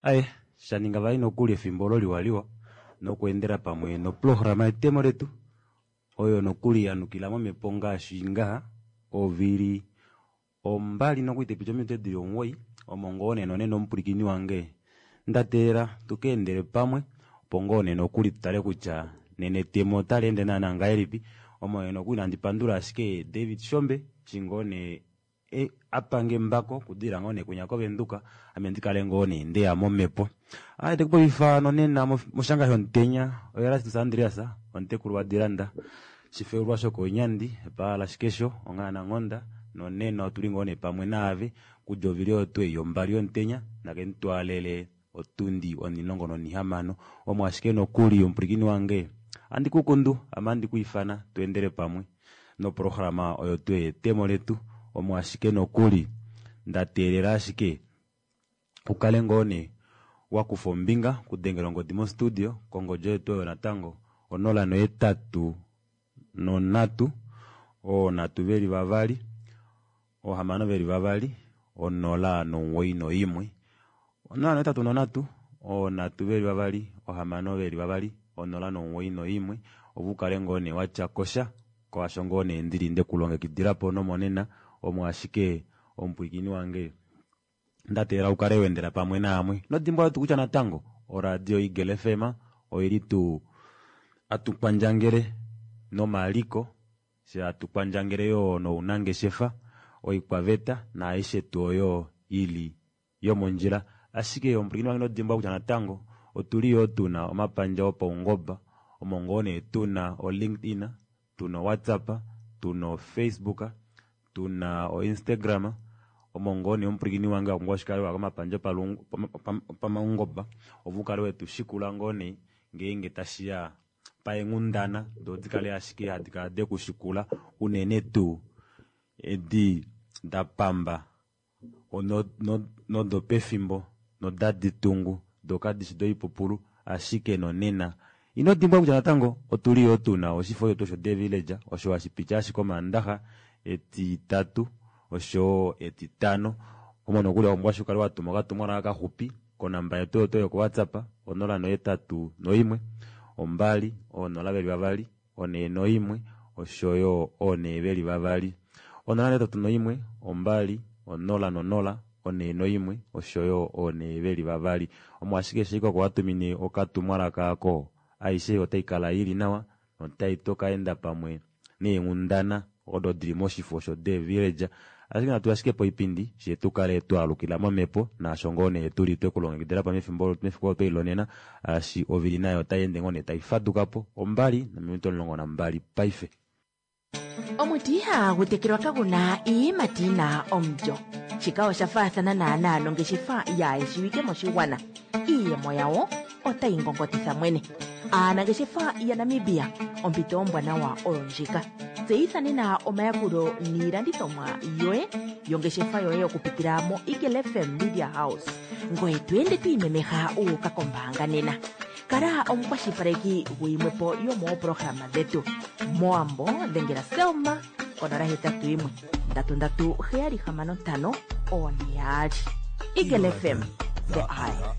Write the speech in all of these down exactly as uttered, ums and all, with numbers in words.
Aye shaninga vali nokuli efimbo olo liwaliwa nokweendela pamwe noprograma yetemo letu oyo nokuli yanukila momhepo ngaashi ngaha ovili ombali nokuli taipiti ominute dili omuwoi omo ngoo nee nonena omupwilikini wange ndateelela tukeendele pamwe opo ngoo nee nokuli tutale kutya nena etemo otali naana ngahelipi omo nee nokuli nandi pandula ashike David Shombe eshi ngoo nee e, apange embako okudilila ngoo nee kwinya kovenduka ame ndikale ngoo nee ndeya momhepo. Aye tekupopifa nonena moshanga shomutenya oErastus Andreas omutekulu wadilanda shifeulwa shokonyandi epaala shikesho onghana nghoda nonena otuli ngoo nee pamwe naave kudja ovili oyo tuu ei yombali yomutenya nakemutwaalele otundi onilongo nonihamano omo ashike nokuli omupwilikini wange andi kukundu ame andi kwiifana tweendele pamwe noprograma oyo tuu yetemo letu omo ashike nokuli ndateelela ashike ukale ngoo nee wakufa ombinga okudengela ongodi mostudio kongodi oyo tuu oyo natango onola nohetatu nonhatu oonhatu veli vavali oohamano veli vavali onola nomuwoi noimwe onola nohetatu nonhatu oonhatu veli vavali ohamano veli vavali onola nomuwoi noimwe opo ukale ngoo nee watya kosha kwaasho ngoo nee ndili ndekulongekidilapo nomonena omo ashike omupwilikini wange ndateelela ukale weendela pamwe naamwe nodimbwa tuu kutya natango oradio Eagle F M oili tuu atukwandjangele nomaliko fye atukwandjangele yoo nounangeshefa oikwaveta naaishe tuu oyo ili yomondjila ashike omupwilikini wange nodimbwa kutya natango otuli yoo tuna omapandja opaungoba omo ngoo nee tuna o-LinkedIn, tuna o-WhatsApp, tuna o-Facebook, tuna o-Instagram omo ngoo nee omupwilikini wange wapumbwa oshikale wa komapandja opamaungoba opo ukale wetushikula ngoo nee ngeenge tashiya paenghundana doo dikale ashike hadi kala dekushikula unene tuu edi dapamba nodopefimbo nodadi tungu doo kadishi doipupulu ashike nonena ino dimbwa kutya natango otuli yoo tuna oshifo shetu osho The Village osho hashi piti ashike omaandaxa etitatu oshowo etitano omo nokuli wapumbwa ashike ukale watuma okatumwalaka kaxupi konamba yetu oyo yoko WhatsApp onola nohetatu noimwe ombali oonola veli vavali onee noimwe oshoyo onee veli vavali onola nohetatu noimwe ombali onola nonola onee noimwe oshoyo onee veli vavali omo ashike eshi oko watumine okatumwalaka ako aishe otai kala ili nawa notai tokaenda pamwe neenghundana odo dili moshifo sho The Village ashike natu ashike poipindi fye tukale twaalukila momhepo naasho ngoo nee tuli twekulongekidila pa mefimbo mefiku olo twelilonena ashi ovili nayo otai ende ngoo nee tai fadukapo ombali nominute omulongo nambali paife. Omuti ihagu tekelwa kaguna iiyimati yina omulyo. Shika osha faathana naanaa nongeshefa yaayeshiwike moshigwana. Iiyemo yawo otayi ngongotitha mwene. Aanangeshefa yaNamibia, ompito ombwanawa oyo ndjika. Tseyitha nena omayakulo niilandithomwa yoye yongeshefa yoye okupitila mo Eagle F M Media House. Ngoye to ende to imemeha u uka kombaanga nena. Kala omukwashilipaleki guyimwepo yomooprograma dhetu. Mowambo dhengela Selma konola hetatu yimwe ndatu ndatu heyali hamano ntano oone yaali. Eagle F M, the eye.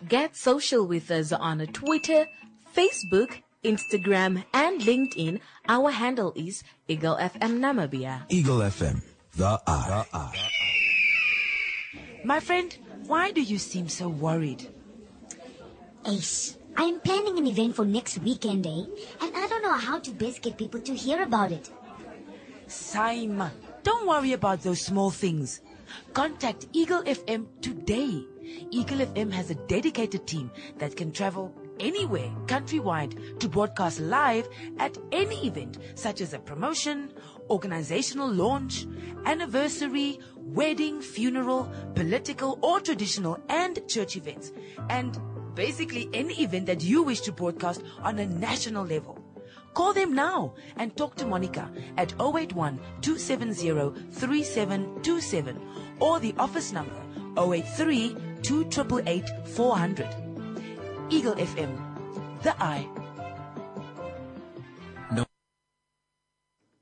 Get social with us on Twitter, Facebook, Instagram, and LinkedIn. Our handle is Eagle F M Namibia. Eagle F M, the eye. The eye. My friend, why do you seem so worried? Ace, I'm planning an event for next weekend, eh? And I don't know how to best get people to hear about it. Simon, don't worry about those small things. Contact Eagle F M today. Eagle F M has a dedicated team that can travel anywhere countrywide to broadcast live at any event such as a promotion, organizational launch, anniversary, wedding, funeral, political or traditional and church events. And basically any event that you wish to broadcast on a national level. Call them now and talk to Monica at oh eight one two seven zero three seven two seven or the office number oh eight three two eight eight four hundred. Eagle F M, the eye.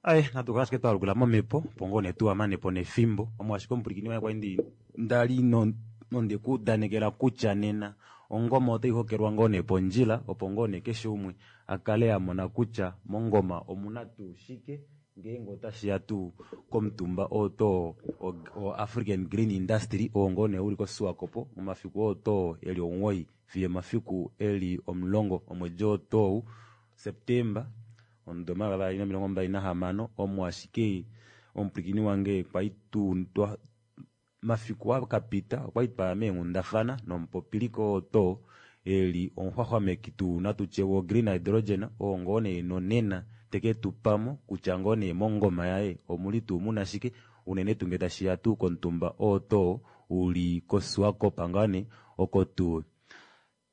Aye natu kala ashike twalukila momhepo opo ngoo nee tuwamanepo nefimbo omo ashike omupwilikini waye kwali ndi ndali no Nonde kuudanekela kutya nena ongoma otai hokelwa ngoo nee pondjila opo ngoo nee keshe umwe akale amona kutya mongoma omuna tuu shike ngeenge otashiya tuu komutumba oo too o African Green Industry oo ngoo nee uli koSwakopo momafiku oo too eli omuwoi fiyo omafiku eli omulongo omwedi oo tou September omudo omayovi avali nomilongo mbali nahamano omo ashike omupwilikini wange kwali tuu mafiku akapita okwali twaya meenghundafana nomupopiliko oo too eli omuxwaxwameki tuu natutye wo green hydrogen oo ngoo nee nonena teke tupamo kutya ngoo nee mongoma yaye omuli tuu muna shike unene tuu ngee tashiya tuu komutumba oo too uli koSwakop ngaa nee oko tuu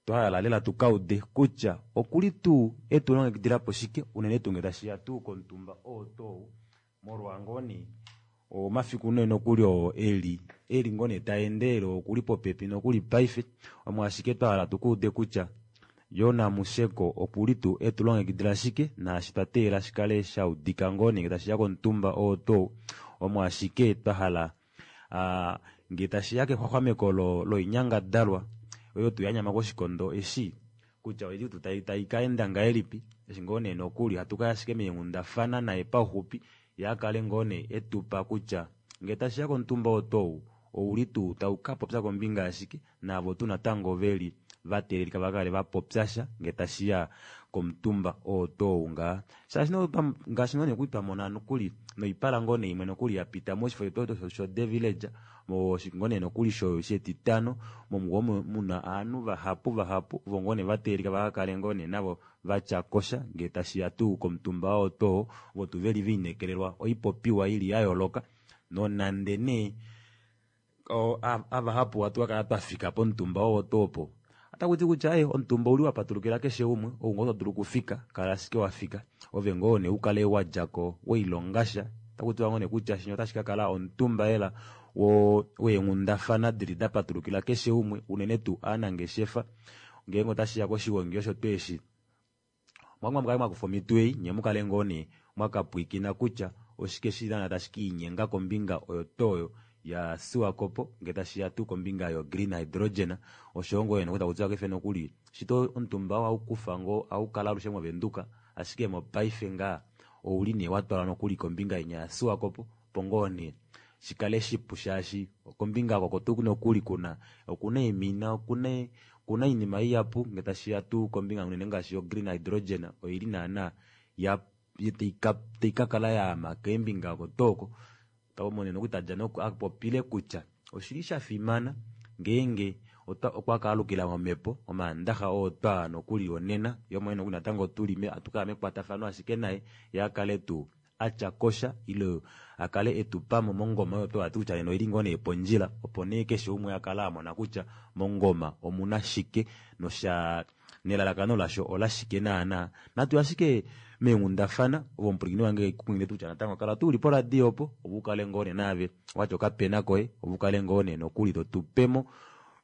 twahala lela tukaude kutya okuli tuu etulongekidilapo shike unene tuu ngee tashiya tuu komutumba oo tou molwa ngoo nee omafiku nee nokuli oo eli eli ngoo nee taendelele okuli popepi nokuli paife omo ashike twahala tukuude kutya Jona Musheko okuli tuu etulongekidila shike naashi twateelela shikale shaudika ngoo nee ngee tashiya komutumba oo tou omo ashike twahala aa ngee tashiya kexwaxwameko loinyangadalwa oyo tuu yanyama koshikondo eshi kutya oili tuu taikaenda ngahelipi eshi ngoo nee nokuli hatukaya ashike meenghundafana naye pauxupi yee akale ngoo nee etupa kutya ngee tashiya komutumba oo tou ouli tuu taukapopya kombinga yashike naavo tuu natango veli vateelelika vakale vapopyasha ngee tashiya komutumba oo tou ngaa shaashi ngaashi ngoo nee kwali twamona nokuli noipala ngoo nee imwe nokuli yapita moshifo shetu sho The Village ngoo nee nokuli shetitano momugo muna ovanhu vahapu vahapu ovo ngoo nee vateelelika vakakale ngoo nee navo vatyakosha ngee tashiya tuu komutumba oo too ovo tuu veli velineekelelwa oipopiwa ili yayooloka nonande nee avahapu ohatu kakala twafika pomutumba oo tuu opo otakuti kutya ee omutumba ouli wapatulukila keshe umwe ou ngoo todulu okufika kala ashike wafika ove ngoo nee ukale wadjako weilongasha otakutiwa ngoo nee kutya shinya otashi kakala omutumba lela weenghundafana dili dapatulukila keshe umwe unene tuu ovanangeshefa ngeenge otashiya koshigongi osho tuu eshi omwa mukale mwakufa omito ei nyee mukale ngoo nee mwakapwiikina kutya oshike shili naana tashi kiinyenga kombinga oyo tuu oyo ya Swakopo ngee tashiya tuu kombinga yo green hydrogen oshoyo ngoo nee takutiwa paife nokuli shito omutumba oo ohaukufa ngoo ohaukala alushe movenduka ashike mopaife ngaa ouli nee watwalwa nokuli kombinga inya ya Swakopo opo ngoo nee shikale shipu shaashi kombinga oko tuu nokuli kuna okuna eemina okuna okuna oinima ihapu ngee tashiya tuu kombinga unene ngaashi yo green hydrogen oili naana ya taikakala yaama keembinga oko tuu oko omo nokuli tadja apopile kutya oshili shafimana ngeenge okwa kaalukila momepo omaandaxa oo twaya nokuli onena yee omwene nokuli natango tuli hatukala mekwatafano ashike naye yee akale tuu atyakosha ile akale etupamo mongoma oyo tuu hati kutya nena oili ngoo nee pondjila opo nee keshe umwe akale amona kutya mongoma omuna shike nosha nelalakano lasho olashike naana natu ashike meenghundafana ove omupwilikini wange kukunghilile kutya natango kala tuu uli poradio opo opo ukale ngoo nee naave watya okapena koye opo ukale ngoo nee nokuli totupemo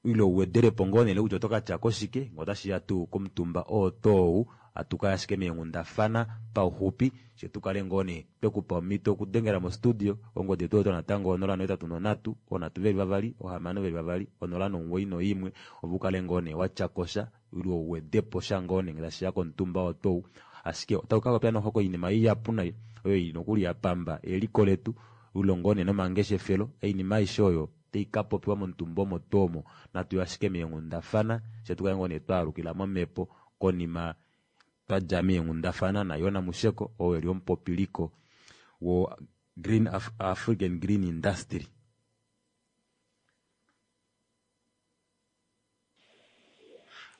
ile uwedelepo ngoo nee kutya otokatyako shike ngee otashiya tuu komutumba oo tou hatukaya ashike meenghundafana pauxupi fyee tukale ngoo nee twekupa omhito okudengela mo studio ongodi yetu oyo natango onola nohetatu nonhatu oonhatu veli vavali ohamano veli vavali onola nomuwoi noimwe opo ukale ngoo nee watyakosha ile uwedepo sha ngoo nee ngee tashiya komutumba oo tou ashike otaku kakopya noxo koinima ihapu nai oyo ili nokuli yapamba eliko letu ile ngoo nee nomangeshefelo oinima aishe oyo taikapopiwa momutumba omo tuu omo natuye ashike meenghundafana fyee tukale ngoo nee twaalukila momepo konima twadja meenghundafana naJona Musheko oo eli omupopiliko wo Green Af African Green Industry.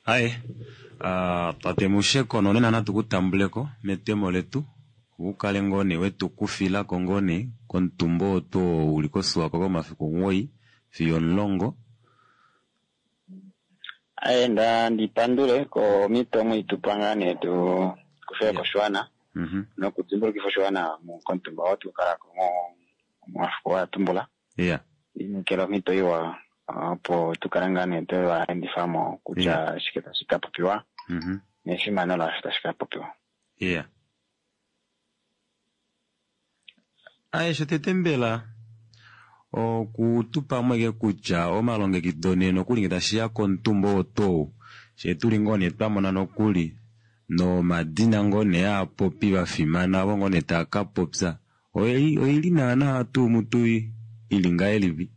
Aye uh, tate Musheko nonena natu kutambuleko metemo letu ukale ngoo nee wetukufilako ngoo nee komutumba oo tuu uli koSwakop komafiku omuwoi fiyo omulongo. Aye nda ndipandule komito mwitupa ngaa nee tu kufile koshiwana mm nokudimbulukifa oshiwana komutumba oo tukala momafiku wa tumbula yeah inekela omhito iwa opo tukale ngaa nee twevaendifamo kutya shike tashi ka popiwa mm nefimano lasho tashi ka popiwa. Yeah. Aye shotete mbela Okutupa mweke kutya omalongekido nee nokuli nge tashiya komutumba oo tuu shee tuli ngoo nee twamona nokuli nomadina ngoo nee aapopi vafimana ovo ngoo nee taa kapopya oili, oili naana tuu mutu ili ngahelipi?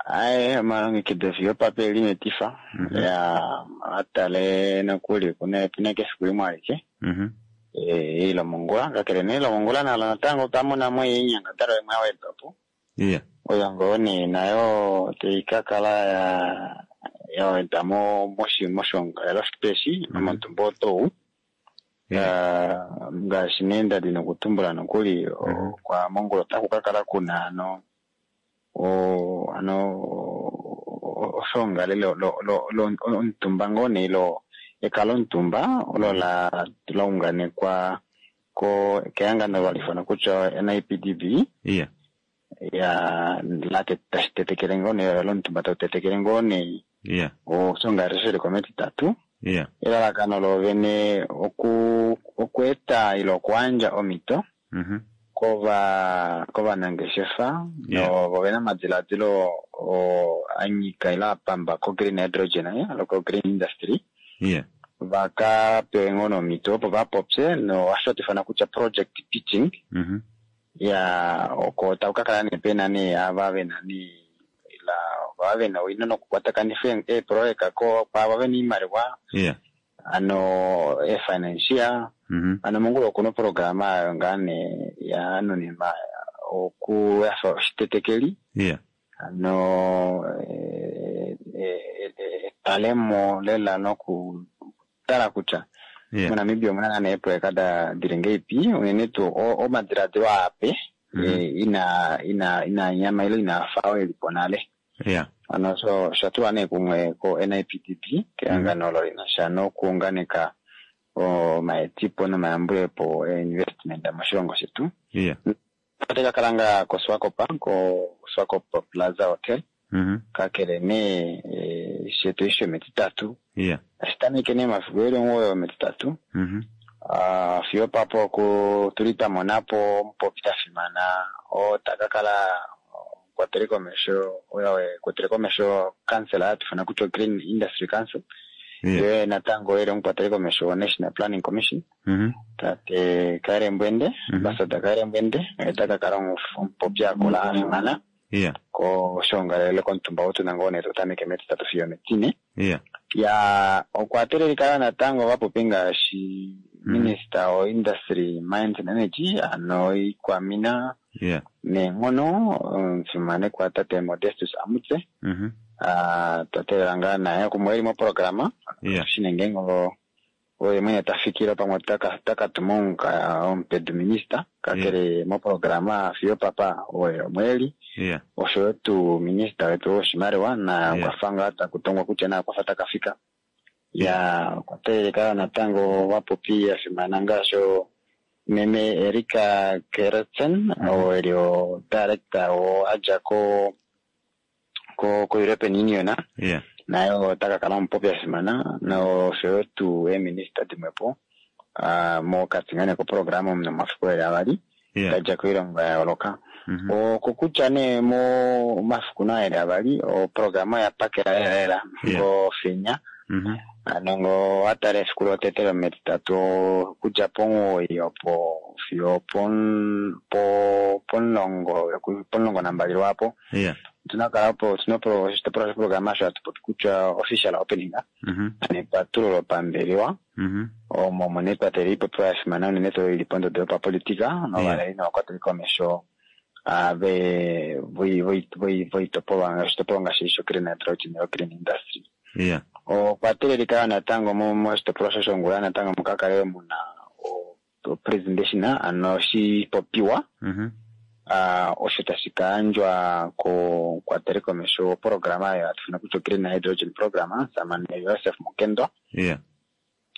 Aye, omalongekido fiyo papa eli metifa. Mhm. Ya atale nokuli kuna epina kefiku limwe alike. Mhm. Eh, ilomongula kakele nee ilomongula nalo natango otwa mona mo inyangadalwa imwe ya wedwa po. Iya. Oyo ngoo nee nayo tai ka kala ya ya wedwa mo moshi moshongalelo eshi Mhm. momutumba otou. Iya. Ah, ngaashi nee ndali nokutumbula nokuli Mhm. kwa mongula otaku ka kala kuna ano o ano oshongalele lo lo lo omutumba ngoo nee lo ekalo omutumba olo la la unganekwa ko kehangano valifana kutya N I P D B Iya. ya la te- tashi tetekele ngoo nee lomutumba tau tetekele ngoo nee Iya. oshongalele shili kometitatu. Iya. Elalakano lovene oku okweeta ile okuyandja omhito Mhm. kova kovanangeshefa Yeah. novo vena omadiladilo o anyika ile apamba ko green hydrogen eh, alo ko green industry Iya. vaka pewe ngoo nomhito opo vapopye no osho hatu kutya project pitching. Mhm. Ya oko taku ka kala nee pena nee ava vena nee ila ava vena owino nokukwatakanifa eeprojeka ko kwaava vena oimaliwa Iya. ano e-financier. Mhm. Ano mongula okuna oprograma ayo ngaa nee ya nuninwa oku yafa oshitetekeli Iya. ano eh, eh, eh, etalemo lela nokutala kutya Iya. moNamibia omuna ngaa nee eeproyeka da dili ngeipi unene tuu o- omadiladilo aape Mhm. eh, ina ina ina nyama ile inaafa oyo elipo nale. Iya. Ano so osha tulwa nee kumwe ko N I P D B kehangano olo lina sha nokuunganeka omaetipo nomayambulepo e-investment moshilongo shetu. Iya. Otayi ka kala ngaa koSwakop koSwakop Plaza Hotel. Mhm. Kakele nee eh, shetu eshi shometitatu Iya. tashi tameke nee omafiku eli omugoyi ometitatu. Mhm. Ah, fiyo papo ku tuli twa monapo omupopi ta fimana oo taka kala omukwateli komesho oyo ekwatele komesho council hatu ifana kutya Green Industry Council. Iya. Ye natango eli omukwateli komesho wa National Planning Commission Mhm. tate Kaire Mbwende. Mhm. Ambassador Kaire Mbwende oye taka kala omupopi akola a fimana Iya. koshongalele komutumba wotuna ngoo nee totameke metitatu fiyo metine. Iya. Ya okwa teelelika natango vapopi ngaashi Mhm. minister wo industry mines and energy ano ikwamina Iya. neenghono omufimanekwa tate Modestus Amutse. Mhm. Ah, twa teelela ngaa naye kumwe eli moprograma Iya. shine ngeenge oye mwene tafikile pamwe taka taka tuma omuka- omupedu minista kakele moprograma fiyo papa oye omweli Iya. oshoyo tuu minista wetu woshimaliwa na Yeah. okwafa ngaa takutongwa kutya naye okwafa takafika. Ya okwa teelelika natango vapopi ya fimana ngaashi meme Erika Gerritsen oo eli o director oo adja ko ko ko European Union. Iya. Naye ota ka kala omupopi a fimana noshoyo tuu eeminista dimwepo ah, mokati ngaa nee koprograma omu nomafiku eli avali Iya. dadja koilongo ya yooloka. Mhm. Okokutya nee momafiku naa eli avali oprograma oya pakela lela lela Yeah. ngofenya Mhm. ano ngo watala efiku lotete lometitatu okudja pomuwoi opo fiyo pon- po- pomulongo pomulongo nambali lwaapo Iya. otuna kala opo otuna opro- oshitopolwa shoprograma osho hatu popi kutya official opening Mhm. ano epatululo pambelewa Mhm. omo omo nee twa teelela ipopiwa ya fimana unene tuu ili pondodo yopapolitika novaleli novakwateli komesho ah, ve voi- voi- voi- voitopolwa oshitopolwa ngaashi sho green hydrogen green industry. Iya. Okwa teelelika yo natango mo- moshitopolwa shoshongula natango muka kale muna o- o presentation ano oshipopiwa Mhm. ah, osho tashi ka yandjwa komukwateli komesho woprograma oyo hatu ifana kutya green hydrogen program samane Joseph Mukendo Iya.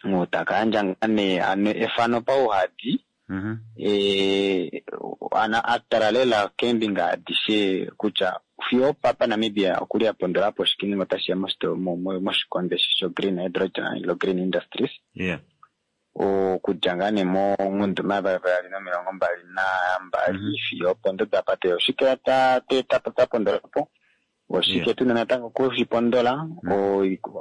oo taka yandja ngaa nee ano efano pauhadi Mhm. eh, ana atala lela keembinga adishe kutya fiyo papa Namibia okuli apondola po shike nenge otashiya mosito- mo- mo- moshikonde sho green hydrogen ilo green industries. Iya. Okudja ngaa nee mongundu mavali nomilongo mbali nambali fiyo opondodo apa tuli oshike twa pondola po oshike tuna natango okushipondola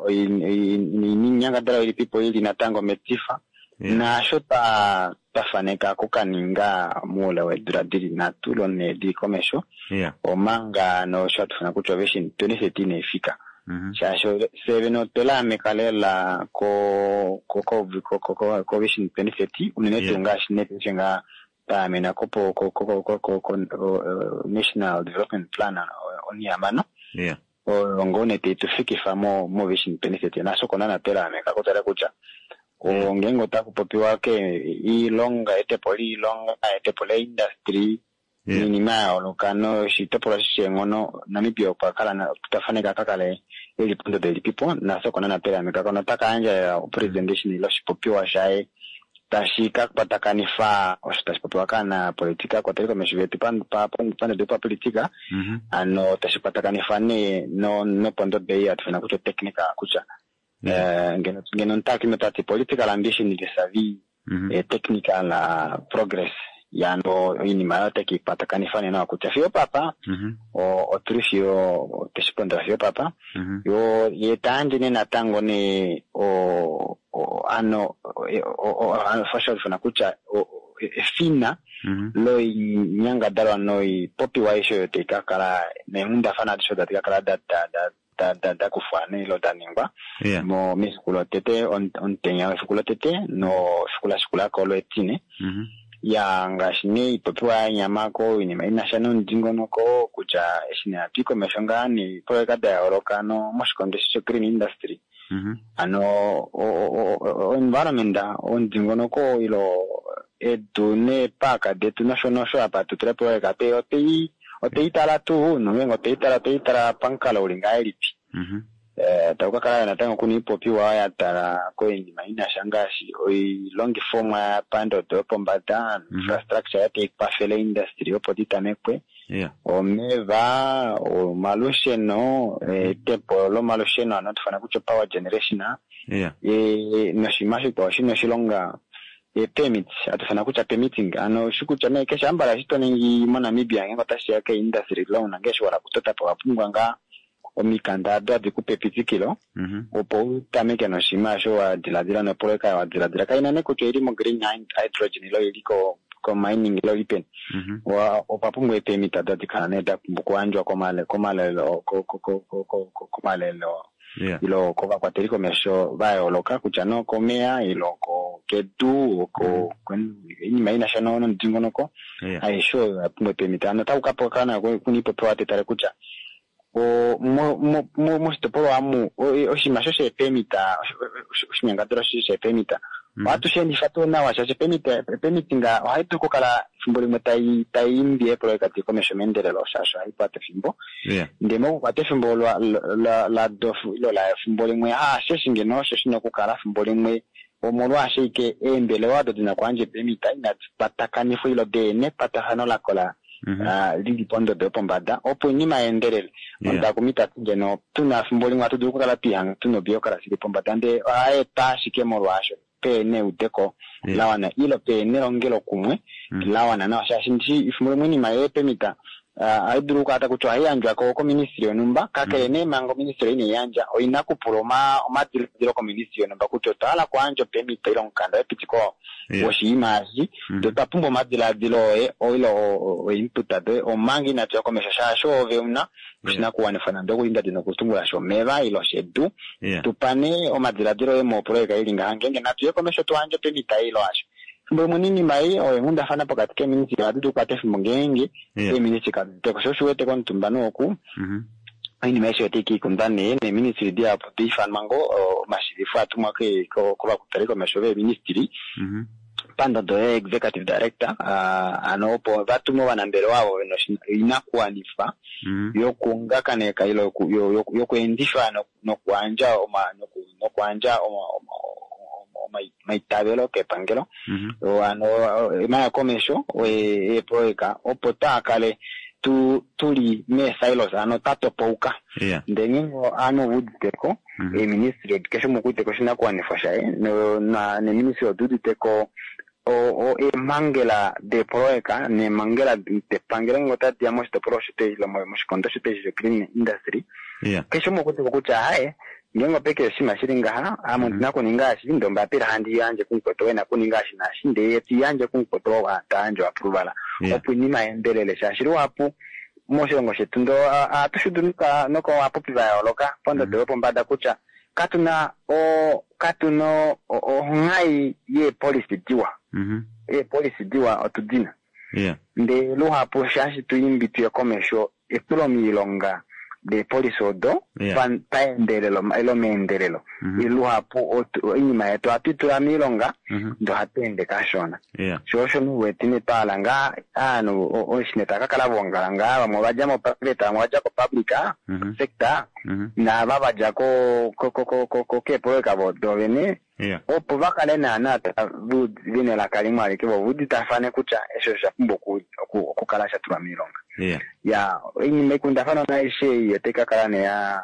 oinyangadalwa ilipipo ili natango metifa naasho twa faneka okukaninga moule weedula dili nhatu ile nhee dili komesho omanga nosho hatu ifana kutya ovision twenty thirty inaifika. Shaashi fye vene otwe laameka lela ko ko vision twenty thirty unene tuu ngaashi nee ngaa twaamena ko national development plan onihamano oyo ngoo nee tai tufikifa mo vision twenty thirty naasho oko naana twe laameka kutala kutya ngeenge otaku popiwa iilonga eetepo loilonga eetepo leindustry oinima ya yooloka noshitopolwa eshi sheenghono Namibia okwa kala twa faneka akakale eli pondodo ilipipo nafye oko naana twe laamekako notaka yandja opresentation ile oshipopiwa shaye tashi ka kwatakanifa osho tashi popiwa kaanapolitika kwateli komesho vetu pandodo yopapolitika hano tashi kwatakanifa nee nopondodo ei hatu ifana kutya technical kutya ngeno omutakumi otati political ambition vis-a-vis technical progress yano oinima oyo ote keikwatakanitha nee nawa kutya fiyo opapa otuli fiyo otweshi pondola fiyo opapa yo ye tayandje nee natango nee ano osho hatu ifana kutya efina loinyangadalwa noipopiwa aishe oyo tai kakala neenghundafana adishe odo tadi kakala dakufwa ile daningwa mefiku lotete omutenya wefiku lotete nefiku lashikulako letine ya ngaashi nee ipopiwa yanyamako oinima inasha nomudingonoko kutya eshi nee hatui komesho ngaa neepoloyeka da yooloka moshikondo eshi sho green industry hano environment omudingonoko ile edu neepaaka detu nosho nosho apa tutula epoloyeka otwei tala tuu nongeenge otwei tala otwei tala pamukalo uli ngahelipi taku kakala natango kuna ipopiwa ya tala koinima inasha ngaashi oilongifomwa pandodo yopombada infrastructure tai kwafele industry opo ditamekwe omeva omalusheno eetepo lomalusheno hano hatu ifana kutya power generation noshinima shikwao shina oshilonga permit hatu ifana kutya permitting hano shikutya nee keshe ambala eshi toningi moNamibia ngeenge otashiya keindustry ile una ngee eshi wahala okutotapo owapumbwa ngaa omikanda ado hadi kupe epitikilo opo utameke noshinima osho wadiladila nopoloyeka wadiladila kaina nee kutya oili mo green hydrogen ile oili ko mining ile oili peni okwa pumbwa eepermit ado hadi kala nee dapumbwa okuyandjwa komalelo komalelo ile kovakwateli komesho va yooloka kutya nee okomeya ile kedu oinima inasha nomudingonoko aishe oyo oyapumbwa eepermit hano otaku kakala kuna ipopiwa tetale kutya moshitopolwa amu oshinima sho sheepermit oshinyangadalwa sheepermit ohatu sheendifa tuu nawa shaashi permitting ohayi dulu okukala efimbo limwe tai imbi eepoloyeka diye komesho meendelelo shaashi ohai kwata efimbo ndee mokukwata efimbo lado ile efimbo limwe haasheshi ngeno osho shina okukala efimbo limwe omolwaasho ashike eembelewa odo dina okuyandja eepermit inadi kwatakanifwa ile deena ekwatafano lakola lili pondodo yopombada opo oinima yeendelele. Omutakumi tati ngeno tuna efimbo limwe ohatu dulu okukala twihanga tuna obureaucracy ili pombada ndee ohayi etwa ashike molwaasho peena eudeko lawana ile peena elongelokumwe lawana nawa shaashi ndishi efimbo limwe oinima yeepermit ohayi dulu okukala kutya ohayi yandjwa koministry yonhumba kakele nee manga oministry inai yandja oina okupula omadiladilo koministry yonhumba kutya otwa hala okuyandja opermit ile omukanda wepitiko woshinima eshi ndee otwa pumbwa omadiladilo oye ile oinput doye omanga inatuya komesho shaashi ove una oshinakuwanifwa nande okuli ndadi nokutumbula shomeva ile shedu tupa nee omadiladilo oye mopoloyeka ili ngaha ngeenge natuye komesho tuyandje opermit ile hasho efimbo limwe oinima ei oyo eenghundafana pokati keeministry ohadi dulu okukwata efimbo ngeenge eeministry kaditeko sho osho uwete komutumba nooku oinima aishe otai kaikundwa nee neeministry dihapu daifanwa ngoo omashivifo atumwa kovakwateli komesho veeministry pandodo ye executive director hano opo vatume ovanambelewa avo vena oinakuwanifwa yokuungakaneka ile yokweendifa nokuyandja nokuyandja omaitavelo kepangelo hano emaya komesho eepoloyeka opo taakale tu tuli mee-silos ano twa topauka. Yeah. Ndee ngeenge ovanhu ovauditeko Mhm. eeministry keshe umwe okuuditeko oshinakuwanifwa shaye no- na- neeministry oduuditeko o- o- eemhangela deepoloyeka neemhangela depangelo ngenge otadi ya moshitopolwa shetu ile mo- moshikondo shetu eshi sho-green industry Yeah. keshe umwe okuuditeko kutya haye ngeenge opeke oshinima shili ngaha ame ondina okuninga eshi ndee ombapila handi yandje kumukwetu ou ena okuninga eshi naashi ndee ye tiyandje kumukwetu ou tayandje oapproval Yeah. opo oinima yeendelele shaashi luhapu moshilongo shetu ndo ohatu shudu nokovapopi va yooloka pondodo yopombada kutya katuna o katuna onghai yeepolisi diwa Mhm. eepolisi diwa otu dina Yeah. ndee luhapu shaashi tuimbi tuye komesho etulo miilonga deepolisi odo Yeah. pa- paendelelo ilo meendelelo Mhm. luhapu otu- oinima yetu ohatu itula miilonga Mhm. ndee ohatu ende kashona Yeah. sho osho nuwete nee twahala ngaa aanhu oshine tava kakala voongala ngaa vamwe ovadja moprivate vamwe ovadja kopublic Mhm. sector Mhm. naava vadja ko- ko- ko- ko- ko- ko- keepoloyeka dovene Yeah. opo vakale naana vena elaka limwe alike vo vauditafane kutya eshi osha pumbwa oku- oku- okukala sha tulwa miilonga Yeah. ya oinima ikundafanwa aishe ei otai kakala nee ya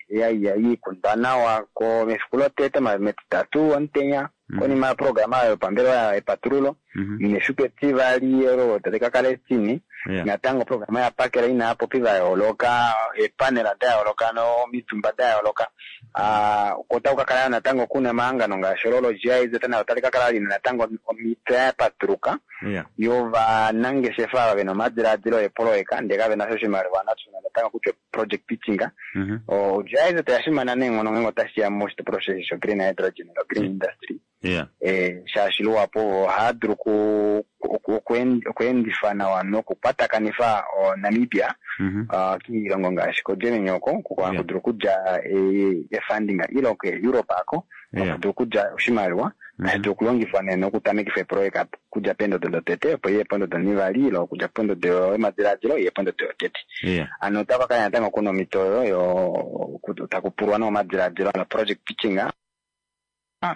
ya ya ikundwa nawa ko mefiku lotete ma- metitatu omutenya Mhm. konima yoprograma yopambelewa yepatululo Mhm. nefiku etivali olo tali kakala etine Yeah. natango oprograma yapakela ina aapopi va yooloka eepanela da yooloka nomitumba da yooloka Ah, ko otaku kakala natango kuna omahangano ngaashi olo lo-GIZ nayo otali kakala lina natango omito ya patuluka Yeah. yovanangeshefa ava vena omadilaadilo eepoloyeka ndee kavena sha oshimaliwa natuna natango kutya project pitching Mhm. o-GIZ oya fimana neenghono ngeenge otashiya moshitopolwa sheshi sho-green hydrogen no-green industry Yeah. eh, shaashi luhapu ohaya dulu oku- oku- oku- okweendifa nawa nokukwatakanifa o-Namibia Mhm. ah, kiilongo ngaashi koGermany oko Yeah. haku dulu okudja eh, efunding ile koEurope ako Yeah. haku dulu okudja oshimaliwa tashi dulu okulongifwa nee nokutamekifa epoloyeka okudja pendodo lotete opo iye pondodo nivali ile okudja pondodo yomadilaadilo iye pondodo yotete Yeah. ano otapa kala natango kuna omito oyo yo taku pulwa nomadilaadilo ano project pitching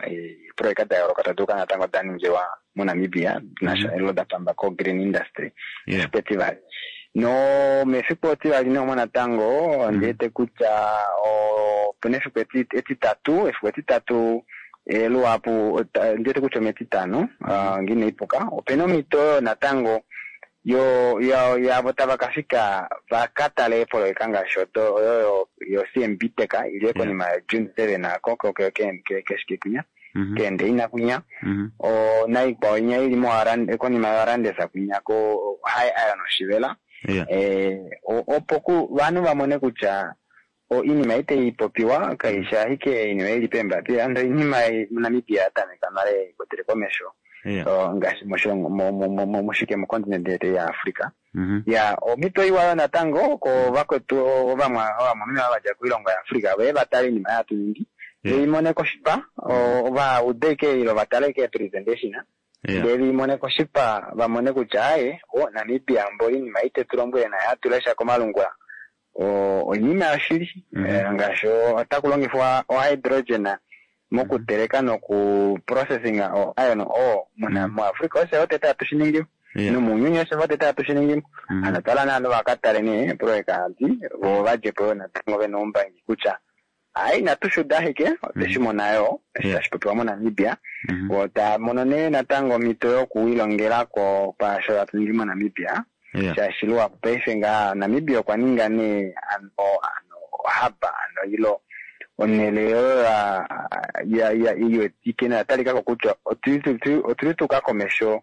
eepoloyeka da yooloka tadi kala natango da ningilwa moNamibia nasha ilo da pamba ko-green industry Yeah. efiku etivali no mefiku etivali neomo natango ondiwete kutya opena efiku eti- etitatu efiku etitatu eh, luhapu ota- ondiwete kutya ometitano ah, ngine ipuka opena omito oyo natango yo yo yavo tava kafika vaka tale eepoloyeka ngaashi odo oyo yo- yo C M B Tech ili konima ya June seven ako ko- ko- ke- ke- keshike kwinya Mhm. keendeina kwinya Mhm. o naikwao inya ili moArand- konima yoArandesa kwinya ko High Iron Oshivela Yeah. eh, o- opo ku vanhu vamone kutya o iinima itayi popiwa kaishi ashike iinima ili peembapila ando iinima ei muNamibia ya tameka nale ikwatele komesho Yeah. O, ngaashi moshilongo mo- mo- mo- mo- moshike mokontinente yetu yaAfrica Mhm. ya omito iwa yo natango ko vakwetu ovamwa ovamwameme ava vadja koilongo yaAfrica veye vatale iinima yatu ningi Yeah. veimone koshipa o- vaude ike ilo vatale ike presentation Yeah. ndee viimone koshipa vamone kutya aye o Namibia mbo iinima ite tulombwele naye atulesha komalungula o oinima yoshili Mhm. Eh, ngaashi otaku longifwa ohydrogen mokuteleka noku processing o iron ore muna Mhm. muAfrica osho otete hatu shi ningi Yeah. nomuuyuni osho otete hatu shi ningi Mhm. ano twala naanhu vakatale nee epoloyeka adi vo vadjepo yo natango vena oumbangi kutya ayi inatu shuda ashike otweshi mona yo eshi Yeah. tashi popiwa moNamibia Mhm. vo taya mono nee natango omhito yokuilongelako kwaasho hatu ningi moNamibia Yeah. shaashi luhapu paife ngaa Namibia okwa ninga nee ano ano hub ano ilo onhele oyo ya- ya ya iwetike noya talikako kutya otuli tu- otuli tuka komesho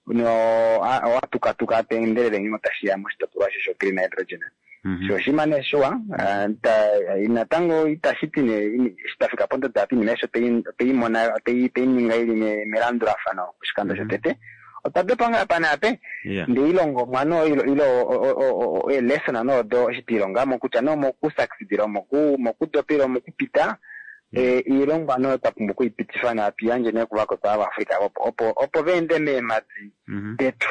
no owatukatuka teendelele ngeno tashiya moshitopolwa she sho-green hydrogen Mhm. sho oshima nee shiwa ah, ta- natango itashi ti nee ini- eshi tafika pondodo apa iinima aishe otei- otei mona otei otei ninga ili me- melandulafano oshikando Mhm. shotete otwa dopa ngaa apa naape Yeah. ndee ilongomwa no ilo ilo o- o- o- eelesson noodo eshi twiilongamo kutya no mokusucceedila moku mokudopela omokupita eh, iilongwa no twa pumbwa okuipitifa nawa tuyandje nee kuvakwetu avaAfrica opo opo opo veende meemadi Mhm. detu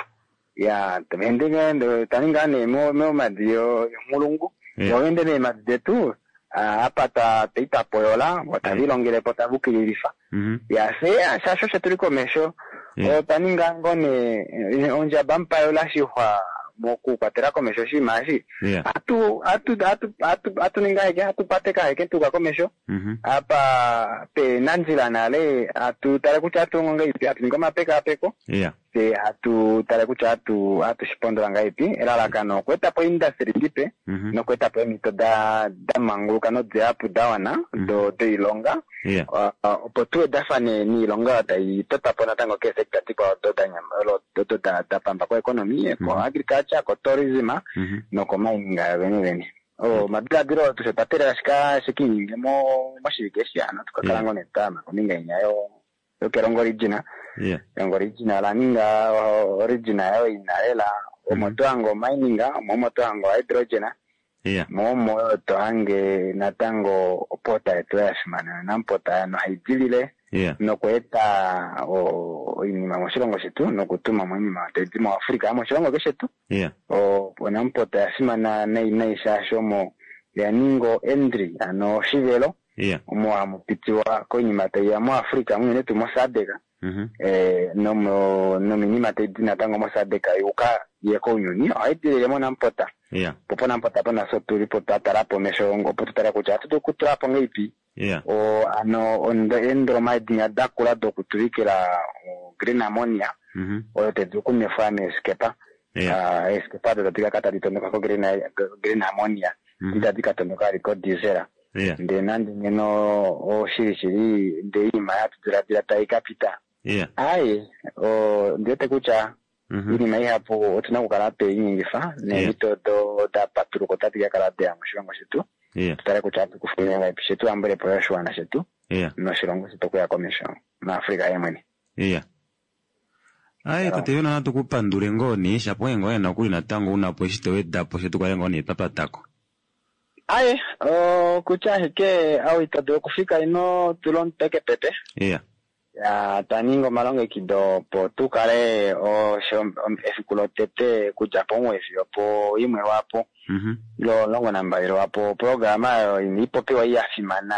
ya veende nge- taninga nee mo- momadi yo- yonghulungu Yeah. voende meemadi detu ah, apa ta taita poyola vo tavilongelepo tavukililifa Mhm. ya fye shasho osho tuli komesho Yeah. otwa ninga ngoo nee eh, ondjaba mupayola shixwa Mokukwatela komesho oshinima eshi Yeah. hatu hatu hatu hatu hatu ningi aheke hatu pateka aheke tuuka komesho Mhm. apa pena ndjila nale hatu tale kutya hatu longo ngahelipi hatu ningi omapekapeko Yeah. tse hatu tale kutya hatu hatu shipondola ngahelipi elalakano okweetapo industry ndipe Mhm. nokweetapo eemhito da da manguluka nodihapu da wana do doilonga Yeah. Uh, uh, opo tuwedafane niilonga oyo tai totwapo natango keesekta dikwao odo da nyama- olo- odo da da pamba koeconomy ko agriculture ko tourism Mhm. nokomining vene vene o madiladilo oo tushe twa teelela shika shikiininge mo moshivike eshi hano tukakala Yeah. ngoo nee twayama kombinga inya yo yokelongo region Yeah. elongo region ola ninga o- origin yayo ina lela omo tohange omining omo omo tohange hydrogen Yeah. mo omo yo tohange natango opota yetu ya fimana nampota nohaidilile Yeah. nokweeta o- oinima moshilongo shetu nokutuma mo oinima taidi moAfrica moshilongo keshetu Yeah. o- onampota ya fimana nai nai shaashi omo ya ninga entry ano oshivelo Yeah. omo hamu pitiwa koinima taiya moAfrica unene tuu moSADC Mhm. eh, nomo nominima taidi natango moSADC yuuka ye kounyuni ohai dilile monampota Yeah. po ponampota pona tulipo twatala po mesho opo tutale kutya ohatu dulu okutulapo ngeipi Yeah. o ano ondo- eendoloma edinya dakula dokutuvikila o green ammonia Mhm. oyo tedulu okunwefwa meeskepa Yeah. Ah, eeskepa odo tadi kakala tadi tondoka ko green green ammonia Mhm. itadi ka tondoka vali ko diesel Yeah. ndee nande ngeno oshili shili ndee iinima yatu diladila tai ka pita Yeah. aye o ndiwete kutya Mhm. iinima ihapu otuna okukala tweiningifa neemhito do da patuluka otadi ka kala deya moshilongo shetu Yeah. tutale kutya ohatu kufa ngaipi shetu yambulepo yo oshiwana shetu Yeah. noshilongo shetu okuya komesho naAfrica yemwene Yeah. Aye, tate Yona natu kupandule ngoo nee shapo ngoo nokuli natango unapo eshi towedapo she tukale ngoo nee twapatako. aye o, kutya ashike au ito dulu okufika ino tula omutwe kepepe Yeah. ya twaninga omalongekido opo tukale osho- efiku lotete kudja pomuwoi fiyo po imwe lwapo Mhm. lomulongo nambali lwapo oprograma oyo ina ipopiwa ya fimana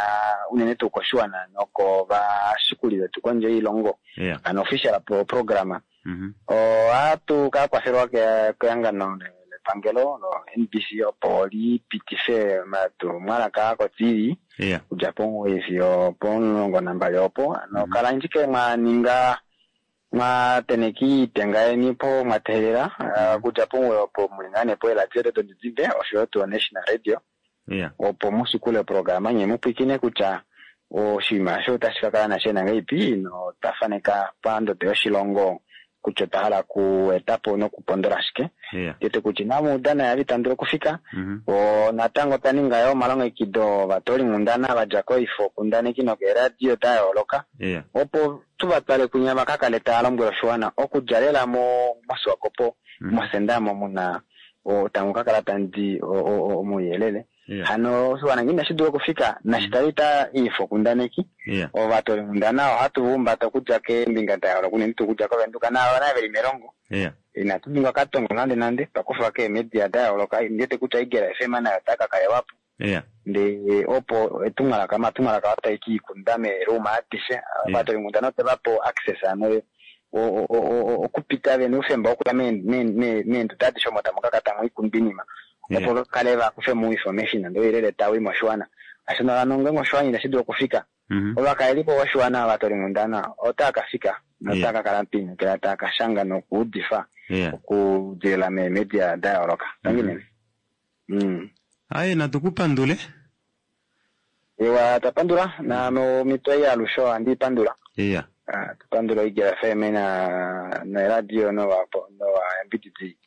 unene tuu koshiwana nokovashikuli vetu kondje yoilongo Yeah. ano official pro- programa Mhm. ohatu ka kwafelwa ke- kehangano le- lepangelo lo N B C opo lipitife omatumwalaka ko T V Yeah. kudja pomuwoi fiyo pomulongo nambali opo ano kala ashike mwa ninga mwa teneka iitenga yeni po mwa teelela ah, kudja pomuwoi opo muli ngaa nee poeladio dodidimbe oshoyo tuu National Radio Yeah. opo mushikule oprograma nye mupwikine kutya oshinima osho otashi ka kala nashe nangaipi notwa faneka pandodo yoshilongo kutya otwa hala okuetapo nokupondola shike Yeah. tete kutya inamu udana yali tandula okufika Mhm. o natango twa ninga yo omalongekido ovatoolinghundana vadja koifo kundaneki nokeeradio da yooloka Yeah. opo tuvatwale kunya vakakale taya lombwele oshiwana okudja lela mo moSwakopo Mhm. mosenda mo muna o, tamu kakala tandi omuyelele Yeah. hano oshiwana ngee inashi dula okufika nashi talita iifo kundaneki Yeah. ovatoolinghundana ohatu vuumbata okudja keembinga da yooloka unene tuu okudja koVenduka naavo naye veli melongo Yeah. inatu ningwa katongo nande nande twakufa keemedia da yooloka ndiwete kutya Igela F M nayo otaka kalewapo Yeah. ndee opo etumwalaka omatumwalaka otai kiikunda meeruma adishe ovatoolinghundana otevapo access ano o- o- o- o- okupita vena oufemba wokuya meenduda adishe omo tamu kaka tamu ikunda iinima Yeah. opo vakale vakufe mo information ndee ouyelele tawi moshiwana ashike hano ngenge oshiwana inashi dula okufika Mhm. ovakalelipo voshiwana ovatoolinghundana otaa ka fika notaa Yeah. ka kala piinekela taa ka shanga nokuudifa Yeah. okudilila meemedia da yooloka tangi Mhm. nene mm. Aye, natu kupandule. Ewa twapandula na momito ei alushe ohandi ipandula Yeah. Ah, tupandula Igela F M na neradio novayambididi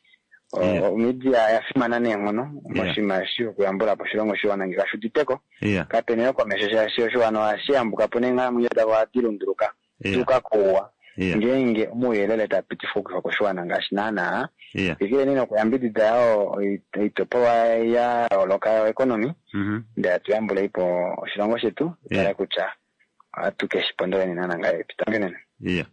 Yeah. omedia ya fimana neenghono Yeah. moshinima eshi okuyambula po oshilongo shiwana ngee kashuditeko Yeah. kapena yo komesho shaashi oshiwana ohashi yambuka po neenghalamwenyo davo ohadi lunduluka Yeah. tuuka kouwa Yeah. ngeenge omauyelele taa pitifwa okufa koshiwana ngaashi naana Yeah. twikileni nokuyambidida yo oitopolwa ya yooloka yoeconomy Mhm. ndee tuyambuleipo oshilongo shetu tutale Yeah. kutya ohatu keshi pondoleni naana ngahelipi tangi nene Yeah.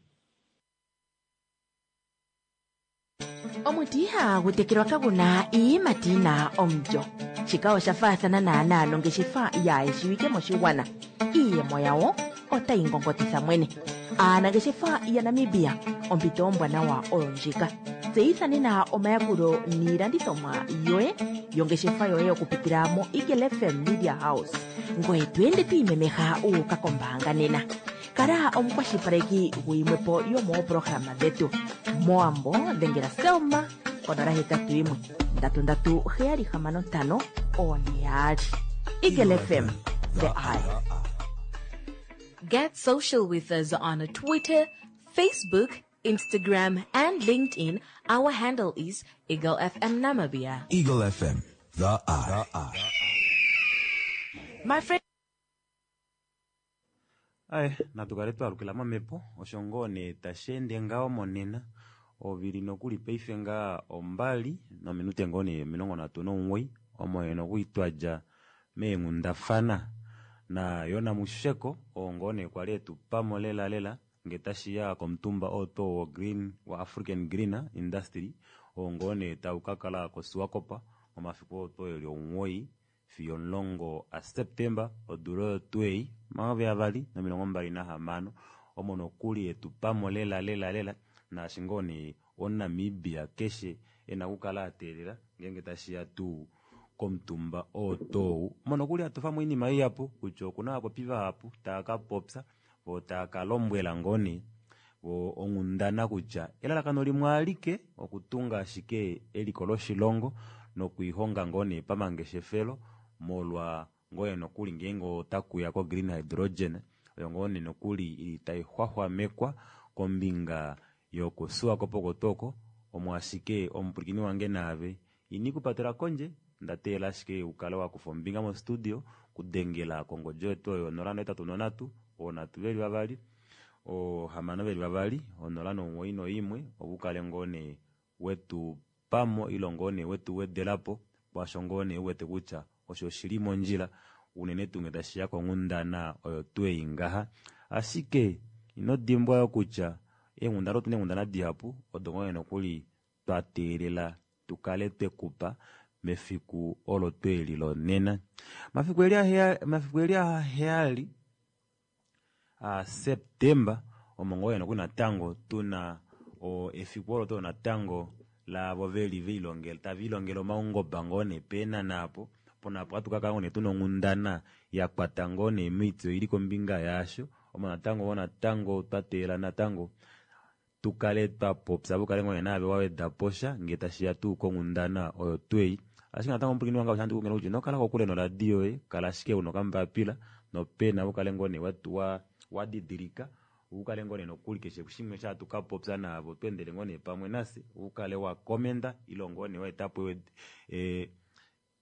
Omuti ihagu tekelwa kaguna iiyimati yina omulyo. Shika osha faathana naanaa nongeshefa yaayeshiwike moshigwana. Iiyemo yawo otayi ngongotitha mwene. Aanangeshefa yaNamibia, ompito ombwanawa oyo ndjika. Tseyitha nena omayakulo niilandithomwa yoye yongeshefa yoye okupitila mo Eagle F M Media House. Ngoye to ende to imemeha u uka kombaanga nena. Kala omukwashilipaleki guyimwepo yomooprograma dhetu. Moambo dhengela Selma konola hetatu yimwe ndatu ndatu heyali hamano ntano one yaali. Eagle F M, the eye. Get social with us on Twitter, Facebook, Instagram, and LinkedIn. Our handle is Eagle F M Namibia. Eagle F M, the eye. My friend. Aye, natu kale twalukila momhepo osho ngoo nee tashi ende ngaho monena ovili nokuli paife ngaa ombali nominute ngoo nee omilongo nhatu nomuwoi omo yena okwiitwadja meenghundafana na Yona Musheko oo ngoo nee kwali etupamo lela lela nge tashiya komutumba oo to wo Green wa African Green Industry oo ngoo nee tau ka kala koSwakop momafiku oo to eli omuwoi fiyo omulongo aSeptemba odula oyo tuu ei omayovi avali nomilongo mbali nahamano omo nokuli etupamo lela lela lela naashi ngoo nee omuNamibia keshe ena okukala ateelela ngeenge tashiya tuu komutumba oo tou omo nokuli atufamo oinima ihapu kutya okuna ovapopi vahapu tava ka popya vo tava ka lombwela ngoo nee vo onghundana kutya elalakano limwe alike okutunga ashike eliko loshilongo nokwiihonga ngoo nee pamangeshefelo molwa ngoo nokuli ngeenge otakuya ko green hydrogen oyo ngoo nee nokuli ili tai xwaxwamekwa kombinga yokuSwakop kotoko omo ashike omupwilikini wange naave ini kupatela kondje ndateela ashike ukale wakufa ombinga mostudio kudengela kongodi yetu oyo onola nohetatu nonhatu onhatu veli vavali ohamano veli vavali onola nomuwoi noimwe opo ukale ngoo nee wetu pamo ile ngoo nee wetu wedelapo kwaasho ngoo nee uwete kutya osho shili mondjila unene tuu nge tashiya konghundana oyo tuu ei ngaha. Ashike ino dimbwa yo kutya eenghundana otuna eenghundana dihapu odo ngoo nee nokuli twa teelela tukale twekupa mefiku olo tweli lonena. Mafiku eli aheya, mafiku eli aheyali a Septemba omo ngoo nokuli natango tuna o efiku olo to natango laavo veli veilongela tava ilongele omaungoba ngoo nee peenana apo pona apo hatu kakala ngoo nee tuna onghundana ya kwata ngoo nee moityo ili kombinga yaasho omo natango ngoo natango twa teelela natango tukale twa popya vukale ngoo nee naave waweda posha ngee tashiya tuu konghundana oyo tuu ei. Ashike natango omupwilikini wange osho handi kutya ino kala kokule noradio yoye, kala ashike una okambapila nopena ukale ngoo nee wa wadidilika ukale ngoo nee nokuli keshe shimwe sha hatu ka popya naavo tweendele ngoo nee pamwe nafye ukale wa komenda ile ngoo nee waetapo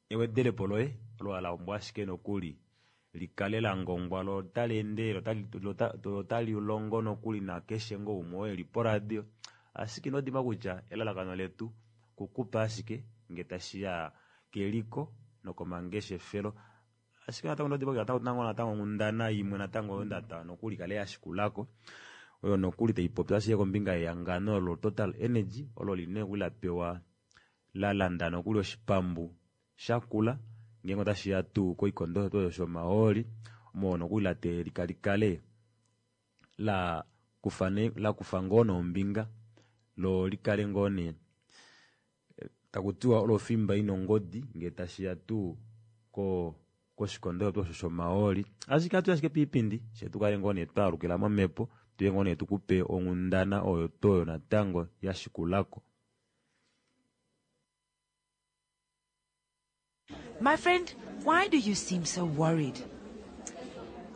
ewedelepo loye olo la pumbwa ashike nokuli likale la ngongwa lo otali endele otali longo nokuli nakeshe ngoo umwe oo eli poradio. Ashike ino dimbwa kutya elalakano letu kukupa ashike nge tashiya keliko nokomangeshefelo. Ashike natango ino dimbwa kutya natango otuna ngoo natango onghundana imwe natango oyo ndata nokuli kale yashikulako oyo nokuli taipopi ashike kombinga yehangano lo Total Energy olo lina nokuli la pewa la landa nokuli oshipambu shakula ngeenge otashiya tuu koikondo oyo shomahooli omo nokuli la teelika likale la kufa ne la kufa ngoo nombinga lo likale ngoo nee takutiwa olo fimba ina ongodi ngee tashiya tuu ko koshikondo osho shomahooli. Ashike atu ashike piipindi she tukale ngoo nee twaalukila momhepo tuye ngoo nee tukupe onghundana oyo toyo natango yashikulako. My friend, why do you seem so worried?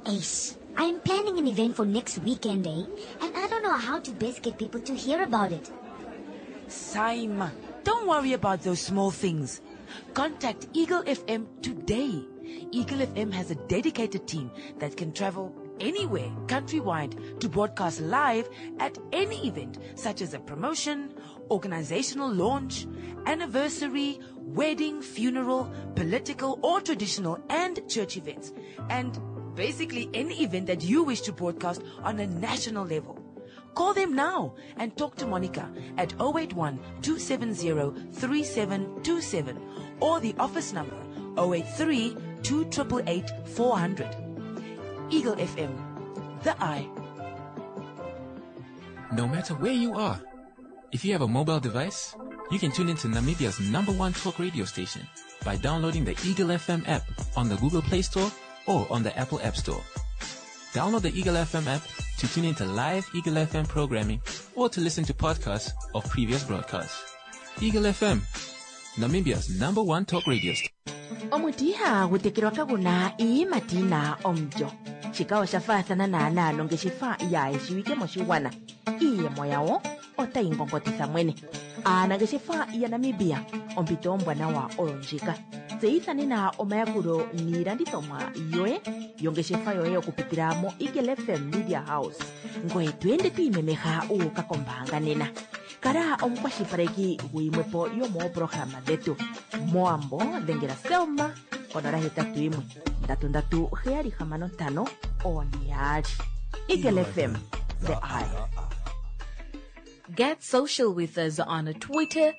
Ace, I'm planning an event for next weekend, eh? And I don't know how to best get people to hear about it. Saima, don't worry about those small things. Contact Eagle F M today. Eagle F M has a dedicated team that can travel anywhere countrywide to broadcast live at any event, such as a promotion, organizational launch, anniversary, wedding, funeral, political or traditional and church events, and basically any event that you wish to broadcast on a national level. Call them now and talk to Monica at oh eight one, two seven zero, three seven two seven or the office number oh eight three, two triple eight, four hundred. Eagle F M, the eye. No matter where you are, If you have a mobile device, you can tune into Namibia's number one talk radio station by downloading the Eagle F M app on the Google Play Store or on the Apple App Store. Download the Eagle F M app to tune into live Eagle F M programming or to listen to podcasts of previous broadcasts. Eagle F M, Namibia's number one talk radio station. Omuti ihagu tekelwa kaguna iiyimati yina omulyo. Shika osha faathana naanaa nongeshefa yaayeshiwike moshigwana. Iiyemo yawo otayi ngongotitha mwene. Aanangeshefa yaNamibia, ompito ombwanawa oyo ndjika. Tseyitha nena omayakulo niilandithomwa yoye yongeshefa yoye okupitila mo Eagle F M Media House. Ngoye to ende to imemeha u uka kombaanga nena. Kala omukwashilipaleki guyimwepo yomooprograma dhetu. Moambo dhengela Selma konola hetatu yimwe ndatu ndatu heyali hamano ntano one yaali. Eagle F M, the eye. Get social with us on Twitter,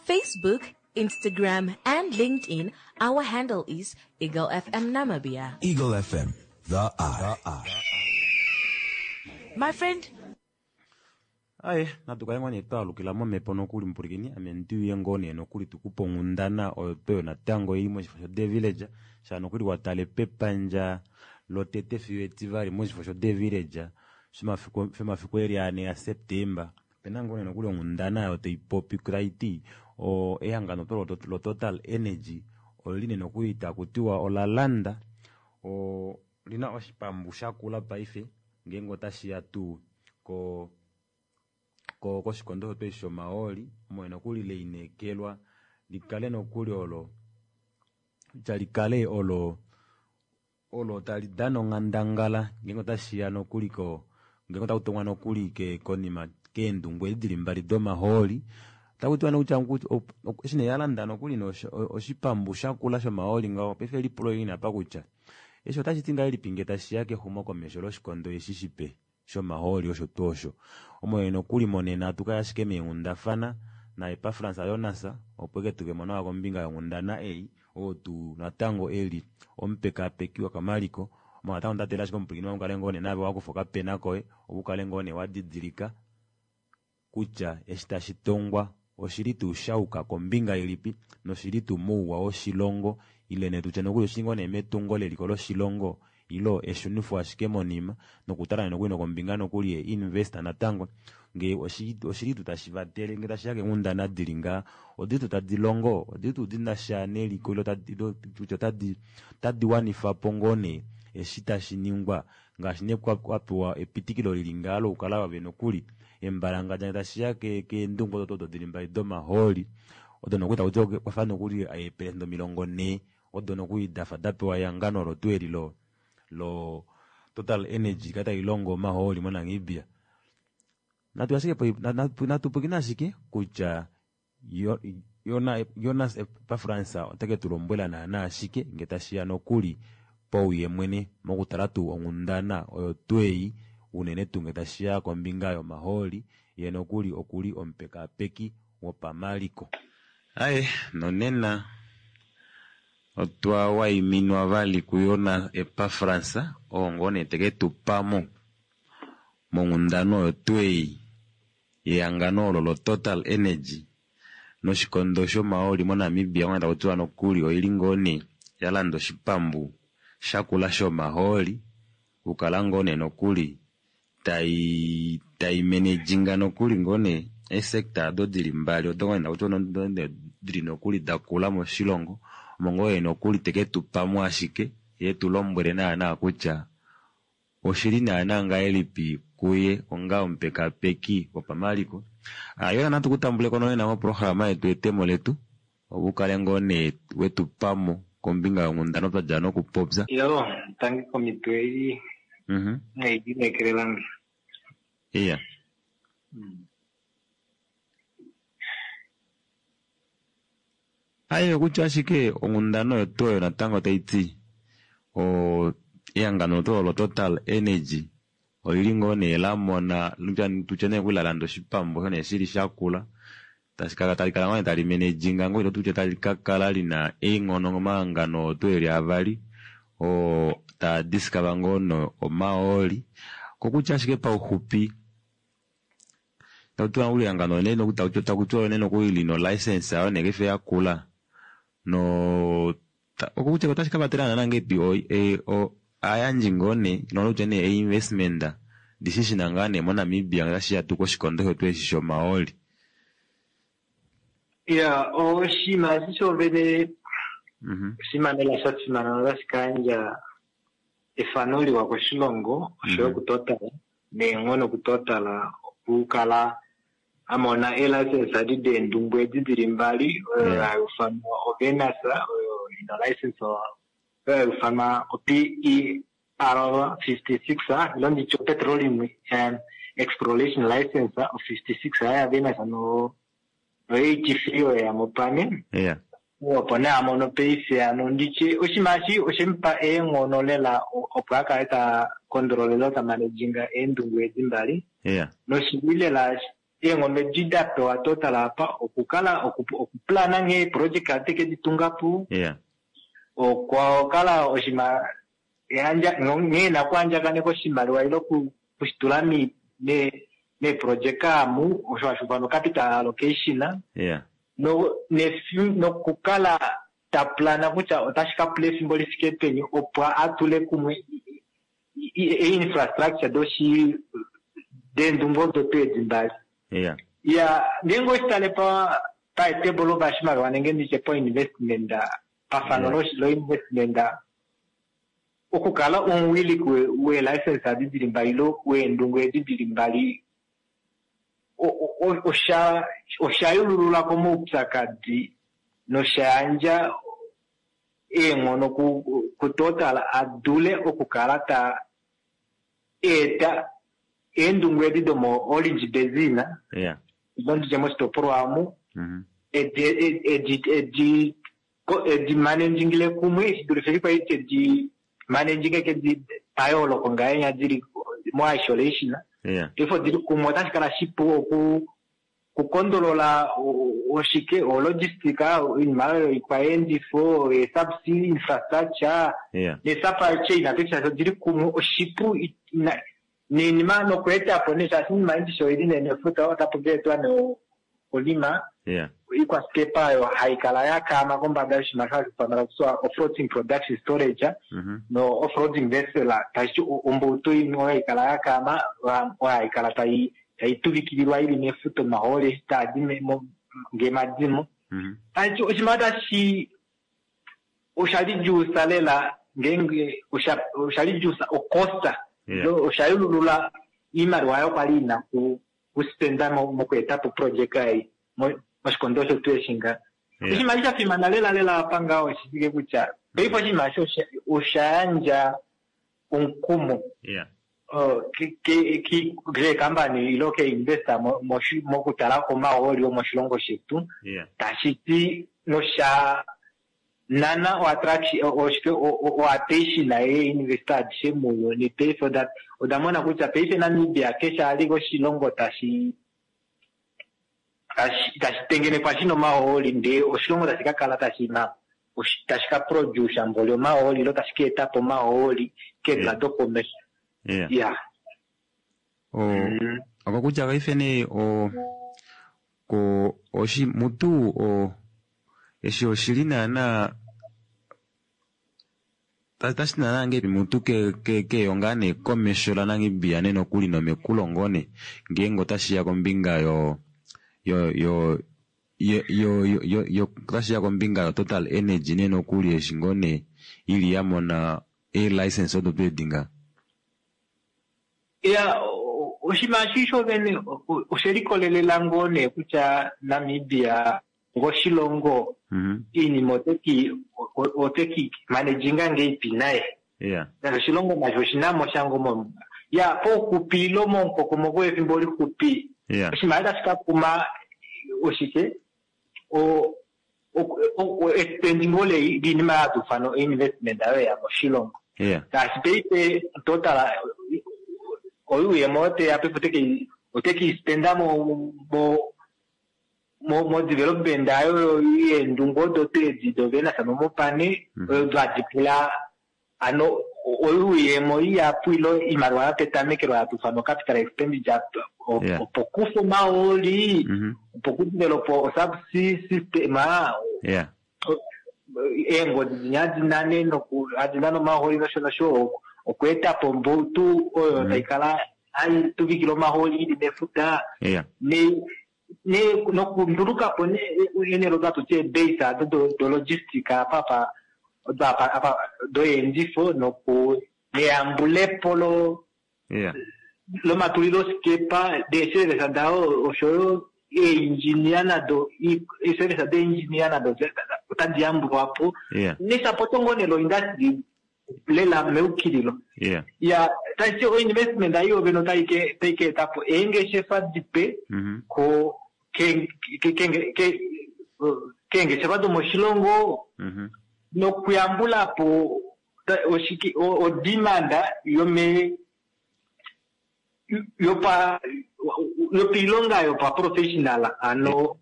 Facebook, Instagram, and LinkedIn. Our handle is Eagle F M Namibia. Eagle F M, the eye. My friend. Aye, natu kale ngoo nee twalukila momhepo nokuli mupulikini, ame ndiuye ngoo nee nokuli tukupe onghundana oyo tweyo natango ili moshifo sho The Village, sha nokuli watale pepandja lotete fiyo etivali moshifo sho The Village, shomafiku, shomafiku eli ane ya September. Pena ngoo nee nokuli onghundana oyo taipopi taiti, o ehangano to lo, lo Total Energy oli ne nokuli takutiwa ola landa, o lina oshipambu shakula paife ngeenge otashi ya tuu ko, ko, koshikondo shope shomahooli, omo nokuli leinekelwa likale nokuli olo, kutya likale olo, olo tali dana onghandangala ngeenge otashi ya nokuli ko, ngeenge otaku tongwa nokuli ke, konima keendungu edi dili mbali domahooli. Otaku tiwa nokutya ngu-, op-, op-, eshi nee yalanda nokuli nosho-, o-, oshipambu shakula shomahooli ngaho, paife lipulo lili napa kutya eshi otashi ti ngahelipi nge tashi ya kexumokomesho loshikondo eshi shipe shomahooli osho tuu osho. Omo nokuli monena atu kaya ashike meenghundafana naEpafras Jonas, opo eke tuke mo nawa kombinga yonghundana ei, oo tuu natango eli omupekapeki wokamaliko. Omo natango ndatela ashike omupwilikini wangu kale ngoo nee nave wakufa okapena koye, opo ukale ngoo nee wa didilika kutya eshi tashi tongwa oshili tuu shauka kombinga ilipi, noshili tuu mouwa woshilongo, ile nee tutye nokuli oshili ngoo nee metungo leliko loshilongo, ilo eshunifo ashike monima, nokutala nokuli nokombinga nokuli ye investor natango, nge oshi-, oshili tuu tashi vatele, nge tashi ya keenghundana dili ngaa, odili tuu tadi longo, odili tuu dina sha neliko, ilo tadi, ilo tutye otadi, otadi wanifa po ngoo nee eshi tashi ningwa, ngaashi nee kwa-, kwa pewa epitikilo lili ngaa lokukala wave nokuli embalanga dja tashi ya ke-, keendungu odo odo dili mbali domahooli, odo nokuli taku tiwa kwa fa nokuli eepelesenda omilongo nhee, odo nokuli dafa da pewa ehangano olo tuu eli lo, lo Total Energy ka tai longo omahooli moNamibia. Natu ashike po, na, na, natu pwilikine ashike kutya yo, Yona, Jonas Epafras otake tu lombwela naana ashike nge tashi ya nokuli pauye mwene mokutala tuu onghundana oyo tuu ei, unene tuu nge tashi ya kombinga yomahooli, ye nokuli okuli omupekapeki wopamaliko. Aye, nonena otwa waiminwa vali kuYona Epafras, oo ngoo nee teke tu pamo monghundana oyo tuu ei yehangano olo lo Total Energy noshikondo shomahooli moNamibia, onga taku tiwa nokuli oili ngoo nee ya landa oshipambu shakula shomahooli, kukala ngoo nee nokuli tai, tai managing nokuli ngoo nee eesector ado dili mbali, odo ngoo nee taku tiwa no-, no-, dili nokuli dakula moshilongo, omo ngoo nee nokuli teke tu pamo ashike, ye tu lombwele naana kutya oshili naana ngahelipi kuye onga omupekapeki wopamaliko. Ah, yona natu kutambule kono nena moprograma yetu etemo letu, opo ukale ngoo nee wetu pamo kombinga yonghundana twa dja nokupopya. Yo, tangi komitwe ei. Mhm. Nei dinekerelange. Iya. Mm. Aye, kutya ashike onghundana oyo tuu oyo natango tai ti, o, ehangano tuu olo Total Energy olili ngoo nee la mona, lutya, tutye nee kuli la landa oshipambu osho nee shili shakula, tashi kala tali kala ngoo nee tali managing ngoo, ilo tutye tali ka kala lina eenghono momahangano oo tuu eli avali, oo taa discover ngoo no omahooli. Kokutya ashike pauxupi, Tautiwa nokuli ehangano nee takutiwa nee nokuli lina olicense yayo nee paife yakula no okutya otashi kavatela naana ngahelipi ovayandji ngoo nee nokutya nee einvestment dishishina ngaa nee moNamibia otashiya tuu koshikondo shetu eshi shomahooli. Ya, oshinima eshi shovene oshinima lela sha fimana notashi ka yandja efano liwa koshilongo oshoyo kuTotal neenghono kuTotal okukala amona elicense adi deendungu edi dili mbali oyo haiufanwa oVenus oyo ina license oyo haiufanwa o P E R fifty six ilo nditye petroleum exploration license o fifty six ya Venus no eighty three oyo yamopane. Opo nee amono paife ano nditye oshinima eshi oshemupa eenghono lela opo akale ta kondolole ta manejinga eendungu edi mbali. Noshili lela eenghono edi da pewa Total apa okukala okuplana nghee eeproject teke ditungapo. Okwakala oshinima nghee ena okuandjakaneka oshimaliwa ile okushitula meeproject amu osho hashi ufanwa capital allocation. Nokukala ta plana kutya otashi ka pula efimbo lifike peni opo atule kumwe infrastructure doshi deendungu odo tuu edi mbali. Ya, ngeenge oshitale pa paetebo lopashimaliwa nenge nditye po investment pafano lo investment okukala omuwiliki weelicense adi dili mbali ilo weendungu edi dili mbali osha oshayululula komaupyakadi nosha yandja eenghono kuTotal adule okukala ta eta eendungu edi domo Orange Basin ilo nditye moshitopolwa amu edi edi edi managingile kumwe shidulife kwali tedi managing kedi payooloko ngahenya dili mo isolation. Paife odili kumwe otashi kala shipu oku kukondolola oshike ologistic oinima oyo ikwaendifo esubsea infrastructure nesupply chain apeshe shaashi odili kumwe oshipu noinima nokweetapo nee shaashi oinima indisho oili nee nefuta otapu keetwa nee olima ikwaskepa oyo haikala yakaama kombada yoshinima sho hashi ufanwa kutya offroading production storage no offroading vessel tashi ombautu imwe oyo haikala yakaama oyo haikala tai taituvikililwa ili mefuta omahooli eshi taadi ngeemadimo. Tashi oshinima tashi oshali juusa lela ngeenge oshali juusa ocosta oshayululula iimaliwa oyo kwali ina kuspenda mokweetapo project ei moshikondo osho tuu eshi nga. Oshinima sha fimana lela lela apa ngaho oshishike kutya paife oshinima eshi osha yandja omukumo keekambani ilo keinvesta mokutala komahooli omoshilongo shetu tashi ti nosha nana oattention yeinvesta adishe muuyuni. Paife oda mona kutya paife Namibia keshe ali oshilongo tashi tashi tengenekwa shina omahooli ndee oshilongo tashi ka kala tashina tashi ka produce mboli omahooli ilo tashi ka etapo omahooli keedula dokomesho. Ya. Okokutya paife nee o ko oshi mutu o eshi oshili naana tashi naana ngahelipi mutu keyo ngaa nee komesho laNamibia nee nokuli nomekulo ngoo nee ngeenge otashiya kombinga yo yo yo yo yo yo otashiya kombinga yo Total Energy nee nokuli eshi ngoo nee ili yamona eelicense odo tuu edi nga. Ya, oshinima eshi shovene oshelikolelela ngoo nee kutya Namibia ngoshilongo iinima oteki oteki manejinga ngeipi naye. Oshilongo nasho oshinamo shango mo ya pouxupi ilo momukokomoko wefimbo lixupi oshinima tashi ka kuma oshike o espendingo liinima yatufano investment ayo ya moshilongo. Ngaashi paife Total oyuuyemo oteya paife oteke otekispenda mo mo mo development ayo yeendungu odo tuu edi doVenus nomopane oyo hadi pula ano oyuuyemo ihapu ilo iimaliwa yopetamekelo hatu ithana capital expenditure Yeah. opo kufa omahooli Mhm. opo kudevelopa osubsea system Yeah. eengodi dinya hadi nane noku hadi nane omahooli nosho nosho okweetapo ombautu oyo Mhm. taikala hayi tuvikile omahooli ili mefuta Yeah. ne ne nokundulukapo enelo tatuti ebase ado do, do logistic apa pa do apa apa doyendifo noku neyambulepo lo Yeah. lomatulilosikepa deeservice dawo oshoyo eengineer nado eeservice deengineer nado otadi yambulwapo Yeah. nesapoto ngoo nelo industry lela meukililo Yeah. ya tashi oinvestment ayi yovene otayi ke tayi ka etapo eengeshefa dipe Mhm. ko ke ke ke ke keengeshefa domoshilongo Mhm. nokuyambulapo ta- oshiki o- odemand yome yopa yopiilonga yopaprofessional ano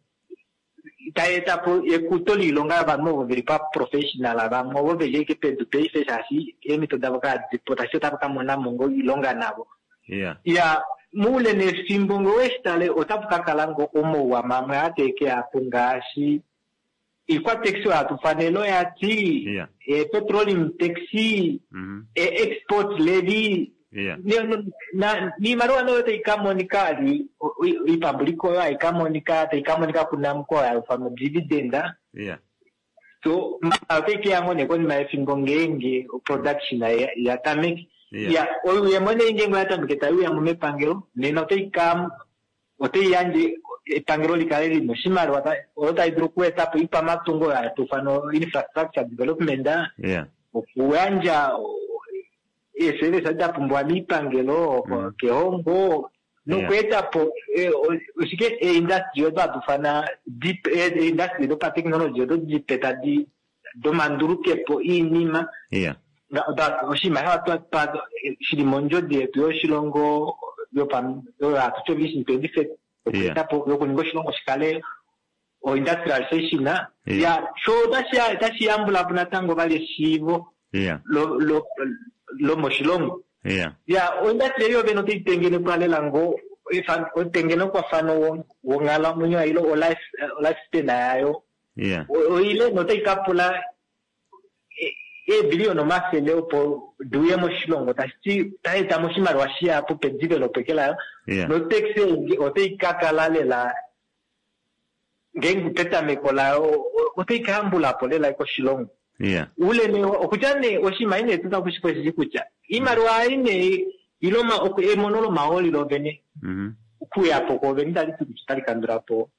tayi etapo ekuto liilonga yovanhu ovo veli paprofessional vamwe ovo veli ashike pedu paife shaashi eemhito davo kadipo tashi otava ka monamo ngoo iilonga navo Yeah. ya muule nefimbo ngee oweshitale otapu ka kala ngo omauwa mamwe ateekeyapo ngaashi iikwataxi oyo hatu fanele oyati Yeah. e-petroleum taxi Mhm. e-export levy Yeah. Ne- no- na- niimaliwa noyo tayi ka monika ali iipambuliko oyo hayi ka monika tayi ka monika kunamko oyo hayi ithanwa dividend Yeah. so otayi keya ngo nee konima yefimbo ngeenge production ya- ya tameke Yeah. ya oyuuyemo nee ngeenge oya tameke tayi uyamo mepangelo nena otayi ka otayi yandje epangelo likale lina oshimaliwa ta- oyo tayi dulu okuetapo iipamatungo oyo hatu ithana infrastructure development Yeah. okuyandja eeservice da pumbiwa miipangelo Mm. kehongo nokweetapo eh, o- oshike eindustry odo hatu ithana deep eindustry dopatechnology odo dipe tadi domandulukepo iinima Yeah. Nga- oda- oshinima sha twa- twa- shili mondjodi yetu yoshilongo yopa- oyo hatu ti vision twenty thirty okweetapo yokuninga oshilongo shikale oindustrialization Yeah. ya sho otashi otashi yambulapo natango vali eshiivo Yeah. lo- lo- lomoshilongo Yeah. ya oindustry eyo vene otayi tengenekwa lela ngo ifa- otengenekwafano wo- wonghalamwenyo ilo olife lifespan yayo Yeah. O- oile notayi ka pula e- eebiliyona omafele opo diuye moshilongo tashiti tashi etamo oshimaliwa shihapu pedevelopeke layo Yeah. notax otayi ka kala lela ngeenge petameko layo o- otayi ka yambulapo lela koshilongo Yeah. ule ne okutya nee oshinima ine tuna kushikweshishi kutya iimaliwa ayi nee ilo oma- oku- emono lomahooli lovene Mhm. okuyapo kovene itali ti kutya otali kandulapo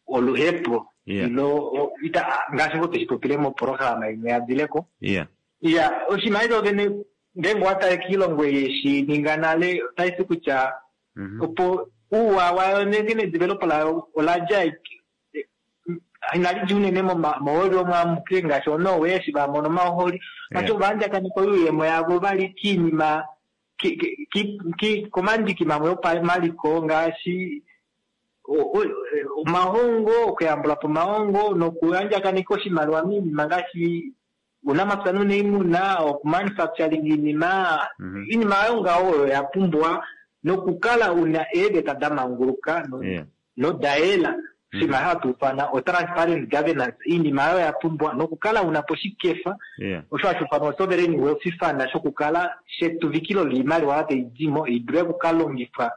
oluhepo Yeah. ilo o- ita- ngaashi ngo tweshi popile moprograma imwe ya dileko Yeah. ya oshinima eshi ovene ngeenge owatale kiilongo yeshi ninga nale otashi ti kutya Mhm. opo uuwa wayo nenge nedevelopo layo oladja inali dja unene momahooli omwamuke ngaashi oNorway eshi vamona omahooli Yeah. ati ovanjakaneka oyuuyemo yavo vali kiinima ki- ki- ki- ki- komandiki mamwe opamaliko ngaashi o- o- omahongo okuyambulapo omahongo nokuyandjakaneka oshimaliwa miinima ngaashi uunamapya nuuniimuna okumanufacturing iinima Mhm. iinima ayo ngaho oyo ya pumbiwa nokukala una eeveta da manguluka no- Yeah. nodayela oshinima hatu ithana o-transparent governance iinima ayo ya pumbiwa nokukala unapo oshikefa Yeah. osho hashi ithanwa sovereign wealth fund shokukala shetuvikilo liimaliwa tayi dimo idule okukalongifwa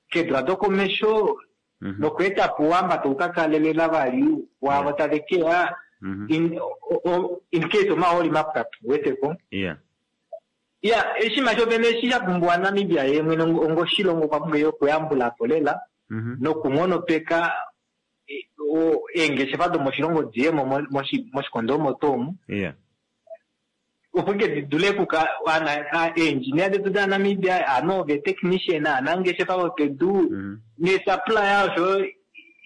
keedula dokomesho Mhm. nokweetapo ouhamba tau ka kalelela vali waavo tave keya Mhm. in, o, o, in case omahooli mapwapo weteko Yeah. ya oshinima shovene eshi sha pumbiwa Namibia ye mwene ongo oshilongo okwa pumbwa okuyambulapo lela Mhm. nokunghonopeka e- o- eengeshefa domoshilongo diyemo mo- moshi- moshikondo omo tuu omu Yeah. opo ke di dule okuka ana- eengineer detu daNamibia ano ovetechnician aanangeshefa vopedu Mhm. nesupplier oshoyo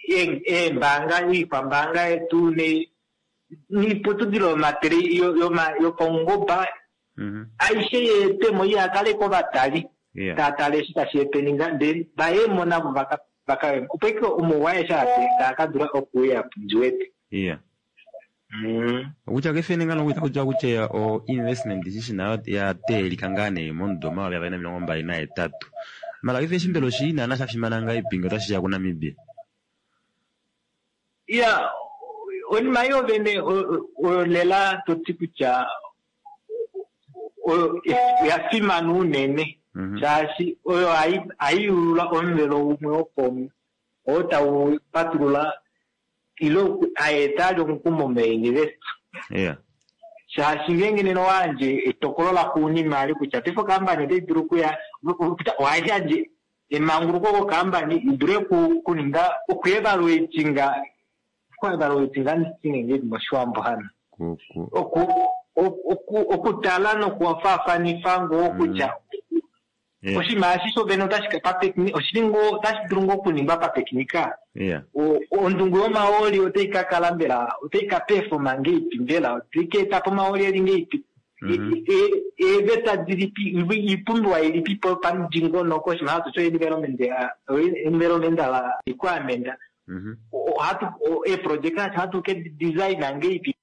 ee- eembaanga iikwambaanga yetu ne niiputudhilo yomatele yo- yoma- yopaungomba Mhm. aishe yeetemo ihakale kovatali Yeah. taatale eshi tashi epeninga ndele vayemo navo vaka vaka opo ike omauwa aeshe aa taa ka dula okuuya ndiwete Yeah. Okutya kefene ngano kuita kutya kutya o investment shishi nayo ya teelika ngaa nee momudo omayovi avali nomilongo mbali nahetatu. Mala kefe shimbelo shi naana sha fimana ngaa ipinge otashi ya kuNamibia. Iya, onima yo vene oyo lela toti kutya oyo ya fimana unene shaashi oyo haiyulula omuvelo umwe wokomu oo tau patulula ilo aeta ali omukumo meinvest. Yeah. Shaashi ngeenge nena owayandje etokolo laxuuninwa ali kutya paife okampani otai dulu okuya ohayandje emanguluko kokampani idule okuninga okuevaluatinga okuevaluatinga nditi moshiwambo hano okutala nokufaafanifa ngoo kutya oshinima eshi shovene otashi otashi dulu ngoo okuningwa pateknika. Ondungu yomahooli otai ka kala mbela otai ka perfoma ngeipi mbela otai ka eta po omahooli eli ngeipi eeveta dilipi oipumbiwa ilipi po pamudingonoko oshinima hatu ti environmental requirement ohatu eeprojeka ohatu ke designa ngeipi.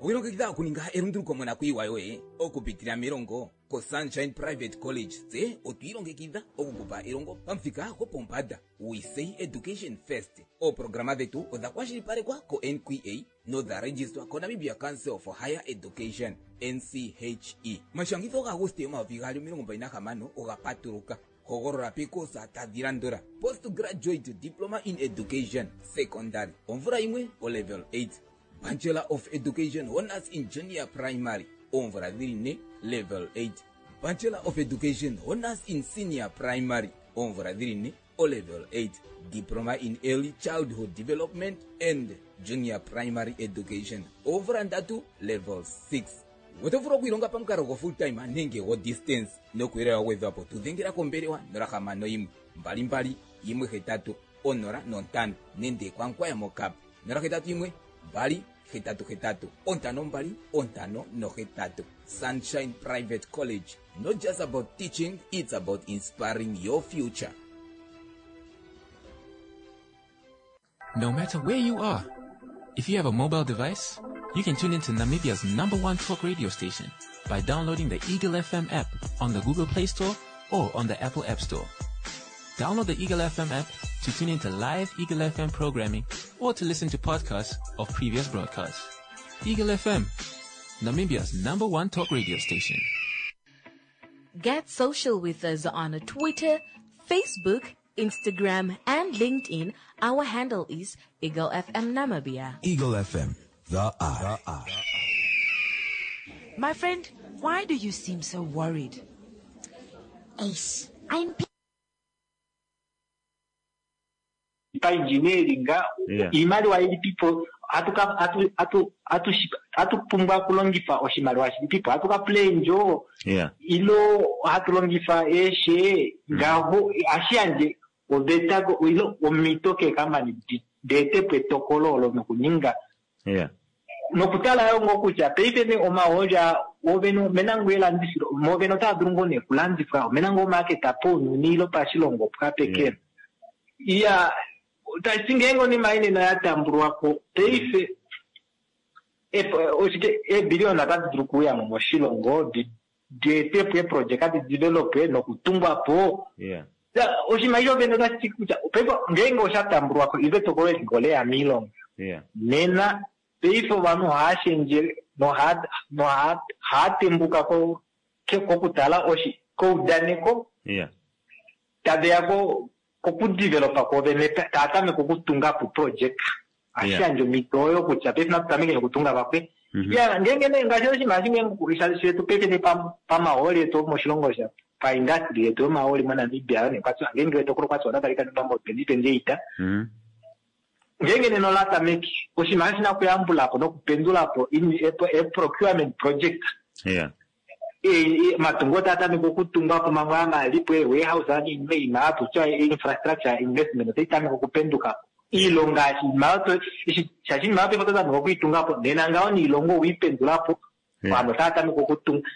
Owilongekidha okuninga elunduluko monakuyiwa yoye okupitila melongo koSunshine Private College. Tse otwiilongekidha okukupa elongo pamuthika gopombanda. We say education first. Ooprograma dhetu odha kwashilipalekwa ko-N Q A nodha registrwa koNamibia Council for Higher Education N C H E. Omashangitho gaAguste omayovi gaali omilongo mbali nahamano oga patuluka. Hogolola pekosa tadhi landula: Postgraduate Diploma in Education Secondary omvula yimwe o level eight, Bachelor of Education Honors in Junior Primary oomvula dhili ne level eight, Bachelor of Education Honors in Senior Primary oomvula dhili ne o level eight, Diploma in Early Childhood Development and Junior Primary Education oomvula ndatu level six. Oto vulu okwiilonga pamukalo go full time nenge go distance nokuyelelwa gwedhwapo tu dhengela kombelewa nola hamano yimwe mbali mbali yimwe hetatu onola nontano nenge kwankwaya mokap nola hetatu yimwe mbali hetatu hetatu ontano mbali ontano nohetatu. Sunshine Private College, not just about teaching, it's about inspiring your future. No matter where you are, if you have a mobile device, you can tune into Namibia's number one talk radio station by downloading the Eagle F M app on the Google Play Store or on the Apple App Store. Download the Eagle F M app to tune into live Eagle F M programming or to listen to podcasts of previous broadcasts. Eagle F M, Namibia's number one talk radio station. Get social with us on Twitter, Facebook, Instagram, and LinkedIn. Our handle is Eagle F M Namibia. Eagle F M, the eye. The eye. My friend, why do you seem so worried? Ace, I'm pa engineering, iimaliwa ilipipo, atuka, atu, atu, atu, atu pumbwa okulongifa oshimaliwa shilipipo, atuka play njo, ilo hatulongifa eshe, ngaho, ashiyandje, oveta, ilo omito keekamani deetepo etokolo olo nokuninga. Nokutala yo ngo kutya paife ne omahooli ovene omena ngoo elandifilo, movene otaa dulu ngoo nee okulandifwa, omena ngoo market pounyuni ilo pashilongo pwapekela. Iya, tashi ngeenge onima inene ya tambulwako paife oshike eebiliona otadi dulu okuuya mo moshilongo dietepo eeprojeka di develope nokutungwa po. Oshimaliwa vene otashi ti kutya paife ngeenge osha tambulwako ile etokolo eli ngoo leya miilonga. Nena paife ovanhu ohava shendje nohava tembuka kokutala koudaneko, taveya kokudevelopa kwovene, tava tameke okutunga po project. Ashiyandje omhito oyo kutya paife natu tameke nokutunga vakwe. Ya, ngeenge nee ngaashi oshinima shimwe shetu paife nee pamahooli etu moshilongo sha pa industry yetu yomahooli moNamibia, nee kwatwa, ngeenge etokolo kwatwa otali ka ningwa mo twenty twenty-eight. Ngeenge nena ola tameke, oshinima shina okuyambula po nokupendula po e procurement project. Matungo otaa tameke okutungwa po mamwe amalipo, e warehouse niinima iinima hatutya infrastructure investment otai tameke okupenduka po. Iilonga iinima shaashi iinima paife oto tameke okuitunga po, nena ngaho niilonga owiipendula po, vanhu otaa tameke okutunga.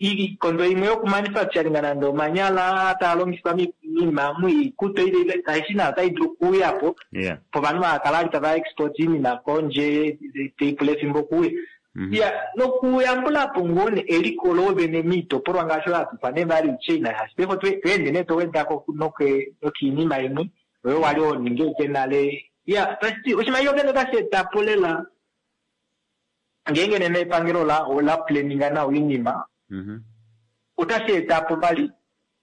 Iikondo imwe yokumanufacturing nande omanyala taa longifwa oinima oikutu aishe nayo otai dulu okuuyapo Yeah. povanhu vakala vali tava export iinima kondje taipula efimbo okuuya ya nokuyambulapo ngoo ne eliko loovene miitopolwa ngaashi oyo hatu ifana value chain shaashi paife tweende nee towedako nokiinima imwe oyo wali honingi ashike nale ya tashiti oshimaliwa vene otashi etapo lela ngeenge nena epangelo ola planninga nawa oinima otashi etapo vali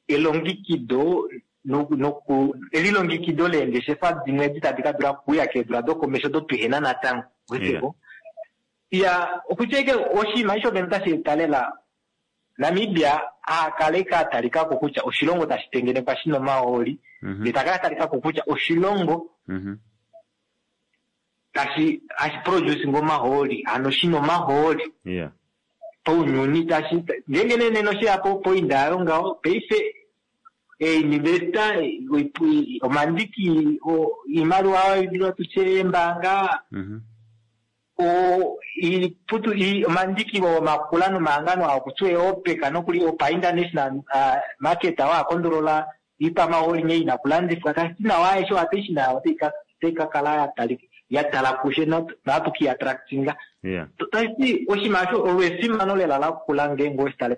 elongekido noku elilongekido leengeshefa dimwe edi tadi ka dula okuuya keedula dokomesho odo tuhena natango weteko ya okutya ashike oshinima eshi vene otashi eta lela Namibia akale katalikako kutya oshilongo tashi tengenekwa shina omahooli ndee takala atalikako kutya oshilongo tashi hashi produce omahooli hano shina omahooli Yeah. paunyuni tashi ngeenge nee nena osheya poinda yayo ngaho paife einvesta omandiki oimaliwa tutye eembaanga o iputu omandiki omakula nomahangano aa okutya eeOPEC nokuli opa international market oo akondolola iikwamahooli nghee ina okulandifwa tashiti nawa aishe ohapeshi nayo otai kakala yatala kushe nohatu kiattractinga Yeah. tashiti oshinima osho olo efimano lela lakula ngeenge oweshitale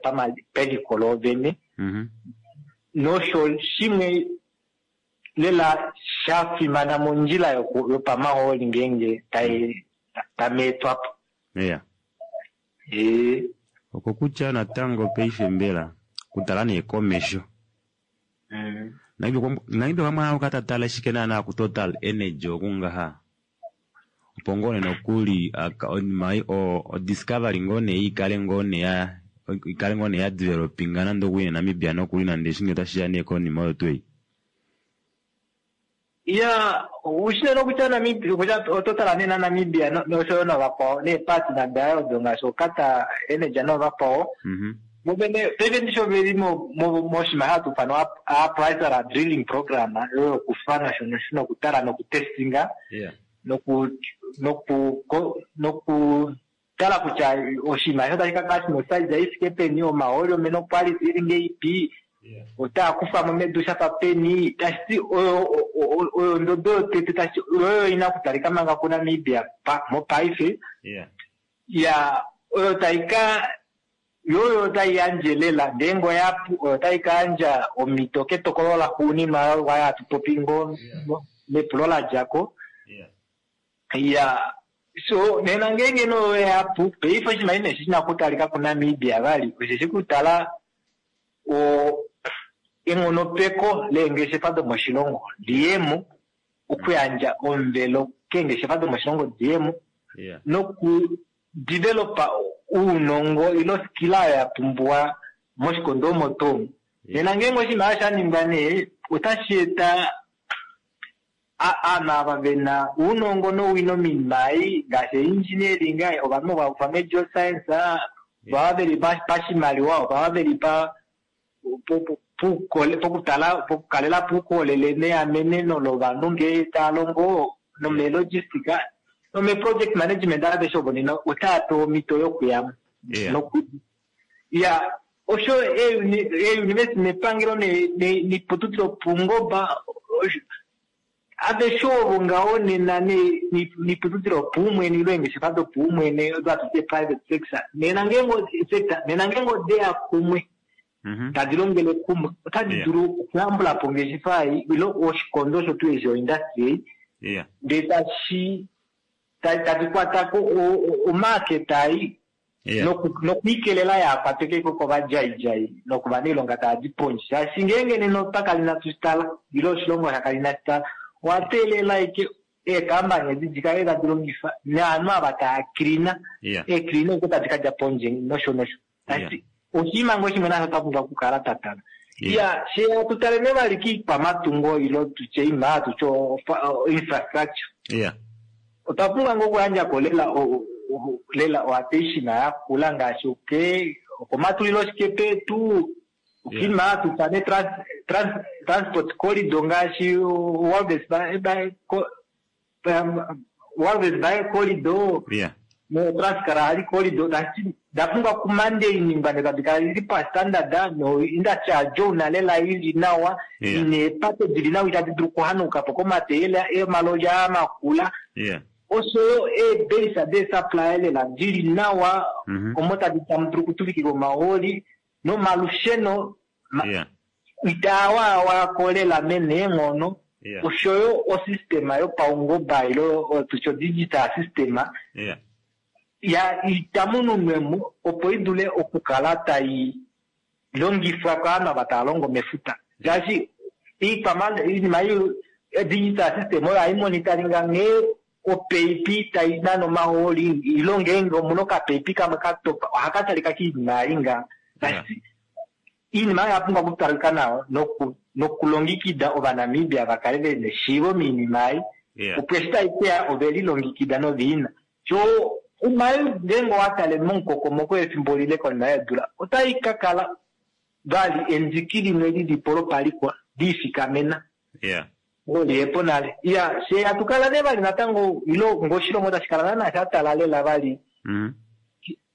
peliko loovene nosho shimwe lela shafimana mondjila yopamahooli ngeenge tameetwapo. Yeah. Ee. Okokutya natango paife mbela kutala nee komesho Namibia okwa mona okatatala ashike naana ku Total Energy okungaha opo ngoo nee nokuli oinima ei o discovery ngoo nee ikale ngoo nee ya ikale ngoo nee ya developinga nande okuli Namibia nokuli nande eshi ngee otashiya nee konima oyo tuu ei. Ya ushina nokutya Namibia kutya ototala nena Namibia noshoyo novakwao neepartner dayo odo ngaashi oQatar Energy novakwao vovene paife ndishi oveli moshinima hatu ifanwa appraisal drilling program oyo yokufa nosho nosho nokutala nokutestinga noku noku nokutala kutya oshinima eshi otashi ka kala shina osize ifike peni omahooli omena oquality ili ngeipi otaa kufamo medu shafa peni tashiti oyo oyo ondodo yotete tashiti oyo ina okutalika manga kuNamibia mopaife ya oyo taika yoyo otai yandje lela ngeenge oyapu oyo tai ka yandja omhito ketokolo laxuuninwa waya hatu popi ngoo mepulo ladjako ya so nena ngeenge nee oyo yapu paife oshinima ine shina okutalika kuNamibia vali osheshi kutala o enghonopeko leengeshefa domoshilongo liyemo okuyandja omuvelo keengeshefa domoshilongo diyemo noku developa ounongo ile oskila oyo ya pumbiwa moshikondo omo tuu nena ngeenge oshinima sha ningwa nee otashi eta aanhu ava vena ounongo nowino moinima ei ngaashi engineering ovanhu vakufa megeoscience ovava veli pashimaliwa ovava veli pa pokutala pokukalela poukolele neameneno lovanhu ngee tava longo nomelogistic nomeproject management aveshe ovo nena otava pewa omhito yokuyamo noku ya osho eeuniversity nepangelo noiputudilo yopaungoba aveshe ovo ngaho nena noiputudilo yopaumwene ile eengeshefa dopaumwene odo hatu ti private sector nena ngeenge sector nena ngeenge odeya kumwe tadi longele kumwe otadi dulu okuyambulapo ongeshefa ei ile oshikondo osho tuu eshi oindustry ei ndee tashi tadi kwatako omarket ei nokwiikelela yaakwatwekeko kovadjaidjai nokovanailonga tava di pondje shaashi ngeenge nena otwa kala inatu shitala ile oshilongo shakala inashi tala owa teelela ashike eekambani edi dikale tadi longifa naanhu ava tava cleana eecleana oko tadi kadja pondje nosho nosho tashiti oshinima ngoo shimwe nasho twa pumbwa okukala twa tala ya she hatu tale nee vali kiikwamatungo ile tutye oinima hatu ti infrastructure otwa pumbwa ngoo okuyandjako lela lela oattention yakula ngaashi oke okomatulilo shikepa etu okiinima hatu ifana transport corridor ngaashi Walvis Bay Walvis Bay corridor No Trans-Kalahari Corridor tashi da pumbwa kumandainingwa tadi kala dili pastandard no industry yajouna lela ili nawa Yeah. ine eepate dili nawa itadi dulu okuhanuka po komateyela emaloli aa makula Yeah. oshoyo eebase deesupply lela dili nawa Mhm. omo tadi tamu dulu okutuvikila omahooli nomalusheno ma- Yeah. itaawaawako lela mene eenghono Yeah. oshoyo osystema yopaungoba ilo tutye digital system Yeah. ya itamununwemo opo idule okukala tai longifwa kaanhu ava tava longo mefuta shaashi iikwama iinima ei digital system oyo haimonitaringa nghee opeipi tai nana omahooli ilo ngeenge omuna okapeipi kamwe katopa ohaka talika kiinima ei nga Yeah. iinima oyo oya pumbwa okutalika nawa noku nokulongekida ovanamibia vakale vena eshiivo miinima ei Yeah. opo eshi taikeya ovelilongekida noviina so iinima ei ngeenge owatale momukokomoko efimbo lile konima yeedula otai kakala vali endiki limwe lilipo lopalikwa liifikamena Yeah. oliyepo nale iya fye hatukala nee vali natango ilo ngoshilongo tashi kala naana shatala lela vali Mhm.